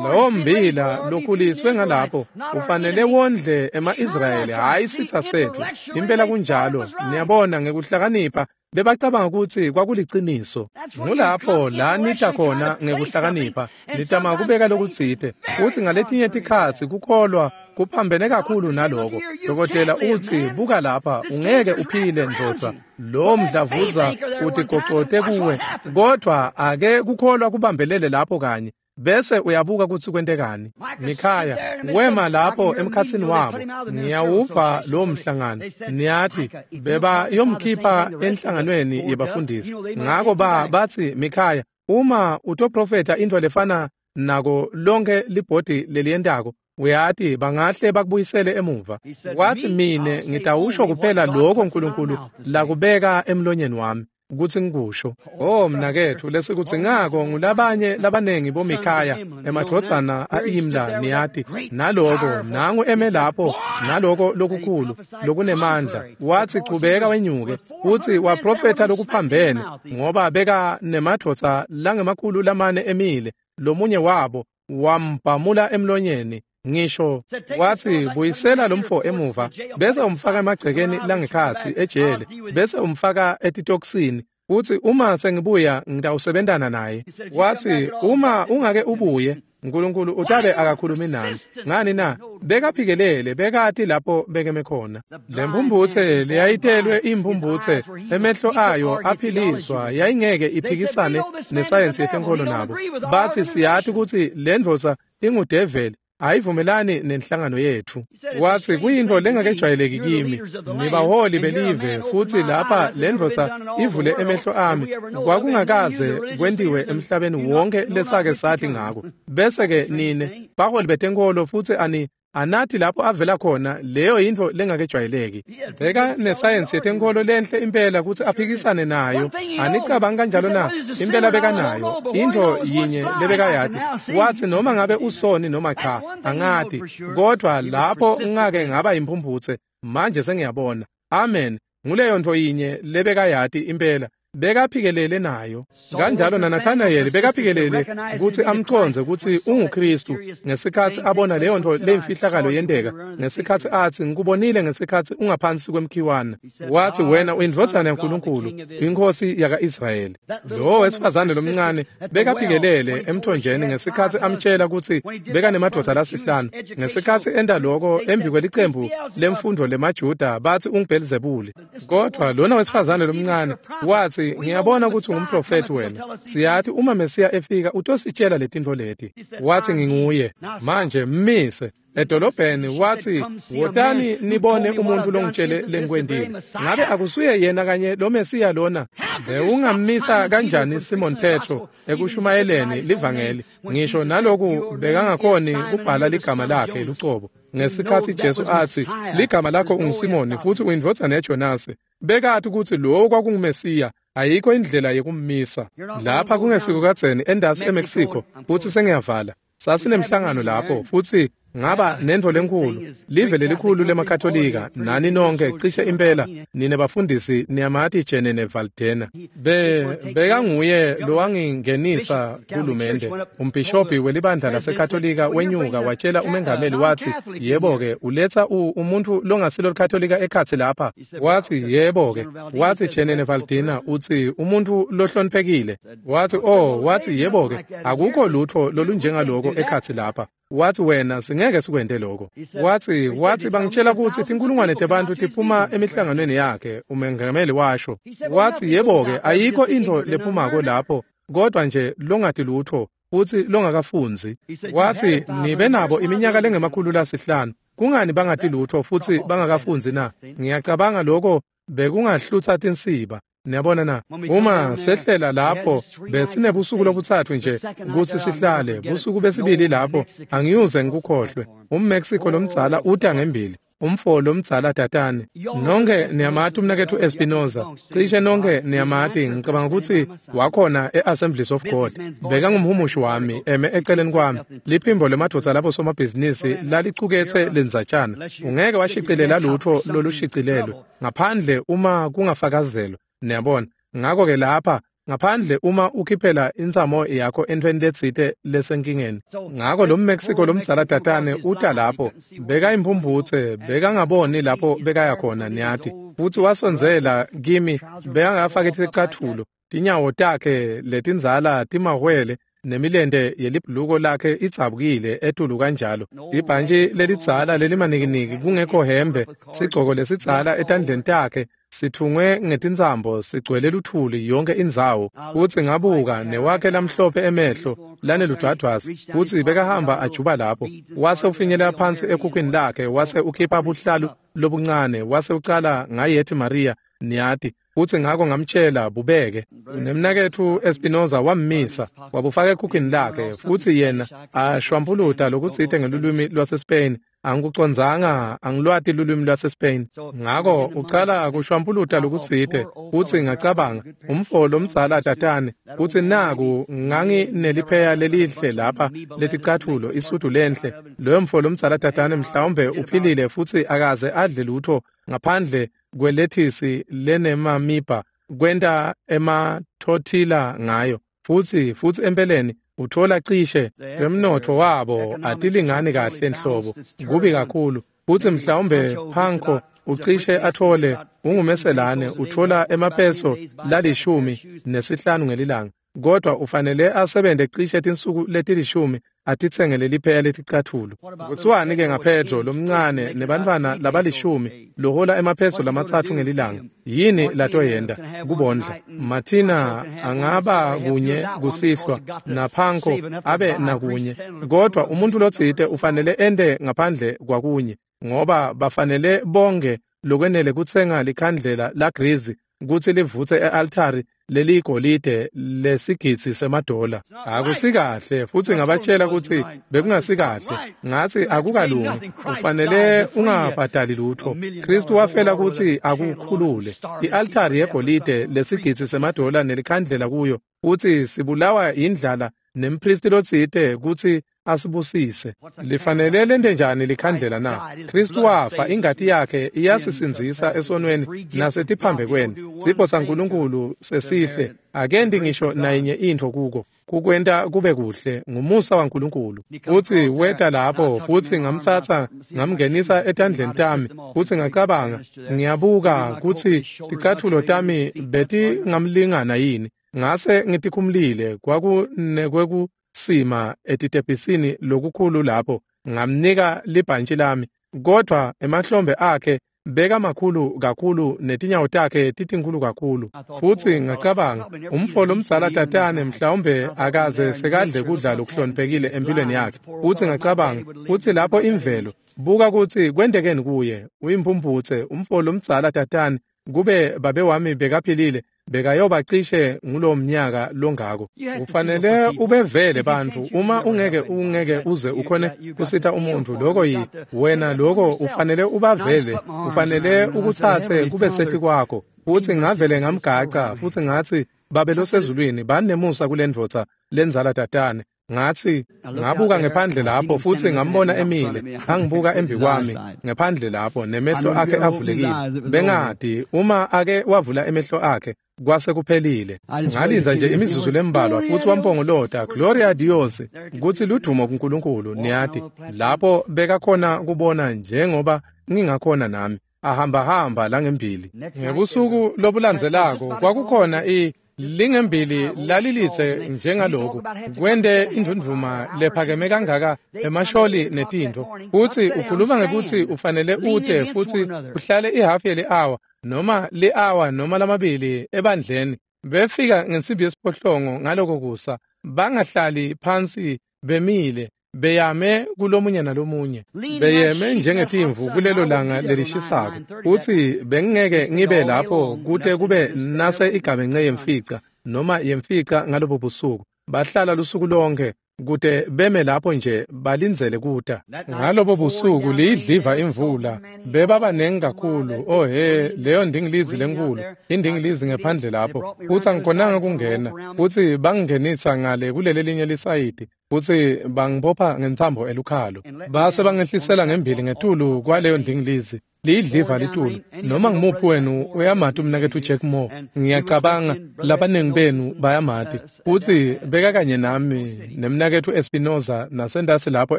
Lowo mbila lokhuliswe ngalapho ufanele wondle ema-Israyeli, hhayi sitsa setfu. Impela kunjalo. Niyabona, ngekuhlakanipha bebacabanga kutsi kwakuliciniso. Ngulapho la nita khona ngekuhlakanipha, nitama kubeka lokutsite futsi ngaletinye tikhatsi kukholwa kuphambene kakhulu naloko. Dokotela utsi buka lapha, ungeke uphile ndvodza, lo mdlavuza utigocote kuwe, kodwa ake kukholwa kubambelele lapho kanye bese uyabuka kutsi kwentekani. Mikhaya wema lapho emkhatsini wabo. Ngiyawuva lo mhlangano. Niyati beba yomkhipha enhlanganweni yebafundisi. Ngako ba batsi Mikhaya, uma utoprofetha intfo lefana nako lonke libhodi leliyentako, uyati bangahle bakubuyisele emuva. Wathi mine ngitawusho kuphela lokho Nkulunkulu lakubeka emlonyeni wami kutsi ngikusho. Oh mnaketfu, lesikudzingako ngulabanye labanengi boMikhaya, emadvodzana a-Imla, niyati, naloko nangu eme lapho naloko lokukhulu lokunemandla. Wathi chubeka wenyuke, futsi waprofetha lokuphambene ngoba beka nemadvodza langemakhulu lamane emile, lomunye wabo wambhamula emlonyeni. Ngisho wathi buyisela lomfo emuva bese umfaka emagcekeni langekhatsi ejele bese umfaka etitokisini, futsi uma sengibuya ngitawusebentana naye. Wathi uma ungake ubuye Nkulunkulu utabe akakhulumi nami. Ngani na? Bekaphikelele, bekati lapho bekeme khona. Lemphumphutse leyayitelwe imphumphutse, emehlo ayo aphiliswa, yayingeke iphikisane nesayensi yetenkholo nabo. Bathi siyati kutsi le ndvodza ingudeveli, ayivumelani nenhlangano yethu. Wathi kuyintfo lengakejwayeleki kimi, nibaholi belive futsi lapha le ndvodza ivule emehlo ami, kwakungakaze kwentiwe emhlabeni wonke lesake sathi ngako. Bese-ke nine baholi betenkholo futsi ani anathi lapho avela khona, leyo yintfo lengakejwayeleki. Beka nesayensi yetenkholo lenhle impela kutsi aphikisane nayo. Anicabangi kanjalo na? Impela bekanayo intfo yinye lebekayati. Wathi noma ngabe usoni noma cha angati, kodwa lapho ngake ngaba imphumphutse manje sengiyabona. Amen. Nguleyo ntfo yinye lebekayati impela, bekaphikelele nayo. Kanjalo naNathanayeli bekaphikelele kutsi amcondze kutsi unguKhristu ngesikhatsi abona leyo ntfo leyimfihlakalo yenteka, ngesikhatsi atsi ngikubonile ngesikhatsi ungaphansi kwemkhiwana. Wathi wena uyindvodzana yaNkulunkulu, inkosi yaka-Israyeli. Lowo wesifazane lomncane bekaphikelele emthonjeni ngesikhatsi amtshela kutsi bekanemadvodza lasihlanu. Ngesikhatsi enta loko embi kwelicembu lemfundvo lemaJuda bathi unguBhelzebule. Kodwa lona wesifazane lomncane wathi ngiyabona ukuthi ungumprofeti wena. Siyathi uma Mesiya efika utositshela letintfo leti. Wathi nginguye. Manje mmise edolobheni. Wathi wotani nibone umuntu longitshele lengikwentile. Ngabe akusuye yena kanye lo Mesiya lona? Bewungammisa kanjani Simon Petro ekushumayeleni livangeli? Ngisho naloku bekangakhoni kubhala ligama lakhe lucobo. Ngesikhatsi Jesu atsi, ligama lakho unguSimoni futsi uyindvodzana yaJonase, bekati kutsi lowo kwakunguMesiya. Ayikho indlela yekummisa. Lapha kungesiko kadzeni endasi eMexico, futsi sengiyavala. Sasinemhlangano lapho futsi ngaba nentfo lenkhulu, live lelikhulu lemaKatolika, nani nonke cishe impela nine bafundisi niyamati Jenene Valdena. Be bekanguye lowangingenisa hulumende. Umbhishobhi welibandla laseKatolika wenyuka watshela umengameli watsi, yebo-ke uletsa umuntu longasilo liKatolika ekhatsi lapha. Watsi yebo-ke, watsi Jenene Valdena utsi umuntu lohloniphekile. Watsi oh, watsi yebo-ke, akukho lutfo lolunjengaloko ekhatsi lapha. Watsi wena singeke sikwente lokho. Watsi watsi bangitshela kutsi tinkulungwane tebantfu tiphuma emihlanganweni yakhe, umengameli washo. Watsi yebo-ke ayikho intfo lephumako lapho kodwa nje longati lutfo futsi longakafundzi. Watsi nibe nabo iminyaka lengemakhulu lasihlanu, kungani bangati lutfo futsi bangakafundzi na? Ngiyacabanga lokho bekungahlutsa tinsiba. Niyabona na? Uma sehlela lapho besinebusuku lobutsatfu nje kutsi sihlale, busuku besibili lapho angiyuze ngikukhohlwe. UmMexico lomdzala uta ngembili, umfo lomdzala tatane. Nonke niyamati umnaketfu Espinoza, cishe nonke niyamati, ngicabanga kutsi wakhona e-Assemblies of God. Bekangumhumushi wami eme eceleni kwami. Liphimbo lemadvodza labo somabhizinisi lalicuketse lendzatshana. Ungeke washicilela lutfo lolushicilelwe ngaphandle uma kungafakazelwa. Niyabona? Ngakho-ke lapha ngaphandle uma ukhiphela intsamo yakho entfweni letsite lesenkingeni. Ngako lo Mexico lomdzala tatane uta lapho, bekayimphumphutse, bekangaboni lapho bekaya khona niyati. Futsi wasondzela kimi, bekangafaki ticatfulo, tinyawo takhe letindzala timahwele nemilente yelibhuluko lakhe idzabukile etulu kanjalo. Ibhantshi lelidzala lelimanikiniki kungekho hembe, sigcoko lesidzala etandleni takhe sithungwe ngetintsambo sigcwele luthuli yonke indzawo. Futsi ngabuka newakhe lamhlophe emehlo laneludwadvwasi, futsi bekahamba ajuba lapho. Wase ufinyelela phansi ekhukhwini lakhe, wase ukhipha buhlalu lobuncane, wase ucala ngayethi Maria niyati. Futsi ngako ngamtshela bubeke. Nemnaketfu Espinoza wammisa, wabufaka ekhukhwini lakhe, futsi yena ashwampuluta lokutsite ngelulwimi lwaseSpain. Angikucondzanga, angilwati lulwimi lwaseSpain. Ngako ucala kushwampuluta lokutsite, futsi ngacabanga, umfo lomdzala tatane, futsi naku nganginelipheya lelihle lapha leticatfulo, isudu lenhle. Loyo mfo lomdzala tatane mhlawumbe uphilile futsi akaze adle lutfo ngaphandle kwelethisi lenemamiba kwenta emathotila ngayo. Futsi futsi empeleni uthola cishe emnotfo wabo atilingani kahle nhlobo, kubi kakhulu. Futsi mhlawumbe Panko ucishe athole ungumeselane uthola emapeso lalishumi nesihlanu ngelilanga, kodwa ufanele asebente cishe tinsuku letilishumi atitsengele lipheya leticatfulo. Kutsiwani-ke ngaPedro lomncane nebantfwana labalishumi lohola emapeso lamatsatfu ngelilanga? Yini latoyenta kubondla? Martina angaba kunye kusihlwa naPanko abe nakunye, kodwa umuntu lotsite ufanele ente ngaphandle kwakunye, ngoba bafanele bonke lokwenele kutsenga likhandlela lagrizi kutsi livutse e-altari leligolide lesigidzi semadola. Akusikahle, futsi ngabatshela kutsi bekungasikahle. Ngatsi akukalungi, ufanele ungabhadali lutfo. Kristu wafela kutsi akukhulule. I-altari yegolide lesigidzi semadola nelikhandlela kuyo, futsi sibulawa indlala nempristi lotsite kutsi asibusise. Lifanele lente njani likhandlela na? Kristu wafa, ingati yakhe iyasisindzisa esonweni nasetiphambekweni. Sipho saNkulunkulu sesihle, akendi ngisho nayinye intfo kuko kukwenta kube kuhle, ngumusa waNkulunkulu. Futsi weta lapho, futsi ngamtsatsa ngamngenisa etandleni tami, futsi ngacabanga, ngiyabuka kutsi ticatfulo tami betingamlingana yini. Ngase ngitikhumulile, kwakunekweku sima etitebhisini lokukhulu lapho, ngamnika libhantshi lami, kodwa emahlombe akhe bekamakhulu kakhulu netinyawo takhe titinkhulu kakhulu. Futsi ngacabanga, umfo lomdzala tatane mhlawumbe akaze sekadle kudla lokuhloniphekile empilweni yakhe. Futsi ngacabanga, futsi lapho imvelo, buka kutsi kwentekeni kuye, uyimpumphutse, umfo lomdzala tatane, kube babe wami bekaphilile, Bekayoba cishe ngulo mnyaka longako. Ufanele ubevele bantfu uma ungeke ungeke uze ukhone kusita umuntfu lokho yi wena lokho ufanele ubavele ufanele ukuthathe kube sethi kwakho. Futhi ngavele ngamgaca futhi ngathi Babe losezulwini banemusa kule ndvodza lenzala tatane. Ngathi ngabuka ngephandle lapho futhi ngambona emile angibuka embi kwami ngephandle lapho nemehlo akhe avulekile. Bengadi uma ake wavula emehlo akhe kwase kuphelile. Ngalinza nje imizuzu lembalwa futhi wampongolota Gloria a Dios kuthi ludumo kuNkulunkulu. Niyati lapho bekakhona kubona njengoba ngingakhona nami ahamba hamba la ngembili. Ngebusuku lobulandzelako kwakukhona i lingembili lalilithe njengalokhu kwende indvundvuma lephakeme kangaka emasholi netintfo. Futhi ukhuluma ngekuthi ufanele ute futhi uhlale ihafu yeli-awa noma li-awa noma lamabili ebandleni. Befika ngensimbi yesiphohlongo ngaloko kusa bangahlali phansi bemile beyame kulomunye nalomunye beyeme njengetimvu kulelo langa lelishisako. Futhi bengingeke ngibe lapho kute kube nase igamenxe yemfica noma yemfica ngalobo busuku. Bahlala lusuku lonke kute beme lapho nje balindzele kuta. Ngalobo busuku liyidliva imvula bebabanengi kakhulu. Oh he, leyo ndingilizi lenkulu indingilizi ngephandle lapho. Futhi angikhonanga kungena futhi bangingenisa ngale kuleli linye lisayidi futhi bangibopha ngentsambo elukhalo base bangehlisela ngembili ngetulu kwaleyo ndingilizi liyidliva litulu. Noma ngimuphi wenu uyamati umnaketfu Jack Moore, ngiyacabanga labaningi benu bayamati. Futhi beka kanye nami nemnaketfu Espinoza nasendasi lapho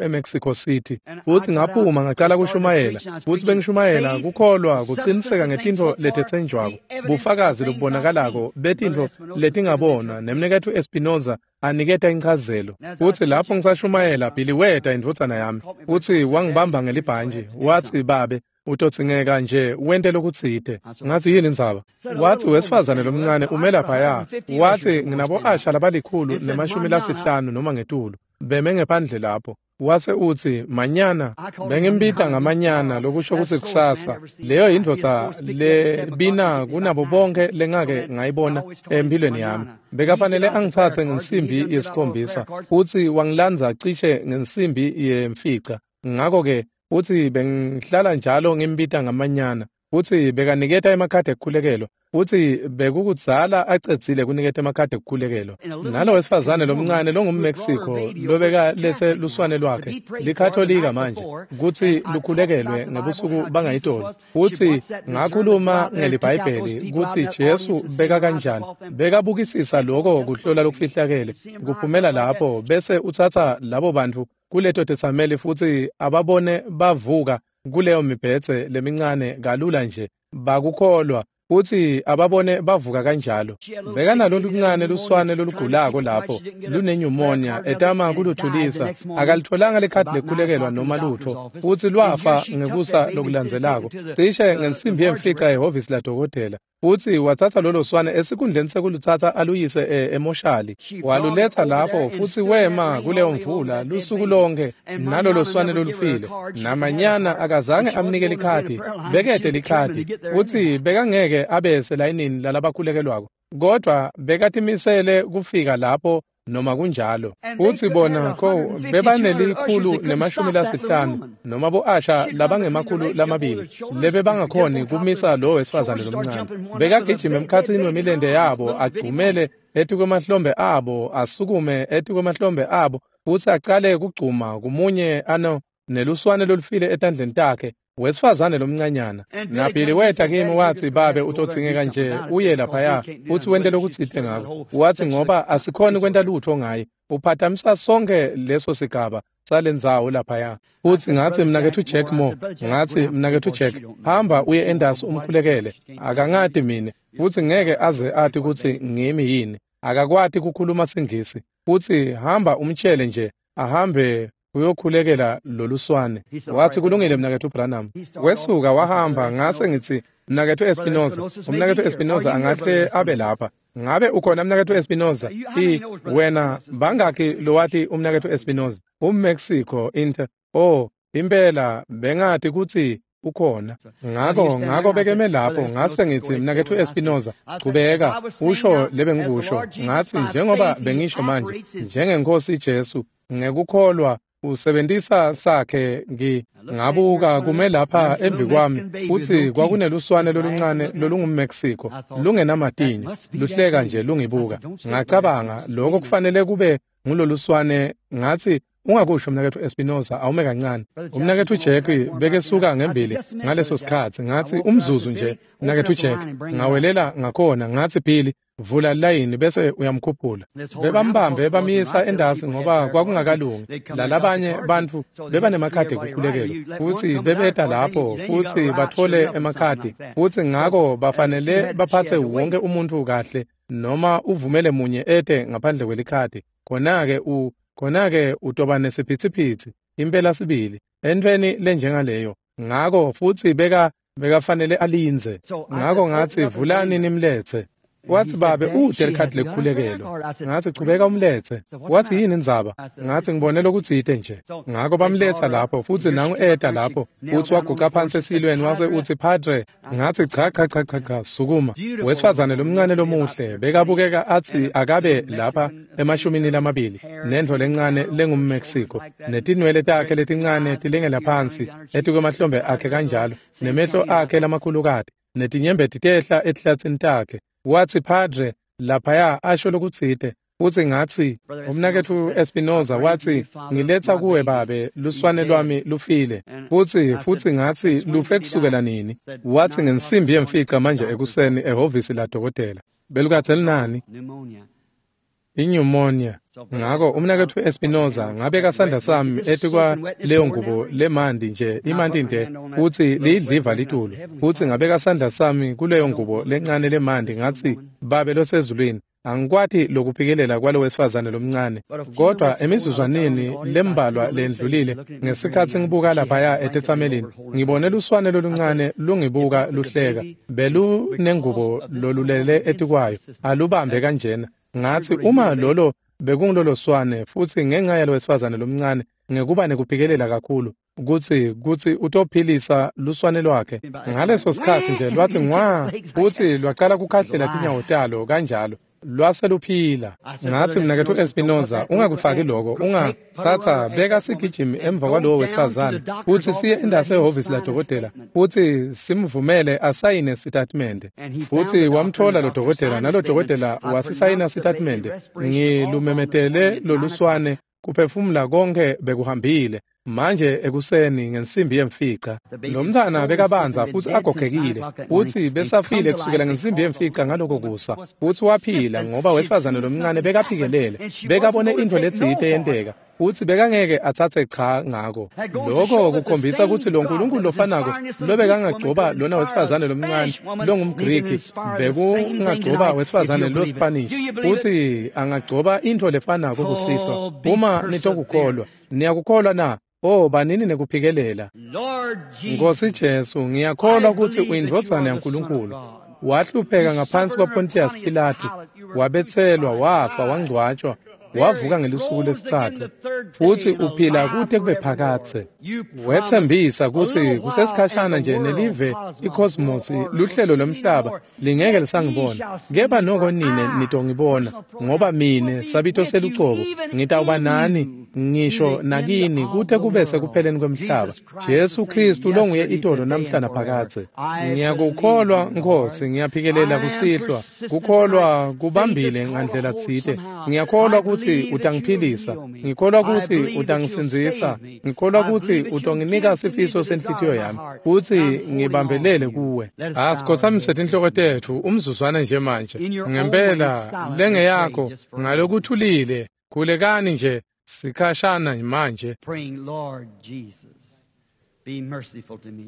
eMexico City. Futhi ngaphuma ngacala kushumayela futhi bengishumayela kukholwa kuqiniseka ngetintfo letetsenjwako bufakazi lobubonakalako betintfo letingabonwa nemnaketfu Espinoza aniketa inchazelo. Futhi lapho ngisashumayela Billy weta indvodzana yami futhi wangibamba ngelibhantji wathi babe utotsingeka nje wente lokutsite. Ngathi yini indzaba? Wathi wesifazane lomncane ume laphaya. Wathi nginabo asha labalikhulu nemashumi lasihlanu noma ngetulu beme ngephandle lapho. Wase uthi manyana bengimbita ngamanyana lokusho ukuthi kusasa. Leyo indvodza lebina kunabo bonke lengake ngayibona empilweni yami. Bekafanele angithathe ngensimbi yesikhombisa futhi wangilandza cishe ngensimbi yemfica. Ngakho-ke uthi bengihlala njalo ngimbita ngamanyana. Uthi bekaniketa emakhadi ekukhulekelwa. Uthi bekukudzala acedzile kuniketa emakhadi ekukhulekelwa. Nalo wesifazane lomncane longumMexico lobeka lethe luswane lwakhe likatholika manje kuthi lukhulekelwe ngebusuku bangayitolo. Uthi ngakhuluma ngeliBhayibheli kuthi Jesu beka kanjani bekabukisisa lokho kuhlola lokufihlakele kuphumela lapho bese uthatha labo bantu kuleto tetsameli futhi ababone bavuka kuleyo mibhedze lemincane kalula nje bakukholwa futhi ababone bavuka kanjalo. Bekanalo luncane luswane lolugulako lapho lunenyumonia etama kuluthulisa akalitholanga likhadi lekhulekelwa noma lutho futhi lwafa ngekusa lokulandzelako cishe ngensimbi yemfica ehhovisi ladokotela. Futhi wathatha lolo swane esikhundleni sekuluthatha aluyise emoshali waluletha lapho futhi wema kuleyo mvula lusuku lonke nalolo swane lolufile. Namanyana akazange amnike likhadi bekede likhadi futhi bekangeke abe selayinini lalabakhulekelwako kodwa bekatimisele kufika lapho noma kunjalo. Futhi bona ko bebanelikhulu nemashumi lasihlanu noma bo-asha labangemakhulu lamabili lebe bangakhoni kumisa lo wesifazane lomncane. Bekagijima emkhatsini wemilente yabo agcumele etikwemahlombe abo asukume etikwemahlombe abo futhi acale kugcuma kumunye ano neluswane lolufile etandleni takhe wesifazane lomncanyana. Nabili weta kimi wathi babe utotsingeka nje uye laphaya futhi wente lokutsite ngako. Wathi ngoba asikhoni kwenta lutho ngaye uphathamisa sonke leso sigaba salendzawo laphaya. Futhi ngathi mnaketfu Jack Moore, ngathi mnaketfu Jack hamba uye endasi umkhulekele akangati mine futhi ngeke aze athi kutsi ngimi yini akakwati kukhuluma singisi futhi hamba umtshele nje ahambe uyokhulekela loluswane. Wathi kulungile mnaketfu Branham. Wesuka wahamba ngase ngithi mnaketfu Espinoza, umnaketfu Espinoza angahle abe lapha. Ngabe ukhona mnaketfu Espinoza? I wena bangaki lowati umnaketfu Espinoza? UmMexico inter. Oh, impela bengati kutsi ukhona. Ngako ngako bekeme lapho ngase ngithi mnaketfu Espinoza, chubeka usho lebengikusho. Ngathi njengoba bengisho manje, njengeNkosi Jesu, ngekukholwa usebentisa sakhe ngi ngabuka kume lapha embi kwami futhi kwakuneluswane loluncane lolungumMexico lungenamatinyo luhleka nje lungibuka. Ngacabanga lokho kufanele kube nguloluswane. Ngathi ungakusho mnaketfu Espinoza, awume kancane. Umnaketfu Jack bekesuka ngembili ngaleso sikhatsi. Ngathi umzuzu nje mnaketfu Jack. Ngawelela ngakhona ngathi Billy, vula layini bese uyamkhuphula. Bebambambe bamisa endasi ngoba kwakungakalungi. Lalabanye bantfu bebanemakhadi ekukhulekelwa futhi bebeta lapho futhi bathole emakhadi, futhi ngako bafanele baphathe wonke umuntu kahle noma uvumele munye ete ngaphandle kwelikhadi. Khona-ke u khona-ke utoba nesiphithiphithi impela sibili entweni lenjengaleyo. Ngako futhi beka bekafanele alindze. Ngako ngathi vulani nimlethe. Wathi babe ude likhadi lekukhulekelwa. Ngathi chubeka umlethe. Wathi yini indzaba? Ngathi ngibone lokutsite nje. Ngako bamletha lapho futhi nangu eta lapho futhi waguqa phansi esilweni wase uthi Padre. Ngathi cha cha cha cha cha, sukuma. Wesifazane lomncane lomuhle bekabukeka athi akabe lapha emashumini lamabili nendvo lencane lengumMexico netinwele takhe letincane tilengela phansi etikwemahlombe akhe kanjalo nemehlo akhe lamakhulukati netinyembeti tehla etihlatsini takhe. Wathi Padre laphaya asho lokutsite. Futhi ngathi umnaketfu Espinoza wathi ngiletha kuwe babe luswane lwami lufile. Futhi futhi ngathi lufe kusukela nini? Wathi ngensimbi yemfica manje ekuseni ehhovisi la dokotela. Belukathe linani? Inyumonia. Ngako umnaketfu Espinoza ngabeka sandla sami etikwa leyo ngubo lemandi nje imanti nde futhi liyidliva litulu. Futhi ngabeka sandla sami kuleyo ngubo lencane lemandi ngathi babe losezulwini, angikwati lokuphikelela kwalo wesifazane lomncane. Kodwa emizuzwaneni lembalwa lendlulile ngesikhatsi ngibuka laphaya etetsamelini ngibone luswane loluncane lungibuka luhleka belunengubo lolulele etikwayo alubambe kanjena. Ngathi uma lolo bekungilolo swane futhi ngenxa yalo wesifazane lomncane ngekuba nekuphikelela kakhulu kutsi kutsi utophilisa luswane lwakhe. Ngaleso sikhatsi nje lwathi ngwa futhi lwaqala kukhahlela tinyawo talo kanjalo lwase luphila. Ngathi mnaketfu Espinoza, ungakufaki lokho, ungathatha beka sigijimi emva kwalowo wesifazane futhi siye endase ehhovisi ladokotela futhi simvumele asayine sitatimende. Futhi wamthola lo dokotela nalo dokotela wasisayina sitatimende. Ngilumemetele loluswane kuphefumula konke bekuhambile. Manje ekuseni ngensimbi yemfica lo mntwana bekabanza futhi agogekile futhi besafile kusukela ngensimbi yemfica ngaloko kusa futhi waphila ngoba wesifazane lomncane bekaphikelele bekabone into letsite yenteka futhi bekangeke athathe cha ngako. Lokho kukhombisa ukuthi lo Nkulunkulu lofanako lobekangagcoba lona wesifazane lomncane longumGriki bekungagcoba wesifazane lo Spanish futhi angagcoba into lefanako kusihlwa uma nitokukholwa. Niyakukholwa na? Oh, banini nekuphikelela. Nkosi Jesu, ngiyakholwa ukuthi uyindvodzana yaNkulunkulu. Wahlupheka ngaphansi kwaPontius Pilate, wabetselwa, wafa, wangcwatshwa, wavuka ngelusuku lesitsatfu futhi uphila kute kube phakadze. Wethembisa kutsi kusesikhashana nje nelive icosmos luhlelo lomhlaba lingeke lisangibona, kepha noko nine nitongibona, ngoba mine sabito selucobo ngitawuba nani ngisho nakini kute kube sekupheleni kwemhlaba. Jesu Kristu longuye itolo namhla naphakadze. Ngiyakukholwa Nkosi, ngiyaphikelela kusihlwa. Kukholwa kubambile ngandlela tsite. Ngiyakholwa kutsi utangiphilisa, ngikholwa kutsi utangisindzisa, ngikholwa kutsi utonginika sifiso senhlitiyo yami kutsi ngibambelele kuwe. Asikhothamise tinhloko tetfu umzuzwana nje manje. Ngempela lengeyakho ngalokuthulile, khulekani nje sikhashana manje. Praying, Lord Jesus, be merciful to me.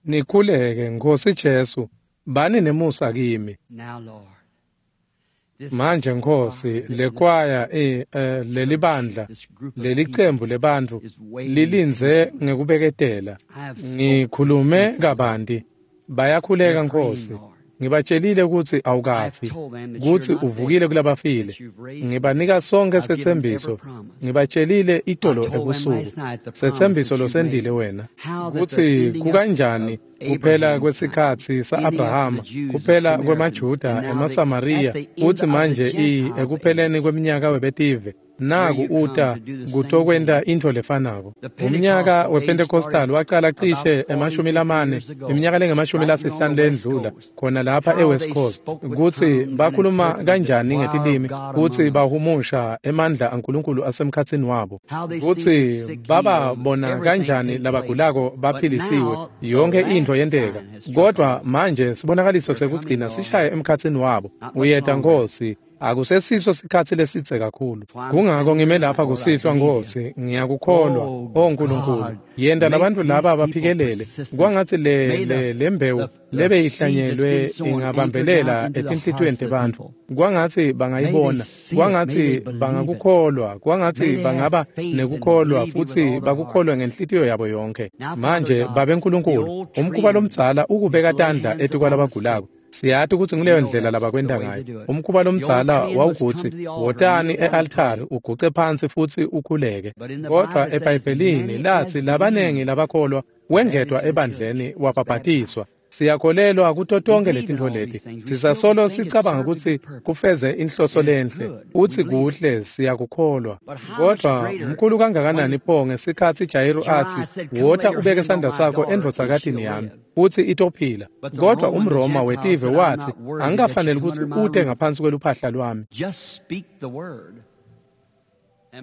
Nikhuleke Nkosi Jesu, bani nemusa kimi. Now, Lord, Manje Nkosi, lekwaya eh lelibandla lelicembu lebantfu lilindze ngekubeketela. Ngikhulume kabanti, bayakhuleka Nkosi. Ngibatshelile ukuthi awukafi, ukuthi uvukile kulabafile. Ngibanika sonke setsembiso. Ngibatshelile itolo ebusuku, setsembiso losendile wena, ukuthi kukanjani kuphela kwesikhatsi sa-Abrahama, kuphela kwemaJuda emaSamariya, kutsi manje i ekupheleni kweminyaka webetive naku uta kutokwenta intfo lefanako. Umnyaka wePentecostal wacala cishe emashumi lamane, iminyaka lengemashumi lasihlanu lendlula, khona lapha eWest Coast, kutsi bakhuluma kanjani ngetilimi, kutsi bahumusha emandla aNkulunkulu asemkhatsini wabo, kutsi bababona kanjani labagulako baphilisiwe, yonke intfo yenteka. Kodwa manje sibonakaliso sekugcina sishaye emkhatsini wabo. Uyeta Nkosi, akusesiso sikhatsi lesidze kakhulu. Kungako ngime lapha kusihlwa Nkosi, ngiyakukholwa. O Nkulunkulu, yenta labantfu laba baphikelele. Kwangatsi le le lembewu lebeyihlanyelwe ingabambelela etinhlitiyweni tebantfu. Kwangatsi bangayibona, kwangatsi bangakukholwa, kwangatsi bangaba nekukholwa futsi bakukholwe ngenhlitiyo yabo yonke. Manje Babe Nkulunkulu, umkhuba lomdzala ukubeka tandla etikwalabagulako. Siyati ukuthi nguleyo ndlela labakwenta ngayo. Umkhuba lomdzala wawukutsi wotani e-altari uguce phansi futsi ukhuleke. Kodwa eBhayibhelini latsi labanengi labakholwa wengedwa ebandleni wabhabhatiswa. Siyakholelwa kuto tonke letintfo leti. Sisasolo sicabanga kutsi kufeze inhloso lenhle, utsi kuhle, siyakukholwa. Kodwa mkhulu kangakanani pho ngesikhatsi Jayiru atsi, wota ubeke sandla sakho endvodzakatini yami, utsi itophila. Kodwa umRoma wetive watsi, angikafaneli kutsi ute ngaphansi kweluphahla lwami.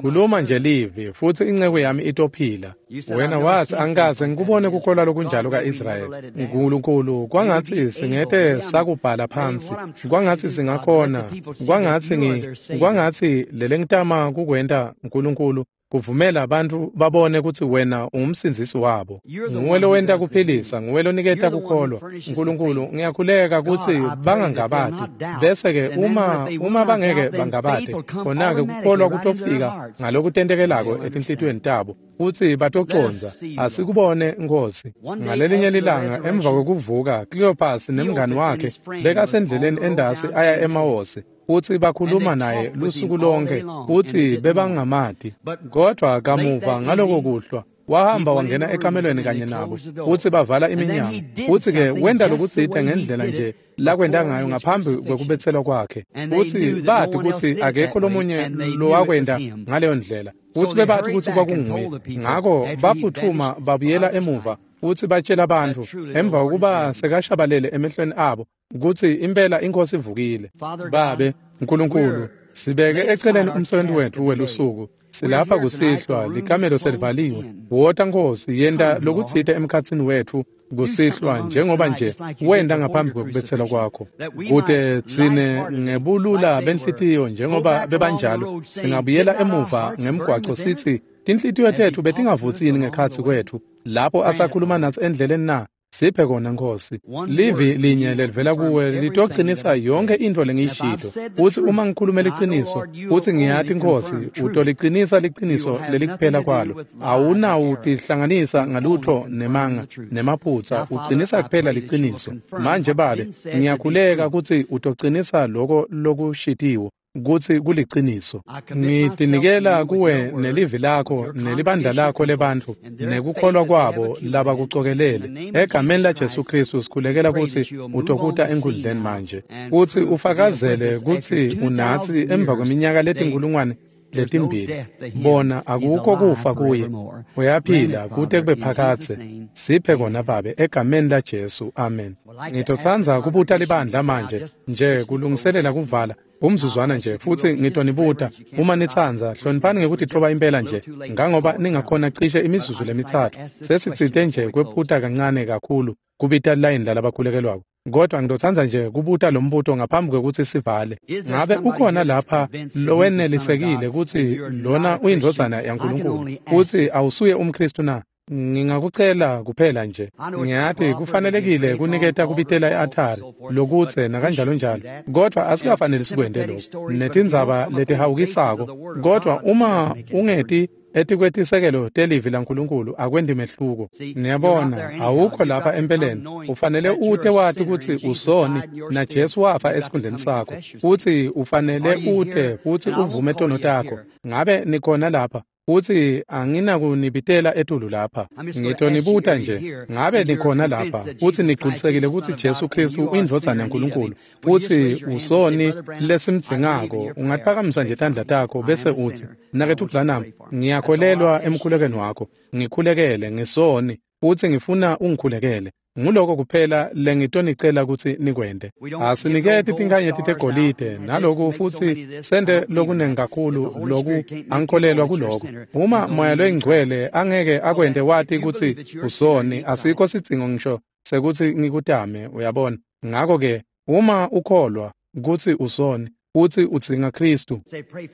Khuluma nje livi futsi inceku yami itophila. Wena watsi, angikaze ngikubone kukholwa lokunjalo ka-Israyeli. Nkulunkulu, kwangatsi singete sakubhala phansi, kwangatsi singakhona, kwangatsi ngi kwangatsi lelengitama kukwenta Nkulunkulu kuvumela abantu babone kutsi wena ungumsindzisi wabo. Nguwe lowenta kuphilisa, nguwe loniketa kukholwa. Nkulunkulu, ngiyakhuleka kutsi bangangabati. Bese-ke uma uma bangeke bangabate, khona-ke kukholwa kutofika ngalokutentekelako etinhlitiyweni tabo, futsi batocondza. Asikubone Nkosi. Ngalelinye lilanga emva kwekuvuka, Cleopas nemngani wakhe bekasendleleni endasi aya eMawosi, futsi bakhuluma naye lusuku lonke, futsi bebangamati. Kodwa kamuva ngaloko kuhlwa wahamba wangena ekamelweni kanye nabo, futsi bavala iminyango. Futsi-ke wenta lokutsite ngendlela nje lakwenta ngayo ngaphambi kwekubetselwa kwakhe, futsi bati kutsi akekho lomunye lowakwenta ngaleyo ndlela, futsi bebati kutsi kwakunguye. Ngako baphutfuma babuyela emuva futsi batshela bantfu emva kokuba sekashabalele emehlweni abo kutsi impela iNkosi ivukile. Babe Nkulunkulu, sibeke eceleni umsebenzi wetfu welusuku. Silapha kusihlwa, likamelo selivaliwe. Wota Nkosi, yenta lokutsite emkhatsini wetfu kusihlwa njengoba nje wenta ngaphambi kwekubetselwa kwakho, kute tsine ngebulula benhlitiyo njengoba bebanjalo singabuyela emuva ngemgwaco sitsi tinhlitiyo tetfu betingavutsini ngekhatsi kwetfu lapho asakhuluma natsi endleleni na. Siphe kona Nkosi. Livi linye lelivela kuwe litocinisa yonke intfo lengiyishito. Utsi uma ngikhulume liciniso, utsi ngiyati Nkosi, utolicinisa liciniso lelikuphela kwalo. Awunawutihlanganisa ngalutho nemanga nemaphutsa, ucinisa kuphela liciniso. Manje Babe, ngiyakhuleka kutsi utocinisa loko lokushitiwo kutsi kuliciniso. Ngitinikela kuwe nelivi lakho nelibandla lakho lebantfu nekukholwa kwabo labakucokelele. Egameni laJesu Kristu sikhulekela kutsi utokuta enkhundleni manje, kutsi ufakazele kutsi unatsi emva kweminyaka letinkulungwane letimbili. Bona akukho kufa kuye, uyaphila kute kube phakadze. Siphe kona Babe, egameni laJesu, amen. Ngitotsandza kubuta libandla manje nje kulungiselela kuvala umzuzwana nje, futsi ngitonibuta uma nitsandza, hloniphani ngekutitfoba impela nje, ngangoba ningakhona cishe imizuzu lemitsatfu. Sesitsite nje kwephuta kancane kakhulu kubita layini lalabakhulekelwako, kodwa ngitotsandza nje kubuta lo mbuto ngaphambi kwekutsi sivale. Ngabe ukhona lapha lowenelisekile kutsi lona uyindvodzana yaNkulunkulu, kutsi awusuye umKhristu na? Ngingakucela kuphela nje. Ngiyati kufanelekile kuniketa kubitela e-altari lokutse nakanjalo njalo, kodwa asikafanele sikwente lokho netindzaba letihawukisako. Kodwa uma ungeti etikwetisekelo telivi laNkulunkulu akwendi mehluko. Niyabona, awukho lapha empeleni. Ufanele ute wati kutsi usoni na Jesu wafa esikhundleni sakho, futsi ufanele ute futsi uvume tono takho. Ngabe nikhona lapha? Futsi anginakunibitela etulu lapha. Ngitonibuta nje, ngabe nikhona lapha futsi nigculisekile kutsi Jesu Kristu uyindvodzana yaNkulunkulu futsi usoni lesimdzingako? Ungaphakamisa nje tandla takho bese utsi, Mnaketfu Branham, ngiyakholelwa emkhulekweni wakho, ngikhulekele, ngisoni futsi ngifuna ungikhulekele. Nguloko kuphela lengitonicela kutsi nikwente. Asiniketi tinkhanyeti tegolide naloku futsi sente lokunengi kakhulu loku, angikholelwa kuloko. Uma Moya loyiNgcwele angeke akwente wati kutsi usoni, asikho sidzingo ngisho sekutsi ngikutame, uyabona. Ngako-ke uma ukholwa kutsi usoni futsi udzinga Khristu,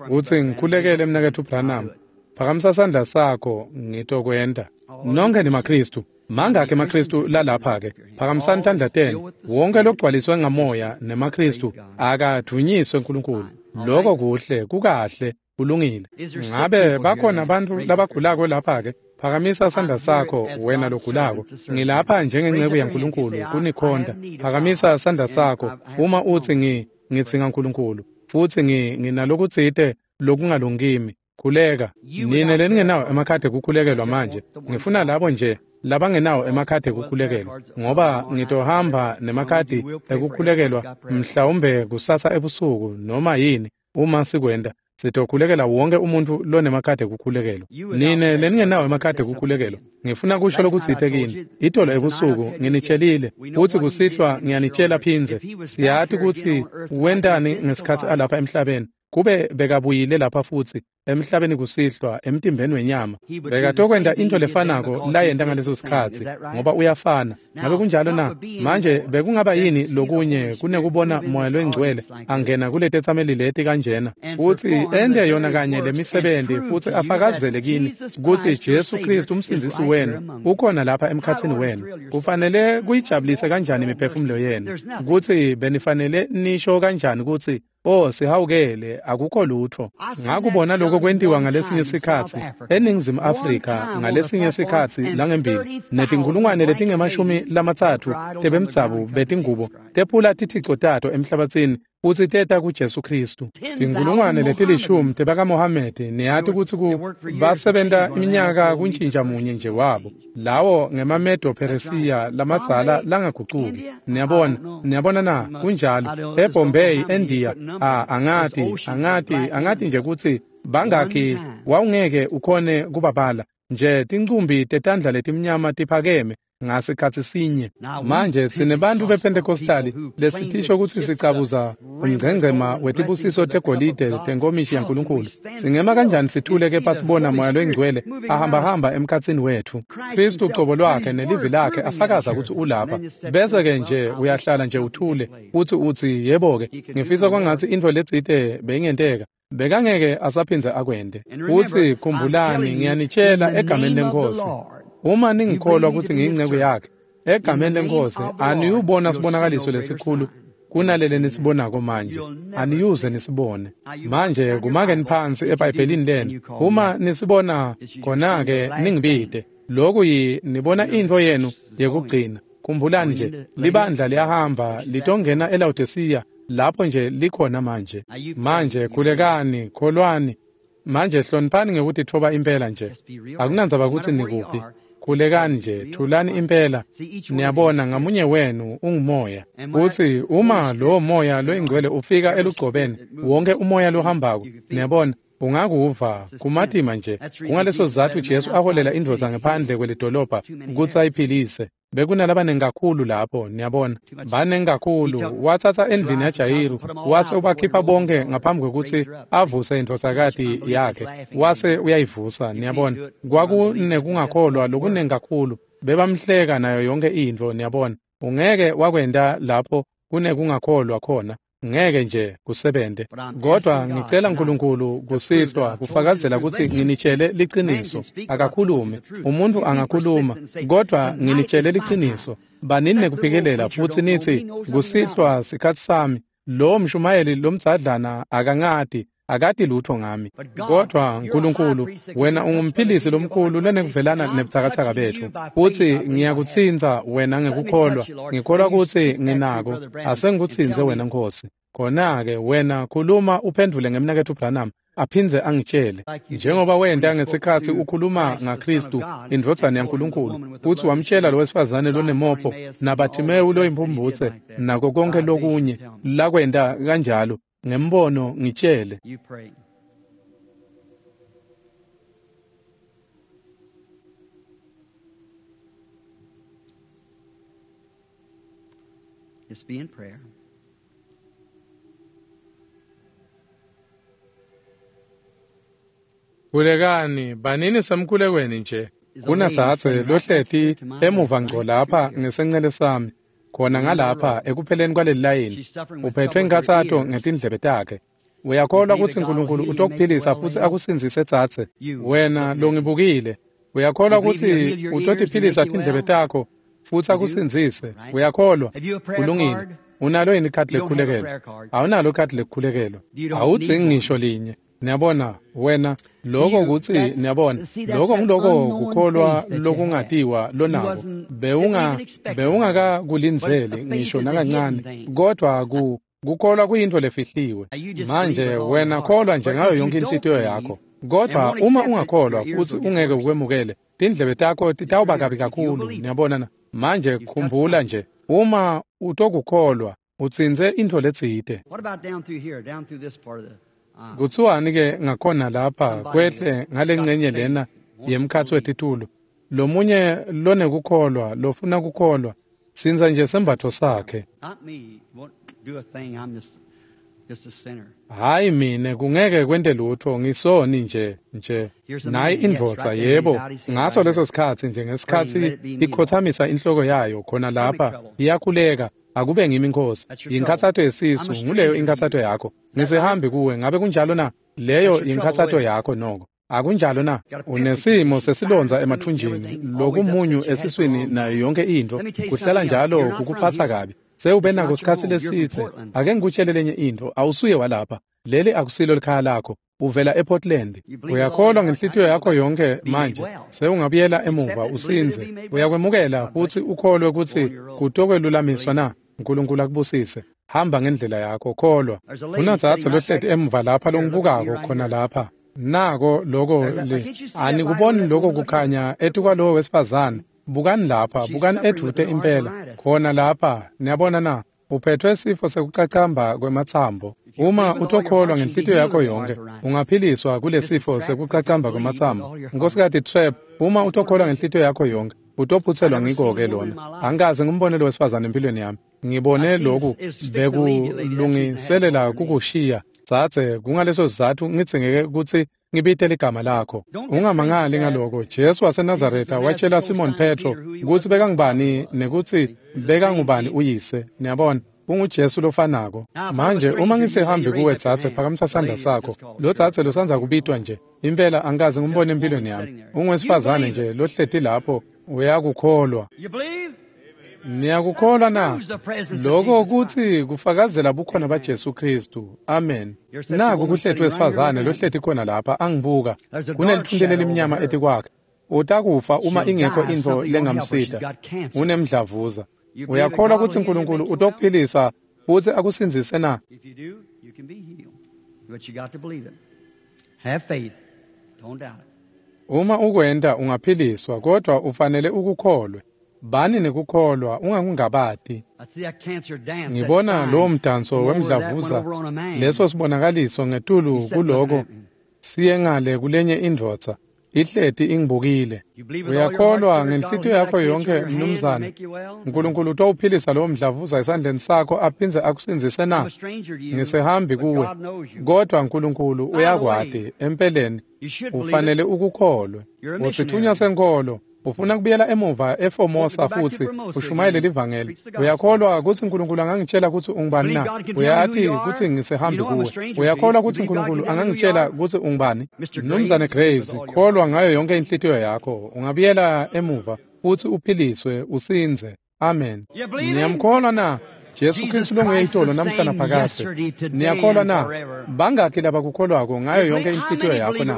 utsi ngikhulekele Mnaketfu Branham, phakamisa sandla sakho, ngitokwenta. Nonkhe nimaKhristu. Mangakhi emaKhristu lalapha-ke? Phakamisani tandla tenu. Wonke logcwaliswe ngamoya nemaKhristu akadvunyiswe Nkulunkulu. Loko kuhle, kukahle, kulungile. Ngabe bakhona bantfu labagulako lapha-ke? Phakamisa sandla sakho wena logulako. Ngilapha njengenceku yaNkulunkulu kunikhonta. Phakamisa sandla sakho uma utsi ngi ngidzinga Nkulunkulu futsi ngi nginalokutsite lokungalungimi. Khuleka. Nine leningenawo emakhadi ekukhulekelwa manje, ngifuna labo nje labangenawo emakhadi ekukhulekelwa, ngoba ngitohamba nemakhadi ekukhulekelwa mhlawumbe kusasa ebusuku noma yini. Uma sikwenta, sitokhulekela wonke umuntu lonemakhadi ekukhulekelwa. Nine leningenawo emakhadi ekukhulekelwa, ngifuna kusho lokutsite kini. Itolo ebusuku nginitshelile futsi kusihlwa ngiyanitshela phindze. Siyati kutsi wentani ngesikhatsi alapha emhlabeni. Kube bekabuyile lapha futsi emhlabeni kusihlwa emtimbeni wenyama, bekatokwenta into lefanako layenta ngaleso sikhatsi, ngoba uyafana. Ngabe kunjalo na? Manje bekungaba yini lokunye kunekubona Moya loyiNgcwele angena kuletetsameli leti kanjena futsi ente yona kanye lemisebenti futsi afakazele kini kutsi Jesu Kristu umsindzisi wenu ukhona lapha emkhatsini wenu? Kufanele kuyijabulise kanjani imiphefumulo yenu kutsi benifanele nisho kanjani kutsi, "Oh, sihawukele, akukho lutfo." Ngakubona lokho kwentiwa ngalesinye sikhatsi eNingizimu Afrika ngalesinye sikhatsi langembili, netinkhulungwane letingemashumi lamatsatfu tebemdzabu betingubo tephula tithico tato emhlabatsini futsi teta kuJesu Kristu. Tinkhulungwane letilishumi tebakaMohamedi, niyati kutsi ku basebenta iminyaka kuntjintja munye nje wabo. Lawo ngemaMedo Peresiya lamadzala langagucuki. Niyabona, niyabona na? Kunjalo. EBombay, eNdiya, a angati, angati, angati nje kutsi bangakhi, wawungeke ukhone kubabala. Nje tincumbi tetandla letimnyama tiphakeme ngasikhatsi sinye. Manje sinebantfu bePentecostali lesitisho kutsi sicabuza umngcengcema wetibusiso tegolide tenkomishi yaNkulunkulu. Singema kanjani sithule kepha sibona Moya loyiNgcwele ahambahamba emkhatsini wetfu? Kristu ucobo lwakhe nelivi lakhe afakaza kutsi ulapha. Bese-ke nje uyahlala nje uthule futsi utsi, yebo-ke, ngifisa kwangatsi intfo letsite beyingenteka. Bekangeke asaphindze akwente. Futsi khumbulani, ngiyanitshela egameni leNkhosi, uma ningikholwa kutsi ngiyinceku yakhe, egameni leNkhosi aniyubona sibonakaliso lesikhulu kunalele nisibonako manje. Aniyuze nisibone. Manje kumakeni phansi eBhayibhelini lenu. Uma nisibona khona-ke ningibite. Loku yi nibona intfo yenu yekugcina. Khumbulani nje, libandla liyahamba litongena eLawodisiya lapho nje likhona manje. Manje khulekani, kholwani. Manje hloniphani ngekutitfoba impela nje. Akunandzaba kutsi nikuphi. Khulekani nje, thulani impela. Niyabona, ngamunye wenu ungumoya. Futsi uma lowo Moya loyiNgcwele ufika elugcobeni, wonke umoya lohambako, niyabona, ungakuva kumatima nje. Kungaleso sizatfu Jesu aholela indvodza ngephandle kwelidolobha kutsi ayiphilise. Bekunalabanengi kakhulu lapho, niyabona, banengi kakhulu. Watsatsa endlini yaJayiru wase ubakhipha bonke ngaphambi kwekutsi avuse indvodzakati yakhe, wase uyayivusa. Niyabona, kwakunekungakholwa lokunengi kakhulu, bebamhleka nayo yonke intfo. Niyabona, ungeke wakwenta lapho kunekungakholwa khona. Ngeke nje kusebente. Kodwa ngicela Nkulunkulu kusihlwa kufakazela kutsi nginitshele liciniso. Akakhulume. Umuntfu angakhuluma, kodwa nginitshele liciniso. Banini nekuphikelela futsi nitsi kusihlwa sikhatsi sami. Lo mshumayeli lomdzadlana akangati, akati lutho ngami. Kodwa Nkulunkulu, wena ungumphilisi lomkhulu lonekuvelana nebutsakatsaka betfu. Futsi ngiyakutsintsa wena ngekukholwa. Ngikholwa kutsi nginako. Asengikutsintse wena Nkosi. Khona-ke wena khuluma uphendvule ngemnaketfu Branham aphindze angitshele. Njengoba wenta ngesikhatsi ukhuluma ngaKhristu, indvodzana yaNkulunkulu, futsi wamtshela lowesifazane lonemopho naBhathimewu loyimphumbutse nako konke lokunye lakwenta kanjalo. Ngembono ngitshele. Just be in prayer. Khulekani, banini semkhulekweni nje. Kunadzadze lohleti emuva ngco lapha ngesencele sami, khona ngalapha ekupheleni kwaleli layini. Uphethwe inkhatsato ngetindlebe takhe. Uyakholwa kutsi Nkulunkulu utokuphilisa futsi akusindzise dzadze? Wena longibukile, uyakholwa kutsi utotiphilisa tindlebe takho futsi akusindzise? Uyakholwa? Kulungile. Unalo yini ikhadi lekukhulekelwa? Awunalo ikhadi lekukhulekelwa. Awudzingi ngisho linye. Niyabona wena lokho kutsi niyabona lokho ngiloko kukholwa lokungatiwa lonako. Bewunga bewungakakulindzeli ngisho nakancane, kodwa ku kukholwa kuyintfo lefihliwe. Manje wena kholwa nje ngayo yonke inhlitiyo yakho. Kodwa uma ungakholwa futsi ungeke ukwemukele, tindlebe takho titawuba kabi kakhulu. Niyabona na? Manje khumbula nje, uma utokukholwa utsintse intfo letsite. Kuthiwani ke ngakhona lapha kwehle ngalengcenye lena yemkhatsi wetitulo? Lomunye lonekukholwa lofuna kukholwa, sindza nje sembatfo sakhe. Hayi mine, kungeke kwente lutho, ngisoni nje nje. Nayi indvodza, yebo, ngaso leso sikhatsi nje ngesikhatsi ikhothamisa inhloko yayo khona lapha, iyakhuleka. Akube ngimi Nkosi. Yinkhatsato yesisu, nguleyo inkhatsato yakho. Ngisihambi kuwe, ngabe kunjalo na? Leyo yinkhatsato yakho noko. Akunjalo na? Unesimo sesilondza emathunjini, lokumunyu esiswini nayo yonke intfo, kuhlala njalo kukuphatsa kabi. Sewube nako sikhatsi lesitse. Ake ngikutshele lenye intfo, awusuye walapha. Leli akusilo likhaya lakho. Uvela ePortland. Uyakholwa ngenhlitiyo yakho yonke manje. Sewungabuyela emuva usindze. Uyakwemukela futsi ukholwe kutsi kutokwelulamiswa na? Nkulunkulu akubusise. Hamba ngendlela yakho, kholwa. Kunadzadze lohleti emuva lapha longibukako khona lapha. Nako loko le. Anikuboni loko kukhanya etikwalowo wesifazane. Bukani lapha, bukani edvute impela. Khona lapha, niyabona na? Uphethwe sifo sekucacamba kwematsambo. Uma utokholwa ngenhlitiyo yakho yonke, ungaphiliswa kulesifo sekucacamba kwematsambo. Nkosikati Trep, uma utokholwa ngenhlitiyo yakho yonke, utophutselwa ngiko-ke lona. Angikaze ngimbone lo wesifazane empilweni yami. Ngibone lokhu bekulungiselela kukushiya. Dzadze, kungaleso sizatfu ngidzingeke kutsi ngibite ligama lakho. Ungamangali ngaloko. Jesu waseNazaretha watshela Simon Petro kutsi bekangubani nekutsi bekangubani uyise. Niyabona, unguJesu lofanako. Manje uma ngisihambi kuwe dzadze, phakamisa sandla sakho. Lo dzadze losandza kubitwa nje, impela angikaze ngimbone empilweni yami. Ungowesifazane nje lohleti lapho, uyakukholwa. Niyakukholwa na? Lokho kutsi kufakazela bukhona baJesu Khristu. Amen. Naku kuhleti wesifazane lohleti khona lapha angibuka. Kunelithunti lelimnyama etikwakhe. Utakufa uma ingekho intfo lengamsita. Unemdlavuza. Uyakholwa kutsi Nkulunkulu utokuphilisa futsi akusindzise na? Uma ukwenta ungaphiliswa, kodwa ufanele ukukholwe. Bani nekukholwa, ungakungabati. Ngibona lowo mdanso wemdlavuza, leso sibonakaliso ngetulu kuloko siye ngale kulenye indvodza, ihleti ingibukile. Uyakholwa ngenhlitiyo yakho yonke, mnumzane? Nkulunkulu utowuphilisa lowo mdlavuza esandleni sakho aphindze akusindzise na? Ngisihambi kuwe, kodwa Nkulunkulu uyakwati. Empeleni ufanele ukukholwe. Usithunywa senkholo. Ufuna kubuyela emuva eFormosa futhi ushumayele livangeli. Uyakholwa kutsi uNkulunkulu angangitshela kutsi ungubani na? Uyati kutsi ngisehambi kuwe. Uyakholwa kutsi uNkulunkulu angangitshela kutsi ungubani? Mnumzane Graves, kholwa ngayo yonke inhlitiyo yakho. Ungabuyela emuva futhi uphiliswe usindze. Amen. Niyamkholwa na? Jesu Kristu longuye itolo namhla naphakadze. Niyakholwa na? Bangakhi labakukholwako ngayo yonke inhlitiyo yakho na?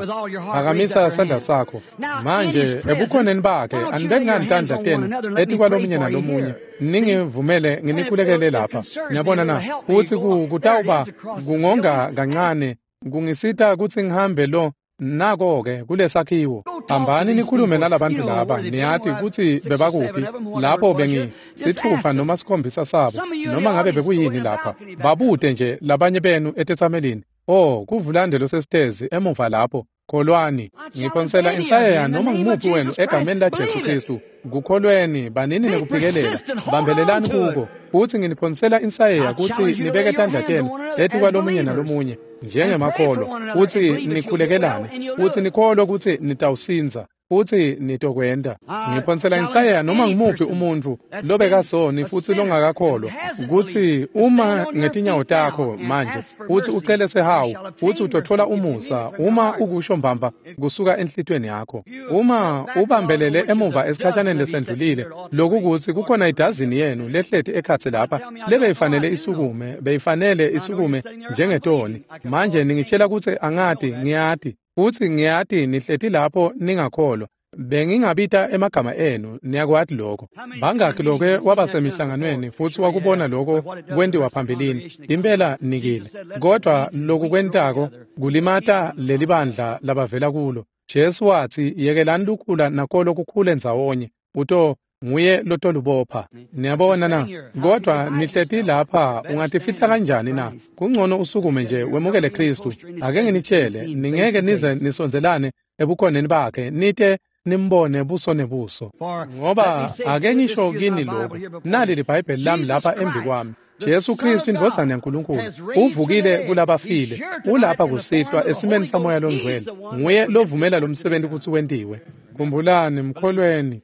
Phakamisa sandla sakho. Manje ebukhoneni bakhe anibeki ngani tandla tenu etikwalomunye nalomunye. Ningivumele nginikhulekele lapha. Niyabona na? Futsi kutawuba kungonga kancane kungisita kutsi ngihambe lo nako-ke kulesakhiwo. Hambani nikhulume nalabantu laba. Niyati kutsi bebakuphi lapho bengi sithupha noma sikhombisa sabo noma ngabe bekuyini lapha. Babute nje labanye benu etetsamelini. Oh, kuvulande losesitezi emuva lapho. Kholwani. Ngiphonsela insayeya noma ngumuphi wenu egameni la Jesu Kristu. Kukholweni banini nekuphikelela. Bambelelani kuko. Futhi nginiphonsela insayeya kutsi nibeke tandla tenu etikwalomunye nalomunye njengemakholwa, futhi nikhulekelane, futhi nikholwe kutsi nitawusindza, futhi nitokwenda. Ngiphonsela insayeya noma ngumuphi umuntfu lobekasoni futhi longakakholwa kutsi uma ngetinyawo takho manje futhi ucele sehawu futhi utothola umusa uma ukusho mbamba kusuka enhlitiyweni yakho. Uma ubambelele emuva esikhashaneni lesendlulile, lokukutsi kukhona idazini yenu lehleti ekhatsi lapha lebeyifanele isukume, beyifanele isukume njengetoni. Manje ningitshela kutsi angati, ngiyati. Futsi ngiyati nihleti lapho ningakholwa. Bengingabita emagama enu, niyakwati lokho. Bangakhi lokwe wabasemihlanganweni futhi wakubona lokho kwentiwa phambilini. Impela nikile. Kodwa loku kwentako kulimata leli bandla labavela kulo. Jesu watsi yekelani lukhula nakolo kukhule ndzawonye. Uto nguye lotolubopha. Niyabona na? Kodwa nihleti lapha ungatifihla kanjani na? Kungcono usukume nje wemukele Kristu. Ake nginitshele, ningeke nize nisondzelane ebukhoneni bakhe nite nimbone buso nebuso. Ngoba ake ngisho kini lokhu, nali liBhayibheli lami lapha embi kwami. Jesu Kristu indvodzana yaNkulunkulu uvukile kulabafile, ulapha kusihlwa esimeni saMoya loNgcwele. Nguye lovumela lo msebenzi kutsi wentiwe. Khumbulani, mkholweni.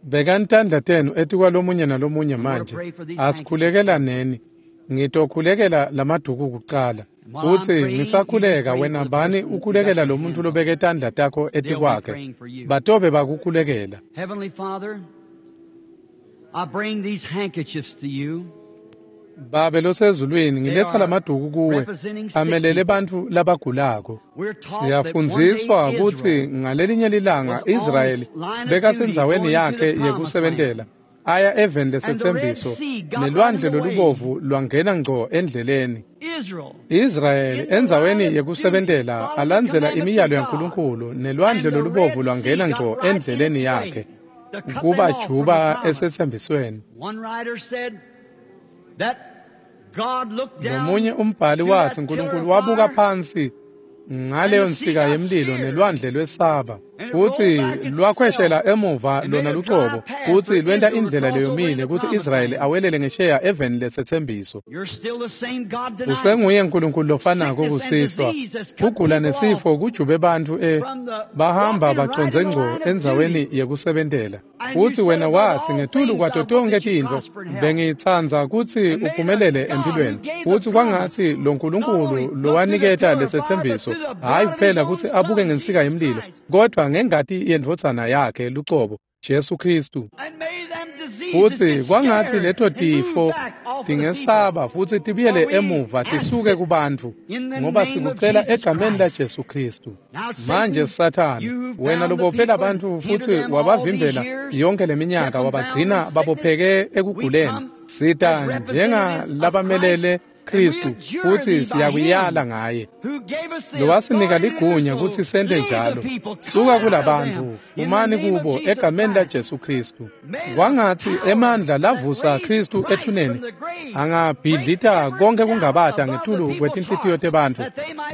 Bekani tandla tenu etikwalomunye nalomunye manje. Asikhulekelaneni. Ngitokhulekela lamaduku kucala. Futsi ngisakhuleka wena bani ukhulekela lo muntu lobeke tandla takho etikwakhe. Batobe bakukhulekela. Heavenly Father, I bring these handkerchiefs to you. Babe losezulwini, ngiletha lamaduku kuwe amelele bantfu labagulako. Siyafundziswa kutsi ngalelinye lilanga Israyeli bekasendzaweni yakhe yekusebentela aya eveni lesetsembiso, nelwandle lolubovu lwangena ngco endleleni. Israyeli endzaweni yekusebentela alandzela imiyalo yaNkulunkulu, nelwandle lolubovu lwangena ngco endleleni yakhe kubajuba esetsembisweni. Nomunye umbhali watsi uNkulunkulu wabuka phansi ngaleyo nsika yemlilo nelwandle lwesaba, futsi lwakhweshela emuva lona lucobo, futsi lwenta indlela leyomile kutsi Israyeli awelele ngesheya eveni lesetsembiso. Usenguye uNkulunkulu lofanako kusihlwa. Kugula nesifo kujube bantfu e bahamba bacondze ngco endzaweni yekusebentela. Futsi wena watsi ngetulu kwato tonkhe tintfo bengitsandza kutsi uphumelele empilweni. Futsi kwangatsi lo Nkulunkulu lowaniketa lesetsembiso, hhayi kuphela kutsi abuke ngensika yemlilo, kodwa ngengati yendvodzana yakhe lucobo, Jesu Kristu. Futsi kwangatsi leto tifo tingesaba futsi tibuyele emuva tisuke kubantfu, ngoba sikucela egameni la Jesu Kristu. Manje Sathane, wena lobophela bantfu futsi wabavimbela yonke leminyaka, wabagcina babopheke ekuguleni, sita njengalabamelele Kristu, futsi siyakuyala ngaye lowasinika ligunya kutsi sente njalo. Suka kulabantu, umani kubo egameni la Jesu Kristu. Kwangatsi emandla lavusa Kristu ethuneni angabhidlita konke kungabata ngetulu kwetinhlitiyo tebantfu,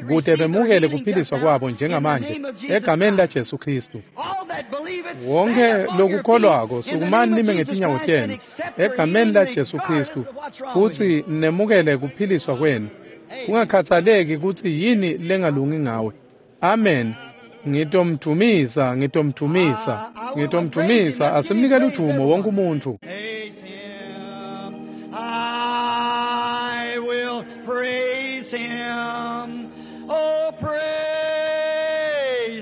kute bemukele kuphiliswa kwabo njengamanje egameni la Jesu Kristu. Wonke lokukholwako sukumani nime ngetinyawo tenu egameni la Jesu Kristu, futsi nemukele kuphiliswa kwenu, kungakhathaleki kutsi yini lengalungi ngawe. Amen. Ngitomdumisa, ngitomdumisa, ngitomdumisa. Asimnikele udumo wonke umuntu. Praise him. I will praise him. Oh, praise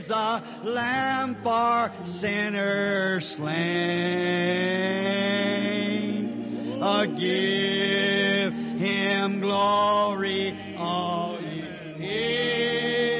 the Lamb for sinners slain. Uh, give him glory, all ye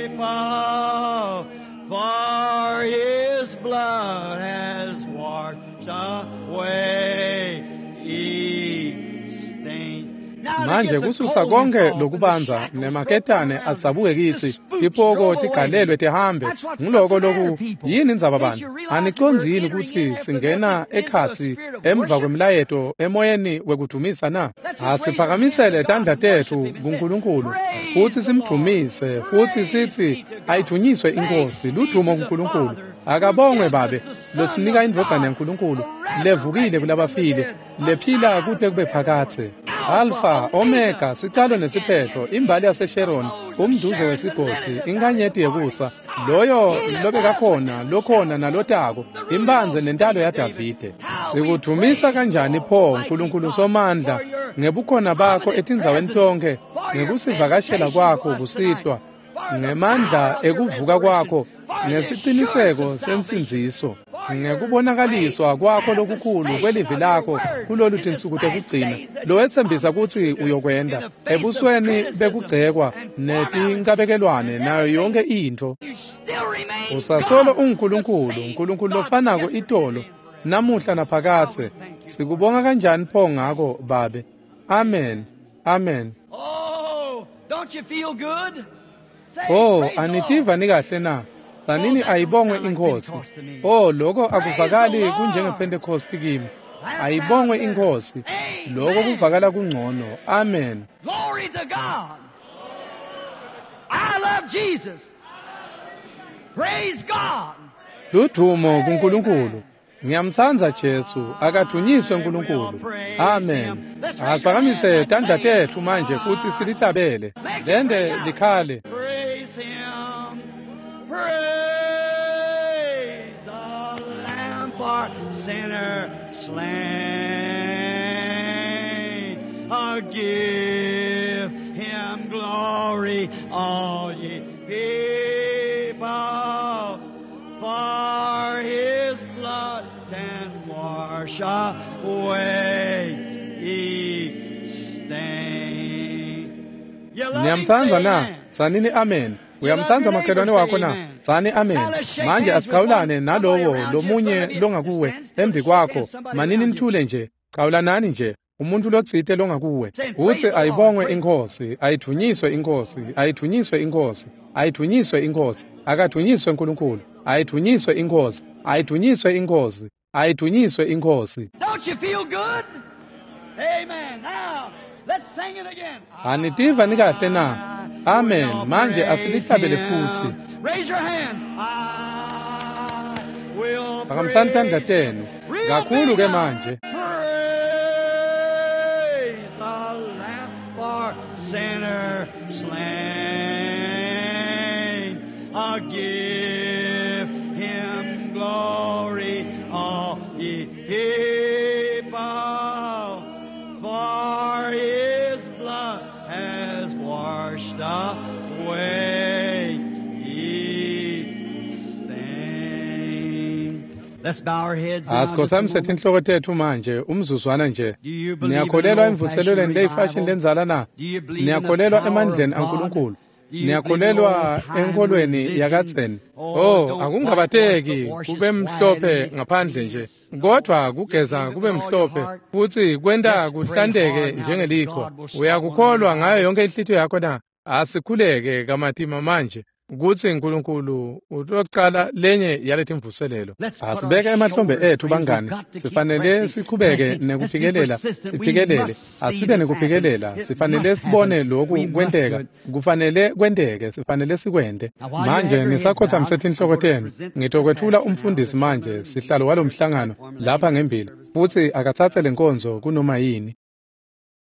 people, for his blood has washed away each stain. Now to Manje get the kususa coldness konke off and the lokubanza shackles nemaketane broken down, adzabuke the kitsi spooks tipoko drove away. tigalelwe tihambe. That's what's Nguloko what's the matter, loku people. yini indzaba Can't bantu? you realize that Anicondzi we're yini entering kutsi in after the singena message into a ekhatsi spirit of emva worship? kwemlayeto emoyeni wekudumisa na? Let's just raise our hands to Asiphakamisele God tandla and worship tetfu Him and say, kuNkulunkulu futhi Praise the Lord. simdumise futhi Praise sithi be to God. ayidvunyiswe Thanks inkosi be ludumo to the kuNkulunkulu. Father who Akabongwe gives us Babe the Son losinika of indvodzana God, yaNkulunkulu the levukile resurrected from the kulabafile dead, lephila alive kute kube forevermore. phakadze. Alpha, Alpha, Omega, Omega, the sicalo beginning nesiphetho, and the imbali end, the yaseSharon, rose of umduze Sharon, the wesigodzi, lily of the valley, the inkanyeti morning yekusa, star, loyo he that was, which lobekakhona, is, and lokhona shall come, nalotako, the root and imbanze nentalo offspring of David. yaDavide. How we Sikudumisa praise you, kanjani pho Almighty Nkulunkulu God, Somandla for your ngebukhona bakho prominent etindzaweni presence, tonkhe, for your ngekusivakashela visitation to kwakho us tonight, kusihlwa, for the ngemandla power of your ekuvuka resurrection, kwakho, for the assurance ngesiciniseko of salvation, sensindziso, for your great ngekubonakaliswa kwakho lokukhulu manifestation kwelivi of your lakho word kulolu in this tinsuku last tekugcina days that you lowetsembisa promised kutsi to do in uyokwenta the face of ebusweni criticism bekugcekwa and formality netincabekelwane and nayo yonke everything. intfo. You still remain Usasolo God, the unguNkulunkulu, same uNkulunkulu God lofanako yesterday, itolo, today, and forever. namuhla How naphakadze. we thank you, Lord. Sikubonga kanjani pho ngako Babe? Amen. Amen. Oh, don't you feel good? Say, Oh, praise the Lord. anitiva nikahle na? Oh, Sanini that don't ayibongwe sound like inkosi. Pentecost to me. Oh, lokho Praise the akuvakali Lord. kunjengePentecost kimi. That sounds Ayibongwe better. inkosi. Lokho Amen. kuvakala kungcono. Amen. Glory to God. I love Jesus. Praise God. Ludumo kuNkulunkulu. Amen. Ngiyamtsandza Jesu, akadunyiswe I will uNkulunkulu. praise Amen. him. Let's raise our hands Asiphakamise and tandla sing. tetfu manje futhi silihlabele. Make it Lende ring out. likhale. Praise him. Praise the Lamb for sinner slain. Uh, give him glory, all ye people, for his blood can wash away each stain. You love him, Niyamtsandza say na? amen. Sanini amen. You love your Uyamtsandza neighbor, makhelwane say wakho na? amen. Tsani Now amen. let's shake Manje hands with one asichawulane somebody nalowo around you in front lomunye of you. Just longakuwe stand still embi and shake kwakho. hands with somebody Manini around you. nithule nje. Chawulanani nje. Umuntu lotsite longakuwe. Saying, Utsi Praise the Lord, ayibongwe praise inkosi, ayidvunyiswe inkosi, ayidvunyiswe inkosi, ayidvunyiswe inkosi, akadvunyiswe uNkulunkulu, ayidvunyiswe inkosi, ayidvunyiswe inkosi, ayidvunyiswe inkosi. Don't you feel good? Amen. Now, let's sing it again. Anitiva nikahle na? I Amen. will Manje praise asilihlabele futhi. him. Raise your hands. I will Phakamisani tandla praise him. tenu. Real Kakhulu big ke now. manje. Praise the Lamb for sinner slain. I'll give him glory, all ye people, for his blood has washed away each stain. Let's bow our heads now just a Asikhothamise moment. tinhloko tetfu manje umzuzwana nje. Do you believe in an Niyakholelwa old-fashioned emvuselelweni leyifashini revival? lendzala na? Do you believe in the Niyakholelwa power of emandleni God? aNkulunkulu? Do you believe in Niyakholelwa old-time enkolweni religion? yakadzeni? Oh, Oh, don't whitewash, but akungabateki wash kube us white and mhlophe makes ngaphandle clean nje. as snow. Kodwa You kugeza believe it kube with all your mhlophe heart? futhi kwenta Just pray kuhlanteke hard now that njengelikhwa. God will start one Uyakukholwa ngayo revival. yonke inhlitiyo yakho na? Asikhuleke kamatima manje kutsi uNkulunkulu utocala lenye yaletimvuselelo. Let's put our Asibeke emahlombe shoulders, ethu friends. We've bangani. got to keep Sifanele pressing, siqhubeke pressing. Let's be nekuphikelela, persistent. We siphikelele. must see Asibe this happen. nekuphikelela. It Sifanele must happen. sibone lokhu We must do kwenteka. it. Kufanele kwenteke, sifanele sikwente. Now, while you have Manje your heads bowed, nisakhothamise I'm tinhloko going to tenu. present the Ngitokwetfula pastor now, umfundisi the chairman manje, of the meeting, sihlalo first walomhlangano platform, and let lapha him ngembili. service. Futsi akatsatse lenkonzo kunoma yini.